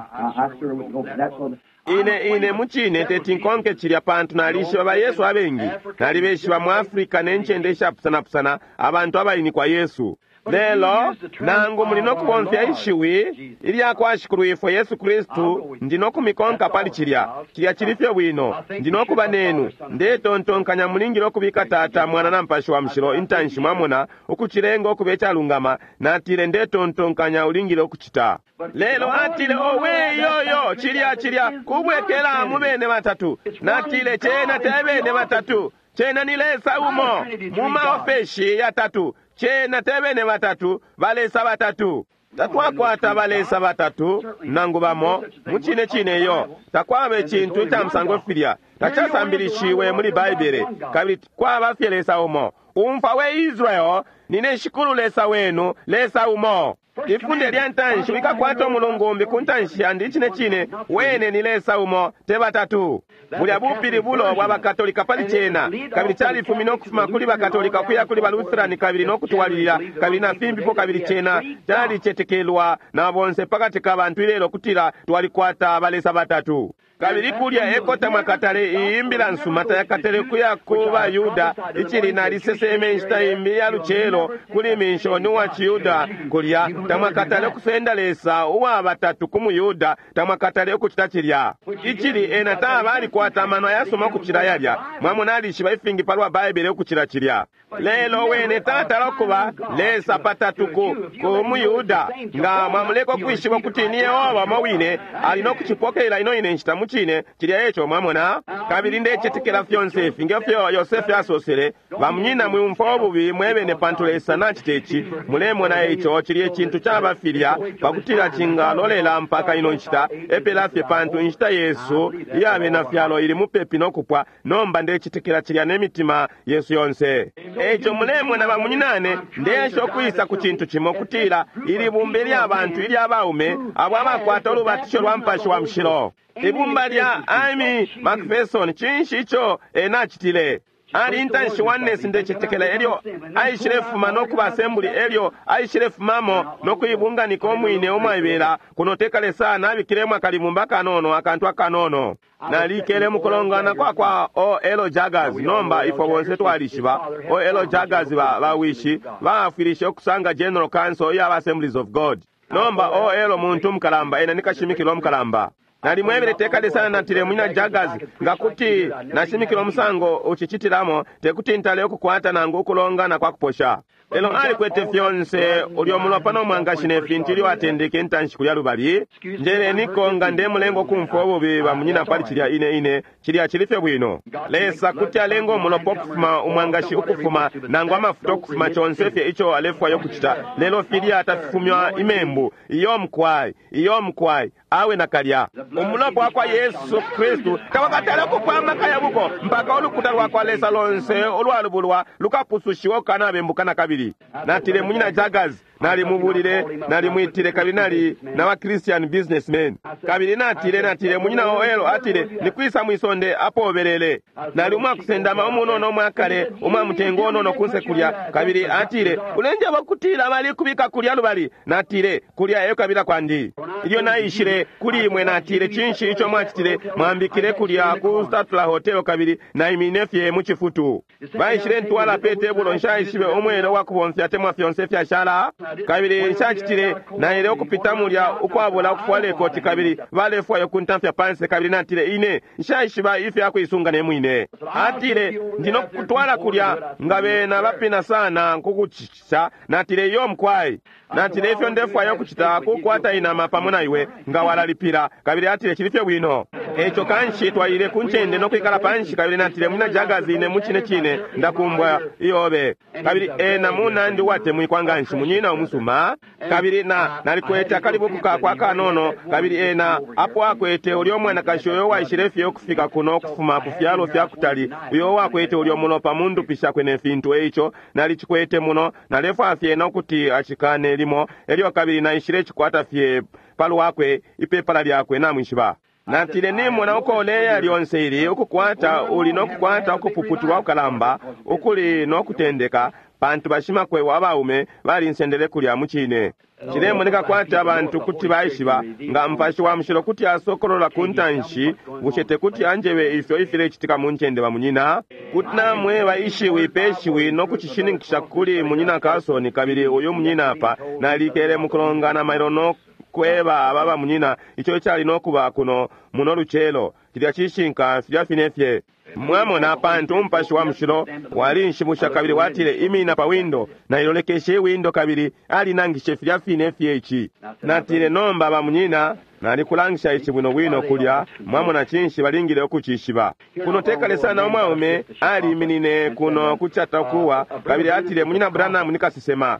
Ine ine mucine teti nkonke cilya pantu nalishiba ba Yesu abengi, nalibeshiba mu Afrika ne ncende ishapusanapusana abantu abainikwa Yesu. Lelo nangu muli no kubomfya ishiwi ilya kwa Shikulu ifwe Yesu Kristu, ndi no kumikonka pali cilya. Cilya cili fye bwino. Ndi no kuba nenu. Ndetontonkanya mulingile ukubika Tata, Mwana na Mupashi wa Mushilo intanshi, mwamona, ukucilenga ukuba icalungama. Natile ndetontonkanya ulingile ukucita. Lelo atile owe yoyo cilya cilya kubwekela mu bene batatu. Natile cena te bene batatu, cena ni Lesa umo mu maofeshi yatatu. Cena te bene batatu, balesa batatu. Tatwakwata balesa batatu nangu bamo mucine cine iyo. Takwaba icintu ica musango filya, tacasambilishiwe muli Baibele, kabili kwaba fye Lesa umo. Umfwa we Israel, nine Shikulu Lesa wenu, Lesa umo. Ifunde lya ntanshi wikakwata umulungu umbi ku ntanshi yandi. Icine cine wene ni Lesa umo, te batatu. Bulya bupilibulo bwa bakatolika pali cena, kabili califumine ukufuma kuli bakatolika ukuya kuli balutherani kabili no kutwalilila kabili na fimbipo, kabili cena calicetekelwa na bonse pakati ka bantu ilelo kutila twalikwata balesa batatu. Kabili kulya ekota mwakatale iyi imbila nsuma tayakatale kuya ku bayuda, icili naliseseme inshita imbi ya lucelo kuli minshoni wa ciyuda kulya. Tamwakatale ukusenda Lesa uwa batatu ku muyuda, tamwakatale ukucita cilya. Icili ena taba alikwata amano ayasuma ukucila yalya. Mwamona alishiba ifingi palwa Baibele ukucila cilya. Lelo wene tatala ukuba Lesa patatu ku muyuda. Nga mwamuleka ukwishiba ukuti ni Yehova umo wine, ali no kucipokelela ino ine nshita mucine cilya eco. Mwamona? Kabili ndecetekela fyonse ifi ngefyo Yosefe asosele, bamunyina mwiumfwa ububi mwebene pantu Lesa nacita ici, mulemona ico cilye cintu caba filya pakutila cingalolela mpaka ino nshita epela fye, pantu inshita yesu iya bena fyalo ili mupepi no kupwa. Nomba ndecetekela cilya ne mitima yesu yonse. Eico mulemona bamunyinane, ndeesha ukwisa ku cintu cimo kutila ili bumba ilya bantu ilya baume abo abakwata ulubatisho lwa Mupashi wa Mushilo. Ibumba lya Amy McPherson, cinshi ico ena acitile? Ali intanshi Oneness, ndecetekela, elyo aishilefuma no kuba Assembly, elyo aishilefumamo no kuibunganika umwine umwaibela. Kuno tekale sana abikilemo akalibumba kanono, akantu akanono. Nalikele mukulongana kwa kwa O.L. Jaggers. Nomba ifwe bonse twalishiba O.L. Jaggers, bawishi baafwilishe ukusanga General Council iya Assemblies of God. Nomba O.L. muntu mukalamba, ena nikashimikilo mukalamba. Nalimwebele tekale sana, natile, munyina Jaggers, nga kuti nashimikila umusango ucicitilamo, tekuti ntale ukukwata nangu ukulongana kwa kuposha. Lelo alikwete fyonse ulyo mulopa no mwangashi ne fintu ilyo atendeke intanshi kulya lubali. Njeleniko nga ndemulenga ukumfwa ububi bamunyina pali cilya ine ine, cilya cili fye bwino. Lesa kuti alenga umulopa ukufuma, umwangashi ukufuma, nangu amafuta ukufuma, conse fye ico alefwaya ukucita, lelo filya tafifumywa imembu. Iyo mukwai, iyo mukwai, awe nakalya. Umulopa wa kwa Yesu Kristu tawakatale ukupwa amaka ya buko mpaka ulukuta lwa kwa Lesa lonse ulwalubulwa lukapusushiwa ukanabembuka na kabili. Natile, munyina Jaggers, nalimubulile, nalimwitile, kabili nali na ba Christian businessmen. Kabili natile, natile, munyina Oelo, atile, nikwisa mwisonde apobelele? Nali umwakusendama umunono umwakale, umwamutengo unono kunse kulya. Kabili atile, ulenjeba kutila bali kubika kulya lubali. Natile, kulya eyo kabila kwandi. Ilyo naishile kuli imwe, natile, cinshi ico mwacitile? Mwambikile kulya ku Statler Hotel, kabili naimine fye mu cifutu. Baishile ntwala pe tebulo, nshaishibe umwele wa kubomfya temwa fyonse fyashala. Kabili nshacitile, naile ukupita mulya ukwabula ukufwala ikoti, kabili balefwaya ukuntamfya panse. Kabili natile, ine nshaishiba ifya kuisunga ne mwine. Atile, ndi no kutwala kulya nga bena bapina sana nkukucisha. Natile, iyo mukwai. Natile, ifyo ndefwaya ukucita kukwata inama pamo na iwe nga walalipila. Kabili atile, cili fye bwino. Eco kanshi twaile ku ncende no kwikala panshi. Kabili natile, munyina Jaggers, ine mucine cine ndakumbwa iyobe. Kabili ena munandi uwatemwikwa nganshi, munyina umusuma. Kabili na nalikwete akalibuku kakwe akanono. Kabili ena apo akwete ulyo mwanakashi uyo waishile fye ukufika kuno ukufuma ku fyalo fya kutali, uyo wakwete ulyo mulopa mu ndupi shakwe ne fintu. Eico nalicikwete muno, nalefwaya fye ena ukuti acikane limo. Elyo kabili naishile cikwata fye palwakwe, ipepala lyakwe, namwishiba. Natile, nimona uko uleya lyonse ili ukukwata, uli nokukwata ukupuputulwa kukalamba ukuli nokutendeka, pantu bashimakwebo abaume balinsendele kulya mucine. Cilemoneka kwati abantu kuti baishiba nga Mupashi wa Mushilo kuti asokolola ku ntanshi, bushe tekuti anjebe ifyo ifilecitika mu ncende bamunyina? Kuti namweba ishiwi pe shiwi no kucishininkisha kuli munyina Carson, kabili uyu munyina apa. Nalikele mukulongana mailo no kweba aba bamunyina ico icali no kuba kuno muno lucelo. Cilya cishinka filya fine fye. Mwamona, pantu Umupashi wa Mushilo walinshibusha kabili watile, imina pa windo. Nailolekeshe iwindo kabili alinangishe filya fine fye ici. Natile, nomba bamunyina, nalikulangisha ici bwino bwino kulya. Mwamona, cinshi balingile ukucishiba. Kuno tekale sana umwaume aliminine kuno kucatakuwa, kabili atile, munyina Branham ni kasesema.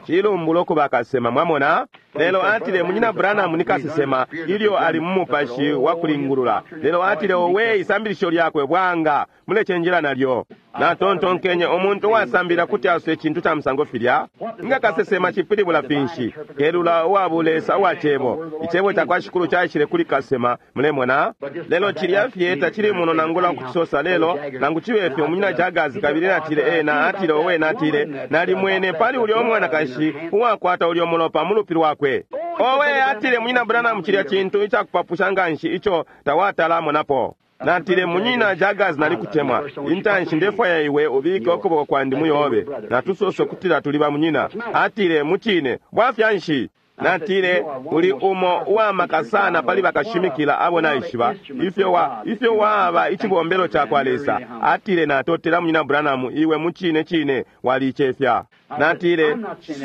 Cilumbulo kuba kasesema, mwamona. Lelo atile, munyina Branham ni kasesema ilyo ali mu mupashi wa kulingulula. Lelo atile, owe, isambilisho lyakwe bwanga, mulecenjela nalyo. Natontonkenye, umuntu uwasambila kuti asose icintu ca musango filya? Nga kasesema cipilibula finshi? Kelula uwa bulesa uwa cebo. Icebo ca kwa Shikulu caishile kuli kasesema, mulemona. Lelo cilya fye tacili muno nangula ukucisosa. Lelo nangu cibe fyo, munyina Jaggers, kabili natile, ena atile, owe, natile, nalimwene pali ulyo mwanakashi uwakwata ulyo mulopa mu lupi lwakwe. Owe, atile, munyina Branham, cilya cintu icakupapusha nganshi ico tawatalamonapo. Natile, munyina Jaggers, nalikutemwa. Intanshi ndefwaya iwe ubike ukuboko kwandi muyobe. Natusose kutila tuli bamunyina. Atile, mucine, bwafya nshi? Natile, uli umo uwamaka sana pali bakashimikila abo naishiba, ifyo wa ifyo waba icibombelo cakwa Lesa. Atile, natotela Munyina Branham, iwe mucine cine waliicefya. Natile,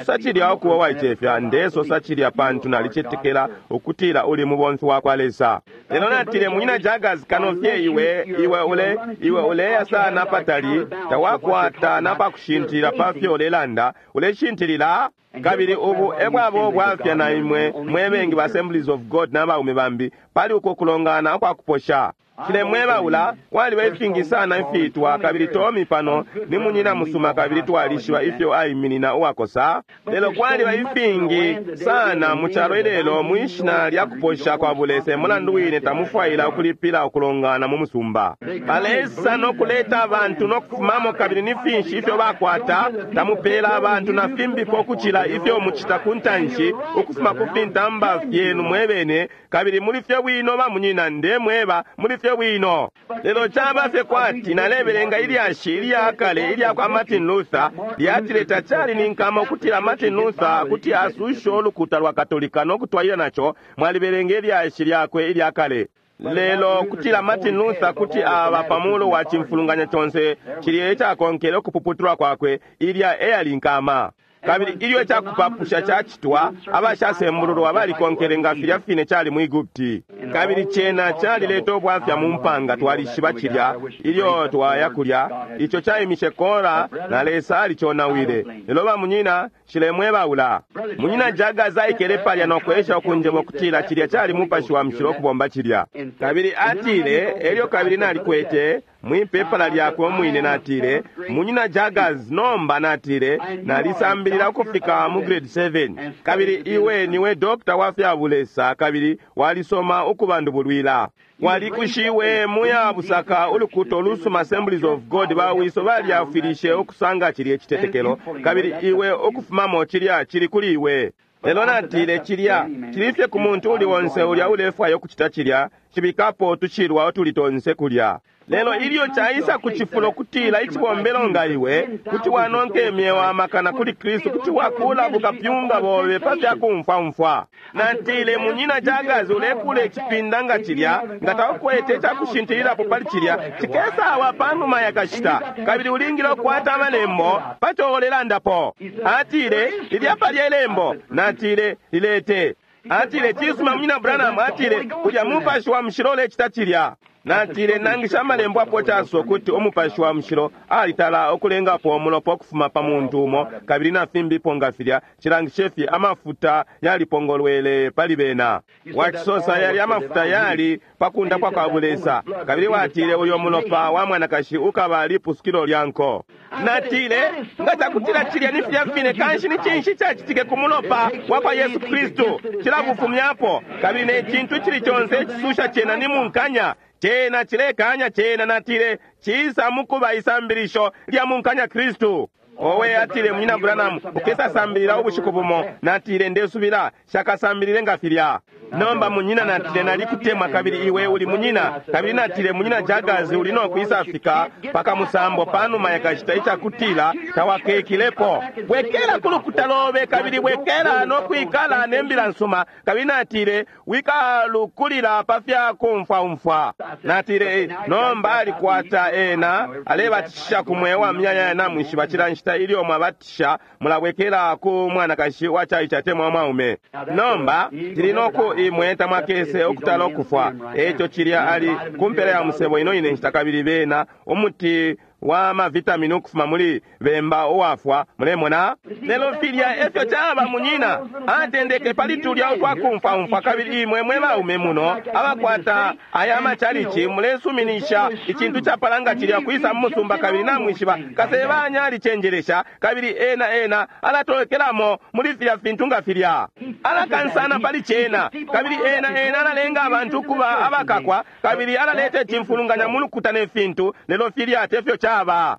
sacilya ukuba waicefya, ndesosa cilya pantu nalicetekela ukutila uli mubomfi wakwa Lesa. Lelo natile, Munyina Jaggers, kano fye iwe iwe ule iwe uleya sana patali, tawakwata napakushintilila pafyo ulelanda, uleshintilila. Kabili ubu ebwabo ubwafya na imwe mwe bengi ba Assemblies of God n'abaume bambi pali uko kulongana ukwakuposha. Cilemwebaula kwaliba ifingi sana ifiitwa, kabili Tommy pano ni munyina musuma kabili twalishiba ifyo aiminina uwakosa. Lelo kwaliba ifingi sana mu calo ilelo mwishina lya kuposha kwa bulese, mulandu wine tamufwaila ukulipila ukulongana mu musumba. Balesa no kuleta abantu no kufumamo, kabili ni finshi ifyo bakwata, tamupela abantu na fimbipo ukucila ifyo mucita ku ntanshi ukufuma ku fintamba fyenu mwebene, kabili muli fye bwino bamunyina, ndemweba muli fye bwino. Lelo caba fye kwati nalebelenga ilyashi ilya kale ilya kwa Martin Luther, lyatile tacali ni nkama ukutila Martin Luther kuti asushe ulukuta lwa Katolika no kutwalila naco. Mwalibelenga ilyashi lyakwe ilya kale. Lelo kutila Martin Luther kuti aba pamuulu wa cimfulunganya conse cilya icakonkele ukupuputulwa kwakwe, ilya eyali nkama. Kabili ilyo icakupapusha cacitwa, abashasembululwa balikonkele nga filya fine cali mu Egupti. Kabili cena calileta ubwafya mu mpanga, twalishiba cilya ilyo twaya kulya. Ico caimishe Kora na Lesa aliconawile. Lelo bamunyina, nshilemwebaula. Munyina Jaggers aikele palya no kwesha ukunjeba ukutila cilya cali Mupashi wa Mushilo ukubomba cilya. Kabili atile, elyo kabili nalikwete mwipepala lyakwe umwine, natile, Munyina Jaggers, nomba natile, nalisambilila ukufika mu grade 7, kabili iwe niwe dokta wa fya bulesa, kabili walisoma ukubandubulwila. Walikushiwe muya busaka ulukuto lusuma Assemblies of God, bawiso balyafwilishe ukusanga cilya icitetekelo, kabili iwe ukufumamo cilya cili kuli iwe. Lelo natile, cilya cili fye ku muntu uli onse ulya ulefwaya ukucita cilya, cibikapo utushilwa utuli tonse kulya. Lelo ilyo caisa ku cifulo kutila icibombelo nga iwe kuti wanonka imyeo amakana kuli Kristu, kuti wakula bukapyunga bobe pa fya kumfwamfwa. Natile, Munyina Jaggers, ulekula icipinda nga cilya, nga taukwete icakushintililapo pali cilya, cikesawa panuma ya kashita, kabili ulingile ukukwata amalembo pa co ulelandapo. Atile, lilya palya ilembo. Natile, lilete. Atile, cisuma Munyina Branham, atile, kulya Mupashi wa Mushilo ulecita cilya. Natile, nangisha amalembo apo caso kuti Umupashi wa Mushilo alitala ukulengapo umulopa ukufuma pa muntu umo, kabili na fimbipo nga filya, cilangishe fye amafuta yalipongolwele pali bena. Wacisosa yali amafuta yali pa kundapwa kwa bulesa, kabili watile uyo mulopa wa mwanakashi ukaba lipusukilo lya nko. Natile, nga cakutila cilya ni filya fine, kanshi ni cinshi cacitike ku mulopa wa kwa Yesu Kristu? Cilabufumyapo, kabili ne cintu icili conse icisusha cena ni munkanya. Cena cilekanya cena. Natile, cisa mukuba isambilisho lya munkanya Kristu. Owe, atile, Munyina Branham, ukesasambilila ubushiku bumo. Natile, ndesubila shakasambilile nga filya. Nomba munyina, natile, nalikutemwa kabili iwe uli munyina. Kabili natile, Munyina Jaggers, uli no kwisafika paka musambo panuma yakashita icakutila tawakekilepo. Bwekela ku lukuta lobe, kabili bwekela no kwikala ne mbila nsuma. Kabili natile, wikalukulila pa fya kumfwaumfwa. Natile, nomba alikwata ena alebatisha ku mweo wa myanya namwishiba cila nshita ilyo mwabatisha mulabwekela ku mwanakashi wa caice atemwa mwaume. Nomba tili noku imwe tamwakese ukutala ukufwa. Eco cilya ali kumpela ya musebo ino ine nshita, kabili bena umuti wa mavitamini ukufuma muli bemba uwafwa, mulemona. Lelo filya efyo caba munyina, atendeke pali tulya utwakumfwaumfwa. Kabili imwe mwe baume muno abakwata aya macalici mulesuminisha icintu capalanga cilya kwisa mu musumba, kabili namwishiba kasebanya alicenjelesha, kabili ena ena alatolokelamo muli filya fintu nga filya, alakansana pali cena, kabili ena ena alalenga abantu ukuba abakakwa, kabili alaleta icimfulunganya mu lukuta ne fintu. Lelo filya tefyo caba.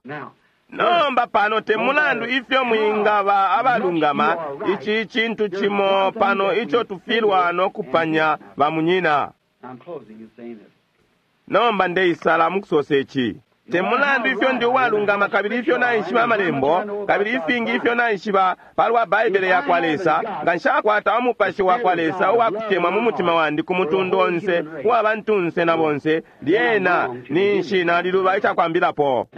Nomba pano te mulandu ifyo mwingaba abalungama, ici cintu cimo pano ico tufilwa no kupanya bamunyina. Nomba ndeisala mukusosa ici. Te mulandu ifyo ndi uwalungama kabili ifyo naishiba amalembo kabili ifingi ifyo naishiba palwa Baibele yakwa Lesa, nga nshakwata umupashi wakwa Lesa uwakutemwa mu mutima wandi ku mutundu onse uwa bantunse na bonse, lyena ninshi naliluba icakwambilapo.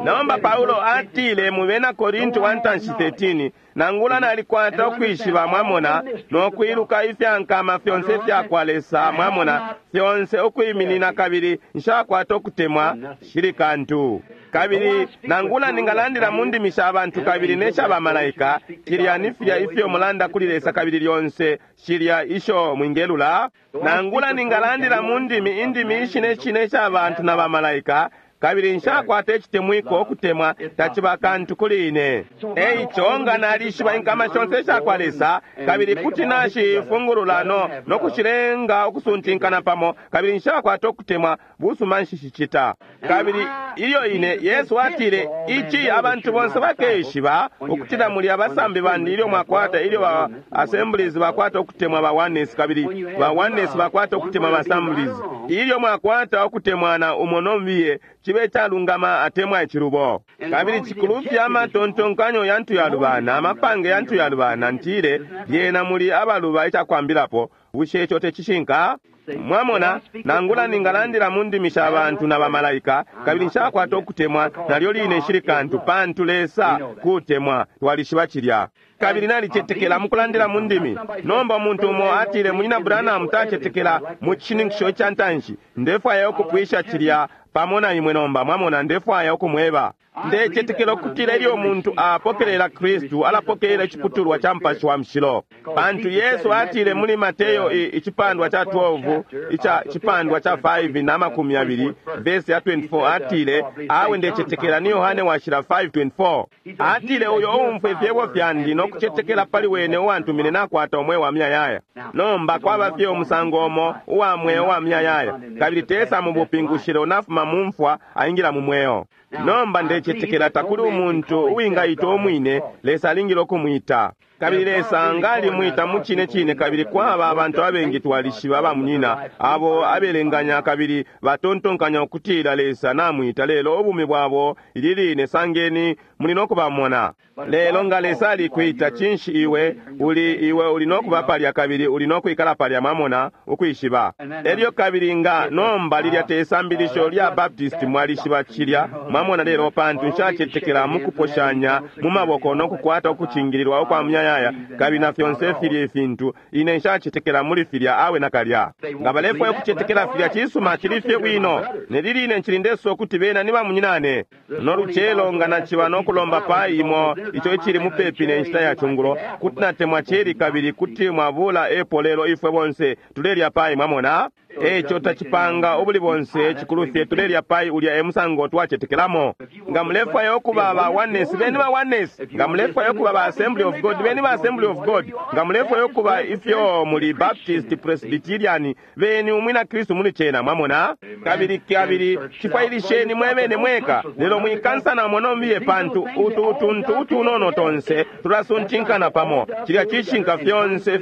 Nomba Paulo atile mu bena Korinti wa ntanshi 13, nangula nalikwata ukwishiba, mwamona, no kwiluka ifyankama fyonse fyakwa Lesa, mwamona, fyonse ukwiminina, kabili nshakwata ukutemwa, shili kantu. Kabili nangula ningalandila mu ndimi sha bantu kabili ne sha bamalaika, cilya ni filya ifyo mulanda kuli Lesa kabili lyonse shilya isho mwingelula. Nangula ningalandila mu ndimi indimi ishine shine sha bantu na bamalaika, kabili nshakwata icitemwiko, ukutemwa taciba kantu kuli ine. Eico nga nalishiba inkama shonse ishakwa Lesa, kabili kuti nashifungulula no kushilenga ukusuntinkana pamo, kabili nshakwata ukutemwa, busuma nshishicita. Kabili ilyo ine Yesu atile, ici abantu bonse bakeshiba ukutila muli abasambi bandi ilyo mwakwata, ilyo ba Assemblies bakwata ukutemwa ba Oneness, kabili ba Oneness bakwata ukutemwa ba Assemblies. Ilyo mwakwata ukutemwana umo nombiye, chibe calungama atemwa icilubo. Kabili cikulufya amatontonkanyo yantu yalubana, amapange yantu yalubana, ntile lyena muli abaluba icakwambilapo. Bushe ico tecishinka? Mwamona, nangula ningalandila mu ndimi sha bantu na bamalaika, kabili nshakwata ukutemwa, nalyo line nshili kantu, pantu Lesa kutemwa, twalishiba cilya. Kabili nalicetekela mukulandila mu ndimi. Nomba umuntu umo atile, Munyina Branham tacetekela mu cishininkisho ica ntanshi. Ndefwaya ukupwisha cilya pamo na imwe nomba, mwamona, ndefwaya ukumweba. Ndecetekela ukutila ilyo umuntu apokelela Kristu, alapokelela iciputulwa ca Mupashi wa Mushilo. Pantu Yesu atile muli Mateyo icipandwa ca 12, ica cipandwa ca 5 na makumi abili, verse ya 24, atile, awe ndecetekela ni Yohane washila 5:24. Atile, uyo uumfwa ifyebo fyandi no kucetekela pali wene uwantumine nakwata umweo wa muyayaya. Nomba kwaba fye umusango umo uwa mweo wa muyayaya, kabili tesa mu bupingushilo, nafuma mu mfwa aingila mu mweo. Nomba ndecetekela takuli umuntu uwingaita umwine, Lesa alingile ukumwita. Kabili Lesa ngalimwita mu cine cine, kabili kwaba abantu abengi twalishiba bamunyina abo abelenganya kabili batontonkanya ukutila Lesa namwita, lelo ubumi bwabo ili line sangeni muli no kubamona. Lelo nga Lesa alikwita, cinshi iwe uli, iwe uli no kuba palya kabili uli no kwikala palya, mwamona, ukwishiba. Elyo kabili nga nomba lilya te sambilisho lya Baptist, mwalishiba cilya, mwamona, lelo pantu nshacetekela mukuposhanya mu maboko no kukwata ukucingililwa ukwa muyayaya kabili na fyonse filya ifintu, ine nshacetekela muli filya awe nakalya. Nga balefwaya ukucetekela filya, cisuma, cili fye bwino. Neliline ncili ndesosa ukuti bena ni bamunyinane. No lucelo nga naciba no kulomba pa imo ico icili mupepi ne nshita ya cungulo, kuti natemwa ceri kabili kuti mwabula epo, lelo ifwe bonse tulelya pai, mwamona. Eco tacipanga ubuli bonse, cikulufye tulelya pai, ulya e musango twacetekelamo. Nga mulefwaya ukuba ba Oneness, beni ba Oneness. Nga mulefwaya ukuba ba Assembly of God, beni ba Assembly of God. Nga mulefwaya ukuba ifyo muli Baptist, Presbyterian, beni umwina Kristu muli cena, mwamona. Kabili kabili cifwailisheni mwebene mweka, lelo mwikansana monombiye, pantu utu utuntu utunono tonse tulasuntinkana pamo. Cilya cishinka, fyonse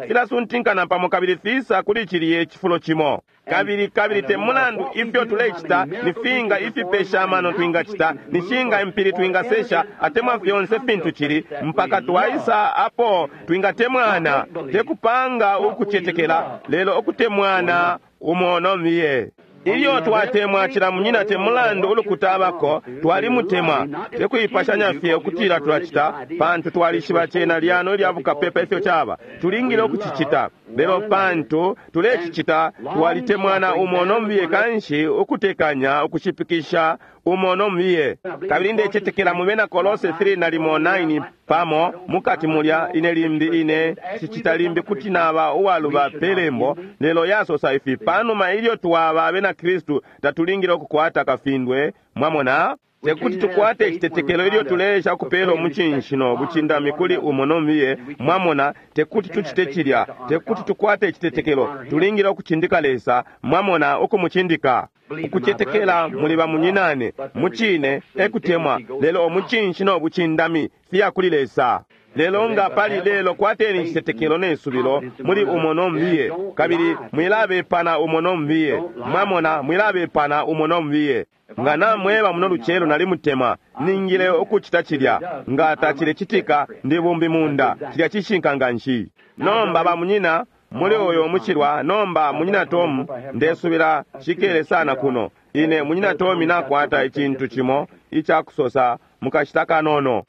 filasuntinkana pamo kabili fisa kuli ciliye cifulo cimo. Kabili kabili te mulandu ifyo tulecita, ni finga ifipesha amano twingacita, ni shinga impili twingasesha, atemwa fyonse fintu cili, mpaka twaisa apo twingatemwana, te kupanga ukucetekela, lelo ukutemwana umo nomiye. Ilyo twatemwa cila munyina, te mulandu ulukuta abako, twalimutemwa, te kuipashanya fye ukutila tulacita, pantu twalishiba cena lyano ilya bukapepa ifyo caba, tulingile ukucicita. Lelo pantu tulecicita, twalitemwana umo nomiye, kanshi ukutekanya ukushipikisha umo nomiye. Kabili ndecetekela mu bena Kolose 3 nalimo 9 pamo mukati mulya, ine limbi ine sicita limbi kuti naba uwaluba pelembo, lelo yasosa ifi, panuma ilyo twaba abena Kristu tatulingile ukukwata kafindwe, mwamona. Tekuti tukwate icitetekelo ilyo tuleesha kupela umucinshi no bucindami kuli umo nomiye, mwamona. Tekuti tucite cilya, tekuti tukwate icitetekelo, tulingile ukucindika Lesa, mwamona, ukumucindika. Ukucetekela muli bamunyinane mucine ekutemwa, lelo umucinshi no bucindami fiya kuli Lesa. Lelo nga pali lelo, kwateni icitetekelo ne subilo muli umo no mbiye, kabili mwilabepana umo no mbiye. Mwamona, mwilabepana umo no mbiye. Nga namweba muno lucelo nalimutemwa, ningile ukucita cilya. Nga tacilecitika, ndi bumbi munda. Cilya cishinka nganshi. Nomba bamunyina muli uyo muchilwa, nomba munyina Tomu, ndesubila shikele sana kuno. Ine munyina Tomi nakwata icintu cimo icakusosa mukashita kanono.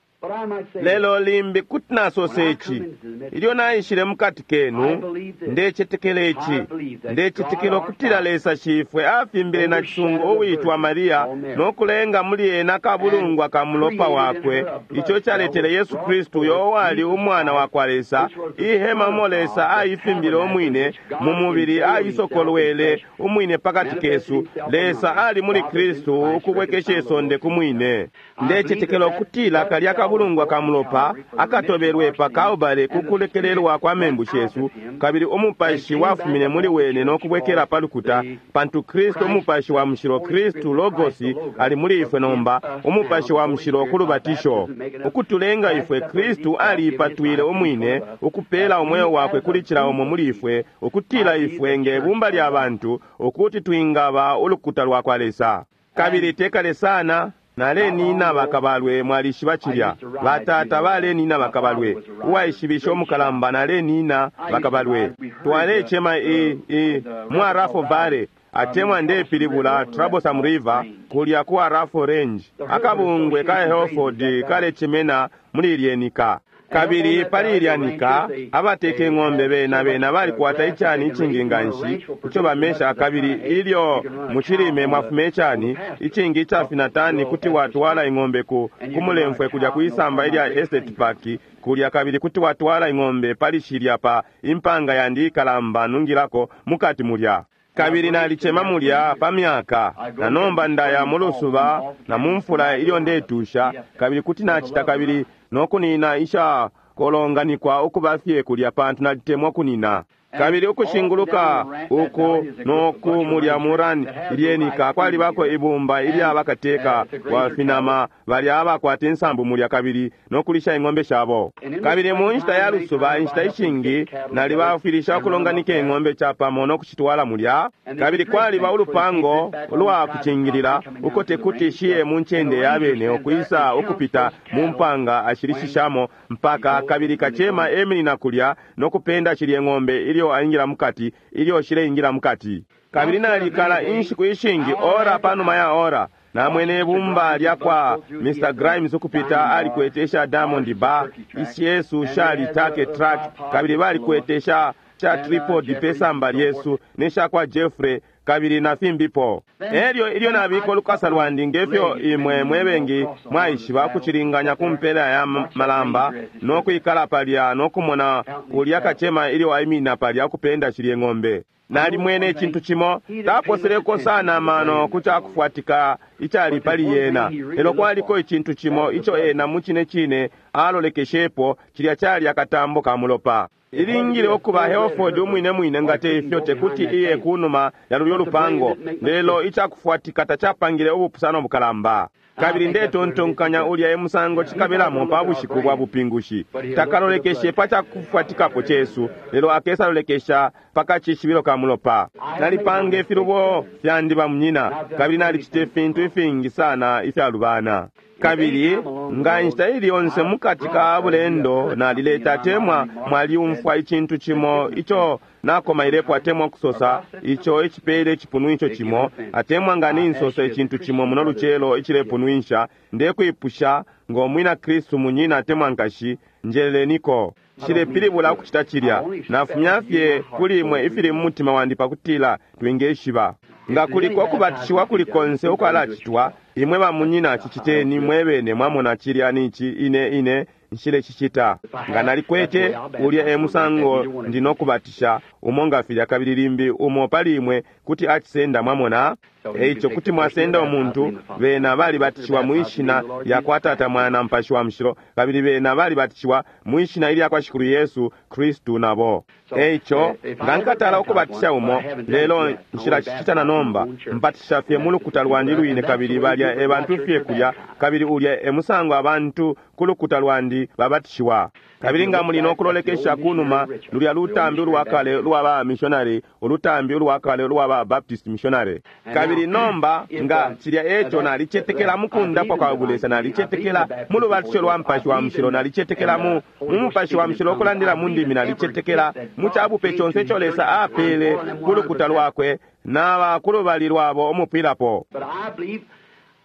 Lelo limbi kuti nasosa ici, ilyo naishile mukati kenu, ndecetekela ici, ndecetekela ukutila Lesa Shifwe afimbile na cisungu uwitwa Mariya no kulenga muli ena kabulungwa ka mulopa wakwe, ico caletele Yesu Kristu uyo wali umwana wa kwa Lesa, ihema umo Lesa aifimbile umwine mu mubili, aisokolwele umwine pakati kesu. Lesa ali muli Kristu ukubwekesha isonde ku mwine. Ndecetekela ukutila kalya kabulungwa ka mulopa akatobelwe pa Kalbale ku kulekelelwa kwa membu shesu, kabili umupashi wafumine muli wene no kubwekela pa lukuta, pantu Kristu umupashi wa mushilo, Kristu Logosi ali muli ifwe nomba, umupashi wa mushilo ku lubatisho ukutulenga ifwe. Kristu aliipatwile umwine ukupela umweo wakwe kuli cila umo muli ifwe, ukutila ifwe nge bumba lya bantu ukuti twingaba ulukuta lwa kwa Lesa. Kabili tekale sana nalenina bakabalwe, mwalishiba cilya, batata balenina bakabalwe, uwaishibisha umukalamba nalenina bakabalwe. Twalecema i i mu Arafo Valley, atemwa ndepilibula Troublesome River, kulya ku Arafo Range. Akabungwe ka Hereford kalechemena muli ilyenika. Kabili pali ilya nika abateka ing'ombe bena bena balikwata icani icingi nganshi ico bamesha, kabili ilyo mucilime mwafuma icani icingi icafina tani, kuti watwala ing'ombe ku kumulemfwe kulya kwisamba ilya Estate Park kulya, kabili kuti watwala ing'ombe pali shilya pa impanga yandi ikalamba nungilako mukati mulya. Kabili nalicema mulya pa myaka, na nomba ndaya mu lusuba na mu mfula ilyo ndetusha, kabili kuti nacita kabili nokunina isha kolonganikwa ukuba fye kulya, pantu nalitemwa kunina. Kabili ukushinguluka uku noku mulya murani ilyenika kwalibako ibumba ilya bakateka wa finama balya abakwata insambu mulya kabili nokulisha ing'ombe shabo. Kabili mu nshita ya lusuba, inshita ishingi nalibafwilisha ukulonganika ing'ombe capamo nokushitwala mulya. Kabili kwaliba ulupango ulwa kucingilila uko tekuti shiye mu ncende ya bene ukwisa ukupita mu mpanga ashilishishamo mpaka, kabili kacema eminina kulya nokupenda shilye ng'ombe ilyo aingila mukati, ilyo shileingila mukati. Kabili nalikala inshiku ishingi, ora panuma ya ora, namwene ibumba lya kwa Mr. Grimes ukupita, alikwete isha Diamond Bar, isyesu shali take truck, kabili balikwete sha cha tripod pesamba lyesu nesha kwa Jeffrey kabili na fimbipo. Elyo ilyo nabika ulukasa lwandi ngefyo imwe mwebengi mwaishiba ukucilinganya ku mpela ya malamba no kwikala palya no kumona ulya kacema ilyo aiminina palya ukupenda shilye ng'ombe. Nalimwene icintu cimo, taposeleko sana amano ku cakufwatika icali pali yena, lelo kwaliko icintu cimo ico ena mucine cine alolekeshepo, cilya cali akatambo ka mulopa. Ilingile ukuba Hereford umwine mwine nga teifyo tekuti iye kunuma ya lulyo lupango, lelo icakufwatika tacapangile ubupusano bukalamba. Kabili ndetontonkanya ulya e musango cikabelamo pa bushiku bwa bupingushi. Takalolekeshe pa cakufwatikapo cesu, lelo akesalolekesha pa kacishibilo ka mulopa. Nalipanga ifilubo fyandi bamunyina, kabili nalicita ifintu ifingi sana ifyalubana. Kabili nga inshita ili yonse mukati ka bulendo nalileta atemwa mwaliumfwa icintu cimo ico nakomailepo atemwa kusosa ico icipele icipunwisho cimo, atemwa nga ninsosa icintu cimo muno lucelo icilepunwisha, ndekwipusha ngo mwina Kristu munyina atemwa nkashi, njeleleniko. Nshilepilibula ukucita cilya, nafumya fye kuli imwe ifili mu mutima wandi pakutila twingeshiba. Nga kuliko ukubatishiwa kuli konse ukwalacitwa, imwe bamunyina ciciteni mwebene, mwamona cilya nici ine ine nshilecicita. Nga nalikwete ulya e musango ndi nokubatisha umo nga filya, kabili limbi umo pali imwe kuti acisenda, mwamona. Eico kuti mwasenda umuntu, bena balibatishiwa mwi shina lya kwa Tata, Mwana, Mupashi wa Mushilo, kabili bena balibatishiwa mwi shina ilya kwa Shikulu Yesu Kristu nabo. Eico nga nkatala ukubatisha umo, lelo nshilacicita na nomba, mpatisha fye mu lukuta lwandi lwine, kabili balya e bantu fye kulya, kabili ulya e musango abantu ku lukuta lwandi babatishiwa. Kabili nga muli no kulolekesha kunuma, lulya lutambi ulwakale lwa ba missionary, ulutambi ulwakale ulwa ba Baptist missionary. Kabili nomba nga cilya eco, nalicetekela mukundapwa kwa bulesa, nalicetekela mu lubatisho lwa Mupashi wa Mushilo, nalicetekela mu mu Mupashi wa Mushilo ukulandila mu ndimi, nalicetekela mu cabupe conse ico Lesa apele ku lukuta lwakwe naba kulubali lwabo umupwilapo.
But I believe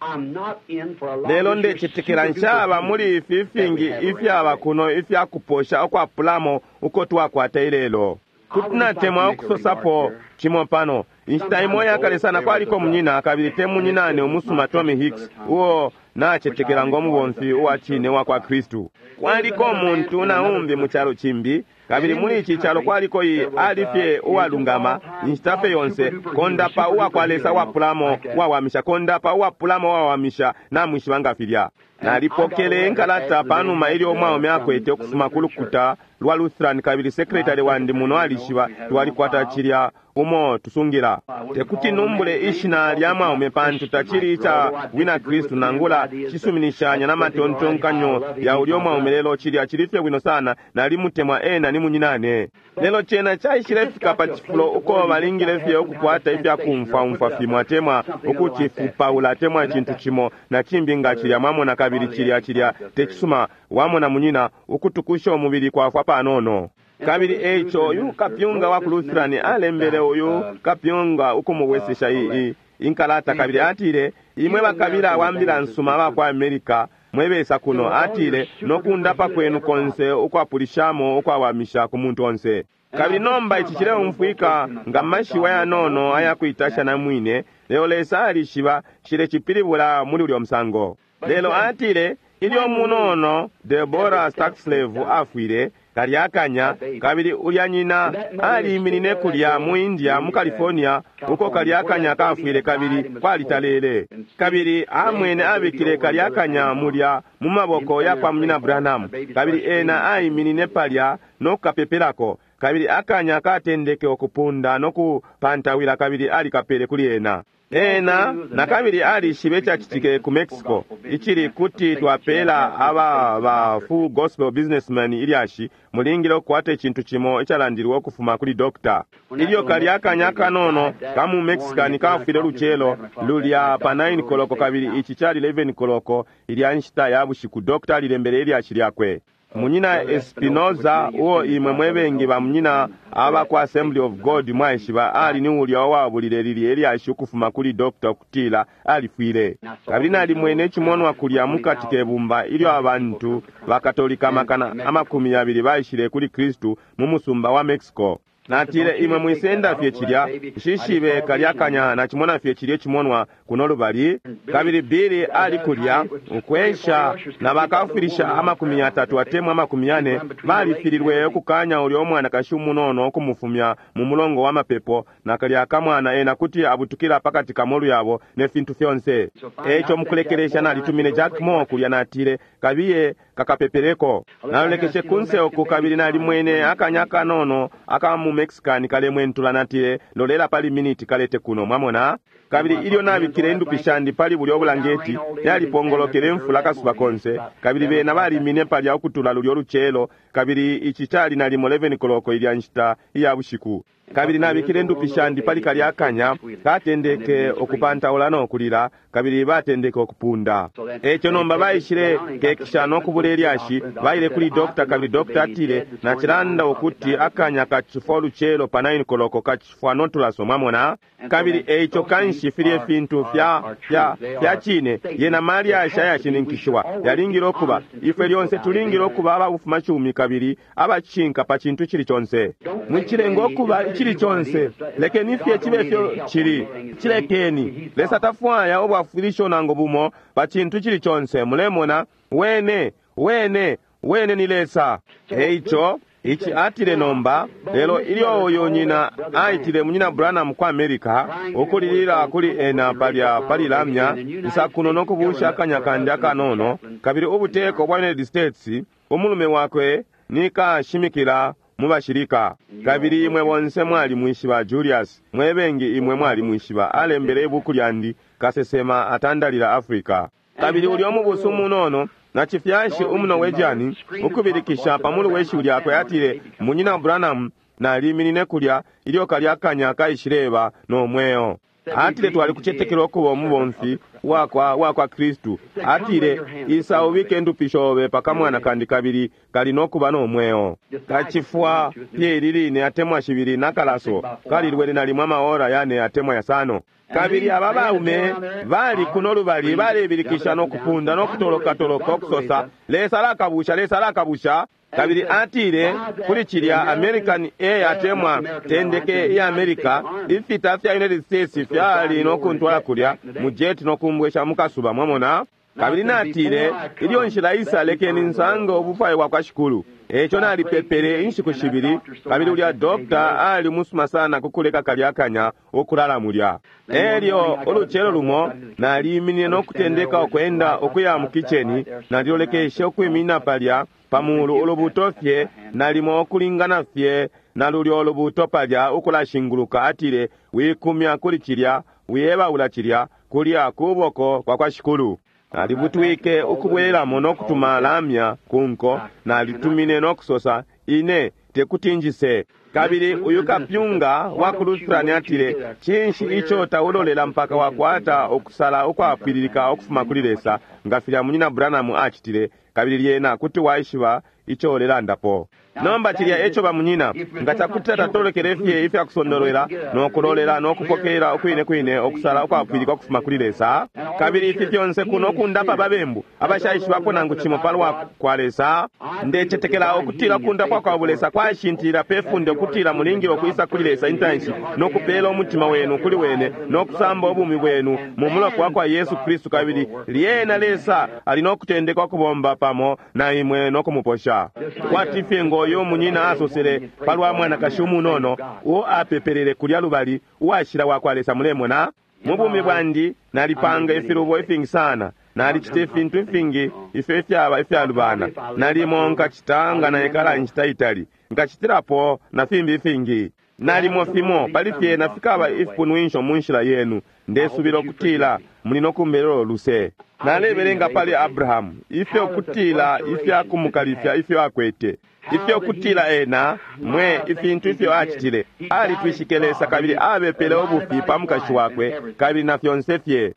I'm not in for a lot
Lelo
of this
ndecetekela
super
nshaba
duper
muli ifi fingi ifyaba kuno ifyakuposha ukwapulamo uko twakwata ilelo. Kuti natemwa ukusosapo cimo pano. Inshita imo yakale sana kwaliko munyina, kabili te munyinane umusuma Tommy Hicks, uo nacetekela ngo mubomfi uwa cine wa kwa Kristu. Kwaliko umuntu na umbi mu calo cimbi, kabili muli ici calo kwaliko iyi ali fye uwalungama inshita fye yonse, kondapa uwa kwa Lesa uwapulamo uwawamisha, kondapa uwapulamo uwawamisha, namwishiba nga filya. Nalipokele inkalata panuma ilyo umwaume akwete ukufuma ku lukuta lwa Lutheran, kabili sekretari wandi muno alishiba twalikwata cilya umo tusungila. Tekuti numbule ishina lya mwaume pantu tacili ica bwina Kristu nangula cisuminishanya na matontonkanyo ya ulya mwaume, lelo cilya cili fye bwino sana, nalimutemwa ena ni munyinane. Lelo cena caishile fika pa cifulo uko balingile fye ukukwata ifya kumfwaumfwa fimo atemwa ukucifupaula atemwa icintu cimo na cimbi nga cilya, mwamona, kabili cilya cilya tecisuma, wamona munyina, ukutukusha umubili kwafwa panono. Kabili eico uyu kapyunga wa ku Lutheran alembele uyu kapyunga ukumubwesesha iyi inkalata, kabili atile, imwe bakabila wa mbila nsuma aba kwa America mwebesa kuno, atile, nokundapa kwenu konse ukwapulishamo ukwawamisha ku muntu onse. Kabili nomba ici cileumfwika nga mashiwi ayanono ayakuitasha na mwine, lelo Lesa alishiba ncilecipilibula muli ulyo musango. Lelo atile, ilyo munono Deborah Stadsklev afwile, kalya akanya, kabili ulya nyina aliiminine kulya mu India, mu California, uko kalya akanya kafwile kabili kwalitalele. Kabili amwene abikile kalya akanya mulya mu maboko ya kwa munyina Branham, kabili ena aiminine palya no kukapepelako, kabili akanya katendeke ukupunda no kupantawila, kabili alikapele kuli ena. Ena nakabili alishibe icacitike ku Mexico, icili kuti twapela aba ba full gospel businessman ilyashi, mulingile ukukwata icintu cimo icalandilwe ukufuma kuli doctor. Ilyo kalya akanya kanono ka mu Mexican kafwile lucelo lulya pa 9 koloko, kabili ici cali 11 koloko ilya nshita ya bushiku, doctor alilembele ilyashi lyakwe. Munyina Espinoza, uo imwe mwebengi ba munyina aba ku Assembly of God mwaishiba, ali ni ulya uwabulile lilye ilyashi ukufuma kuli doctor ukutila alifwile. Kabili nalimwene icimonwa kulya mukati ke bumba ilyo abantu bakatolika amakana 20 baishile kuli Kristu mu musumba wa Mexico. Natile, imwe mwisenda fye cilya, nshishibe kalya kanya, nacimona fye cilye cimonwa kuno lubali. Kabili Billy ali kulya ukwensha na bakafilisha 30 atemwa 40 balifililwe ukukanya ulya umwanakashi umunono ukumufumya mu mulongo wa mapepo, na kalya kamwana ena kuti abutukila pakati ka molu yabo ne fintu fyonse. Eico mukulekelesha nalitumine Jack Moore kulya, natile, kabiye kakapepeleko. Nalolekeshe kunse uku kabili nalimwene akanya kanono aka mu Mexican kalemwentula, natile, lolela pali miniti, kalete kuno, mwamona. Kabili ilyo nabikile indupi shandi pali bulya obulangeti, yalipongolokele mfula kasuba konse, kabili bena balimine palya ukutula lulyo lucelo, kabili ici cali nalimo 11 koloko ilya nshita iya bushiku. Kabili nabikile indupi shandi pali kalya akanya, katendeke ukupantaula no kulila, kabili batendeke ukupunda. Eco nomba baishile kekisha no kubula ilyashi, baile kuli doctor, kabili doctor atile, nacilanda ukuti akanya kacifwa ulucelo pa 9 koloko, kacifwa notulaso, mwamona. Kabili eico kanshi filye fintu fya fya fya cine, yena malyashi ayashininkishiwa yalingile ukuba. Ifwe lyonse tulingile ukuba ababufumacumi kabili abacinka pa cintu cili conse. Mwicilenga ukuba icili conse, lekeni fye cibe fyo cili, cilekeni. Lesa tafwaya ubwafwilisho nangu bumo pa cintu cili conse. Mulemona, wene wene wene ni Lesa. Eico Ici atile nomba, lelo ilyo uyu nyina aitile munyina Branham ku America, ukulilila kuli ena palya pali lamya, nsakuno nokubusha akanya kandi akanono, kabili ubuteko bwa United States, umulume wakwe ni kashimikila mu bashilika. Kabili imwe bonse mwalimwishiba Julius, mwebengi imwe mwalimwishiba, alembele ibuku lyandi, Kasesema Atandalila Africa. Kabili ulya umubusu munono, na cifyashi umuNorwegian, ukubilikisha pamulu we shiwi lyakwe atile, Munyina Branham, naliminine kulya ilyo kalya kanya kaishileba no mweo. Atile twalikucetekela ukuba umubomfi wakwa wakwa Kristu. Atile, isa ubike ndupi shobe pakamwana kandi kabili kali nokuba no mweo. Kacifwa fye ili line atemwa shibili nakalaso kalilwele nalimwa amaora yane atemwa yasano. Kabili aba baume bali kuno lubali balebilikisha no kupunda no kutolokatoloka okusosa, Lesa alakabusha, Lesa alakabusha. Kabili atile kuli cilya American Air atemwa tendeke iya America, ifita fya United States fyali no kuntwala kulya mu jet no kumbwesha mukasuba, mwamona. Kabili natile, ilyo nshila isa lekeni nsange ubufwayo bwa kwa Shikulu. Eco nalipepele inshiku shibili, kabili ulya doctor ali musuma sana kukuleka kalya kanya ukulala mulya. Elyo ulucelo lumo naliminine no kutendeka ukwenda ukuya mu kitchen, nalilolekeshe ukwimina palya pamulu ulubuto fye, nalimo ukulingana fye na lulyo ulubuto palya ukulashinguluka. Atile, wikumya kuli cilya, wiyebaula cilya, kulya kuboko kwa kwa Shikulu. Nalibutwike ukubwelamo no kutuma lamya kunko, nalitumine no kusosa, ine tekuti njise. Kabili uyu kapyunga wa ku Lutheran atile, cinshi ico taulolela mpaka wakwata ukusala ukwapwililika ukufuma kuli Lesa, nga filya munyina Branham acitile, kabili lyena kuti waishiba ico ulelandapo. Nomba cilya eco bamunyina, nga cakuti tatolekele fye ifya kusondolwela no kulolela no kupokelela ukwine kwine ukusala ukwapwilika ukufuma kuli Lesa, kabili ifi fyonse kuno kundapa babembu abashaishibapo nangu cimo palwa kwa Lesa. Ndecetekela ukutila kundapwa kwa bulesa kwashintilila pe funde ukutila mulingile ukwisa kuli Lesa intanshi no kupela umutima wenu kuli wene no kusamba ubumi bwenu mu mulopa wa kwa Yesu Kristu, kabili lyena Lesa ali no kutendeka ukubomba pamo na imwe no kumuposha. Kwati fye ngo uyo munyina asosele palwa mwanakashi umunono uo apepelele kulya lubali uwashila wa kwa Lesa. Mulemona, mu bumi bwandi nalipanga ifilubo ifingi sana, nalicita ifintu ifingi ifyo ifyaba ifyalubana, nalimo nkacita nga naikala inshita itali, nkacitilapo na fimbi ifingi. Nalimo fimo pali fyena fikaba ifipunwisho mu nshila yenu. Ndesubila ukutila muli no kumbelelo luse. Nalebelenga pali Abrahamu ifyo kutila ifya kumukalifya ifyo akwete, ifyo kutila ena mwe ifintu ifyo acitile. Alitwishike Lesa kabili abepele ubufi pa mukashi wakwe kabili na fyonse fye.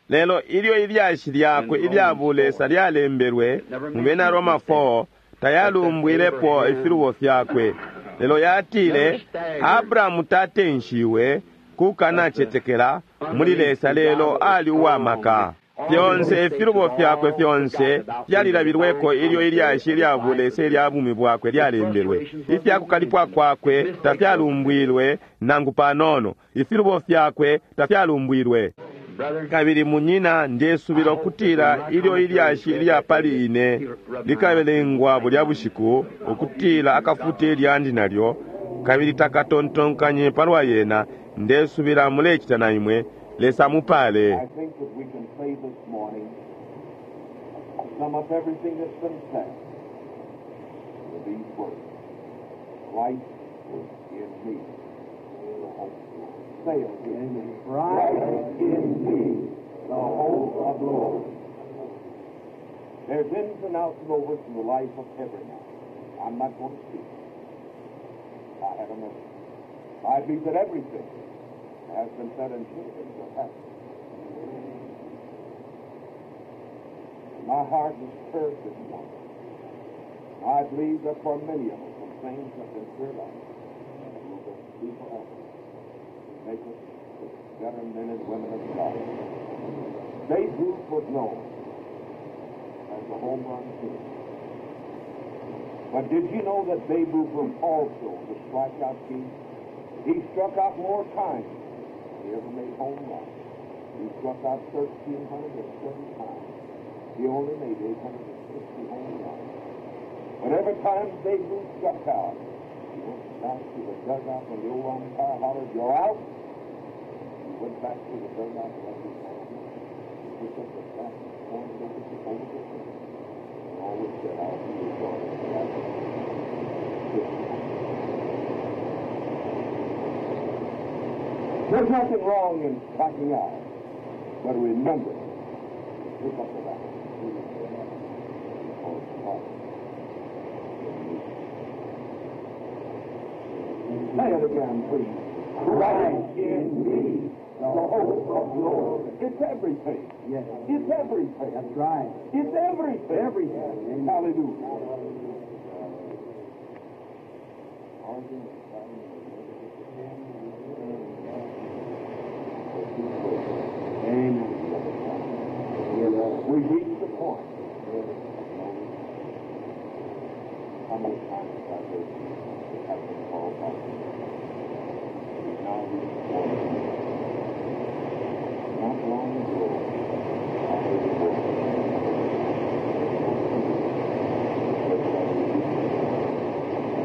Lelo ilyo ilyashi lyakwe ilya bulesa lyalembelwe mu Bena Roma 4, tayalumbwilepo ifilubo fyakwe, lelo yatile Abrahamu tatenshiwe kukanacetekela muli Lesa, lelo ali uwamaka. Fyonse ifilubo fyakwe fyonse fyalilabilweko ilyo ilyashi lya bulesa ilya bumi bwakwe lyalembelwe. Ifyakukalipwa kwakwe tafyalumbwilwe nangu panono, ifilubo fyakwe tafyalumbwilwe. Kabili munyina, ndesubila ukutila ilyo ilyashi ilya pali ine likabelengwa bulya bushiku, ukutila akafute ilyandi nalyo, kabili takatontonkanye palwa yena. Ndesubila mulecita na imwe. Lesa mupale.
I think that we can say this morning, sum up everything that's been said with these words. Christ in me, the hope of glory. Say it again. Christ in me, the hope of glory. There's ins and outs and overs in the life of every man. I'm not going to speak. I have a message. I believe that everything has been said and should have been said happened. My heart is stirred this morning. I believe that for many of us, some things have been stirred up and will be forever. Make us better men and women of God. Babe Ruth was known as the home run king. But did you know that Babe Ruth was also the strikeout king? He struck out more times than he ever made home runs. He struck out 1,330 times. He only made 850 home runs. But every time Babe Ruth struck out, he went back to the dugout when the old umpire hollered, "You're out." He went back to the dugout and left his hand. He picked up the bat and pointed over the fence. And always said, "I'll be your daughter." There's nothing wrong in striking out, but remember, pick up the bat. Because God in me. Say it again, please. Christ in me, the hope of glory. It's everything.
Yes.
It's everything.
That's right.
It's everything.
Everything. Amen.
Hallelujah.
Amen.
We reached the point. How many times have I heard that have been called back? We've now reached the point. Not long ago, I heard a voice.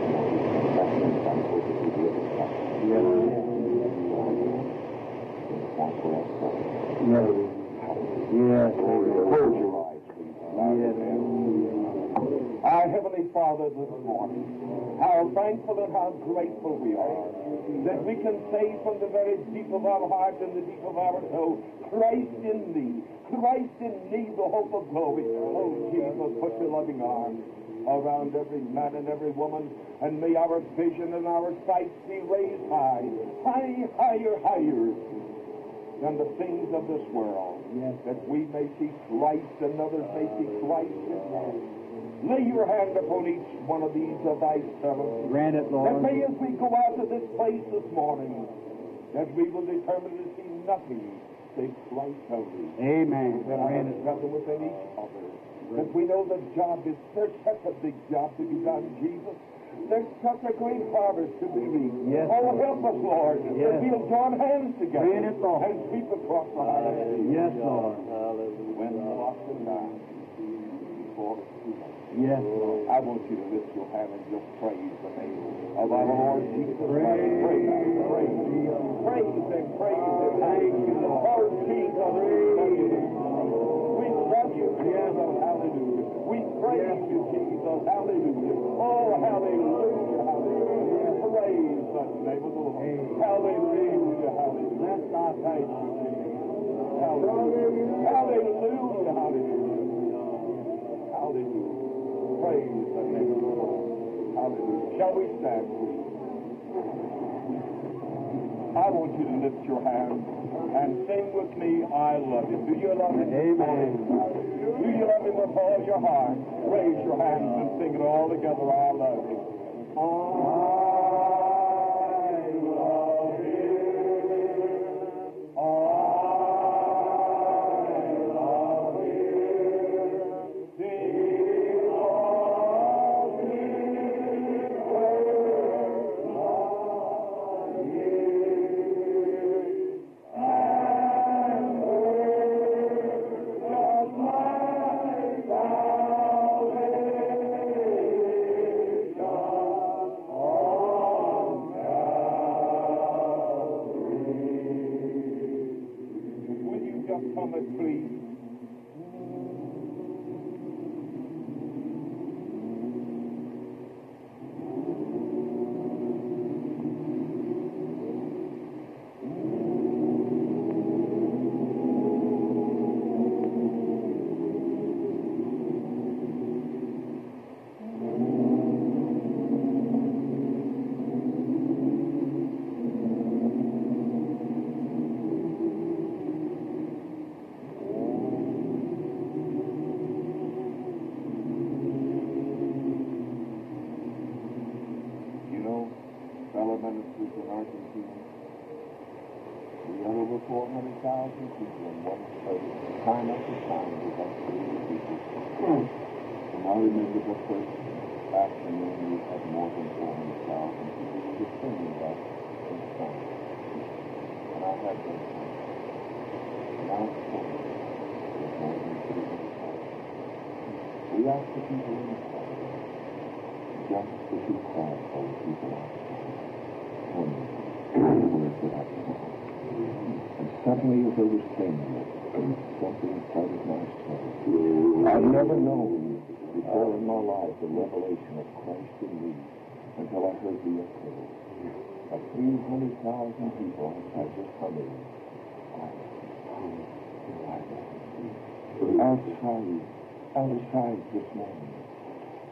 Back over to the other side.
Yes.
Point where I started.
Yes. Yes.
Close your eyes, please. Bow your
Yes.
heads. Our Heavenly Father, this morning, how thankful and how grateful we are that we can say from the very deep of our heart and the deep of our soul, Christ in me, Christ in me, the hope of glory. Oh, Jesus, put your loving arms around every man and every woman, and may our vision and our sight be raised high, high, higher, higher than the things of this world,
Yes.
that we may see Christ and others may see Christ in us. Lay your hand upon each one of these of thy servants.
Grant it,
That
Lord.
may, as we go out of this place this morning, that we will determine to see nothing save Christ only.
Amen.
That our
Grant it.
brother within each other. That we know the job is, there's such a big job to be done, Jesus. There's such a great harvest to be reaped.
Yes,
oh,
Lord.
help us, Lord,
Yes.
that we'll join hands together
Grant it, Lord.
and sweep across the harvest.
Yes, Lord.
When the lost and dying, before it's too late.
Yes, Lord.
I want you to lift your hand and just praise the name of our Lord Jesus Christ. Praise, praise, praise and praise and thank you, Lord. Oh, Jesus, we love you. We love you, Jesus. Hallelujah. We praise you, Jesus. Hallelujah. Oh, hallelujah, hallelujah. Praise the name of the Lord. Hallelujah, hallelujah.
Bless thy
Thank you, Jesus. Hallelujah. Hallelujah, hallelujah. Hallelujah. Praise the name of the Lord. Hallelujah. Shall we stand, please? I want you to lift your hands and sing with me, I love him. Do you love him?
Amen.
Do you love him with all your heart? Raise your hands and sing it all together, I love him. I love him. I love him. Because he first loved me and purchased my salvation on Calvary. Will you just come and please? You know, fellow ministers in Argentina, we had over 400,000 people in one service. Time after time, we had 30 people. And I remember the first afternoon we had more than 400,000 people. We were singing that in Spanish. And I had them. And I was told there was more than 300,000. got the people inside, just the too quiet for the people outside. Wonderful words that I saw. And suddenly, as they were saying it, something inside of my soul. I've never known before in my life the revelation of Christ in me until I heard the echo of 300,000 people outside just humming. Outside, outside this morning,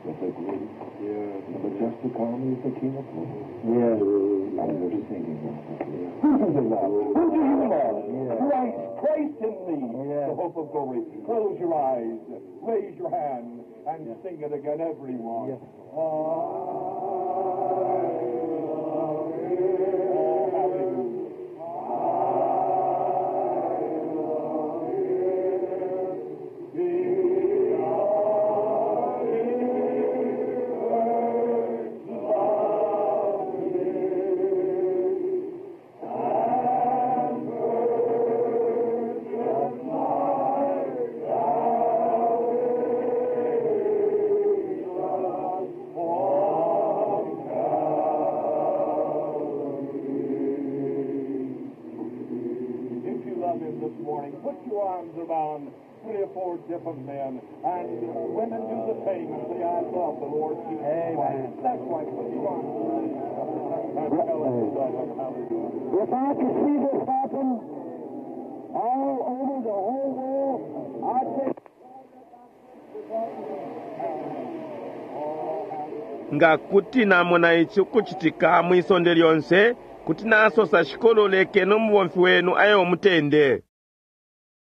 with the great and majestic army of the King of Glory.
Yes.
And they're singing out. Who do they love? Who do you love?
Christ, Christ in me,
Yes.
the hope of glory. Close your eyes, raise your hand, and sing it again, everyone.
Yes.
I love him. Oh, hallelujah. If you love him this morning, put your arms around three or four different men, and women do the same and say, I love the Lord Jesus
Amen.
Christ. That's right. Put your arms around each other and tell him you love him. Hallelujah.
If I could see this happen all over the whole world, I'd say.
Nga kuti namona ici ukucitika mwisonde lyonse, kuti nasosa Shikulu lekeni umubomfi wenu aye umutende.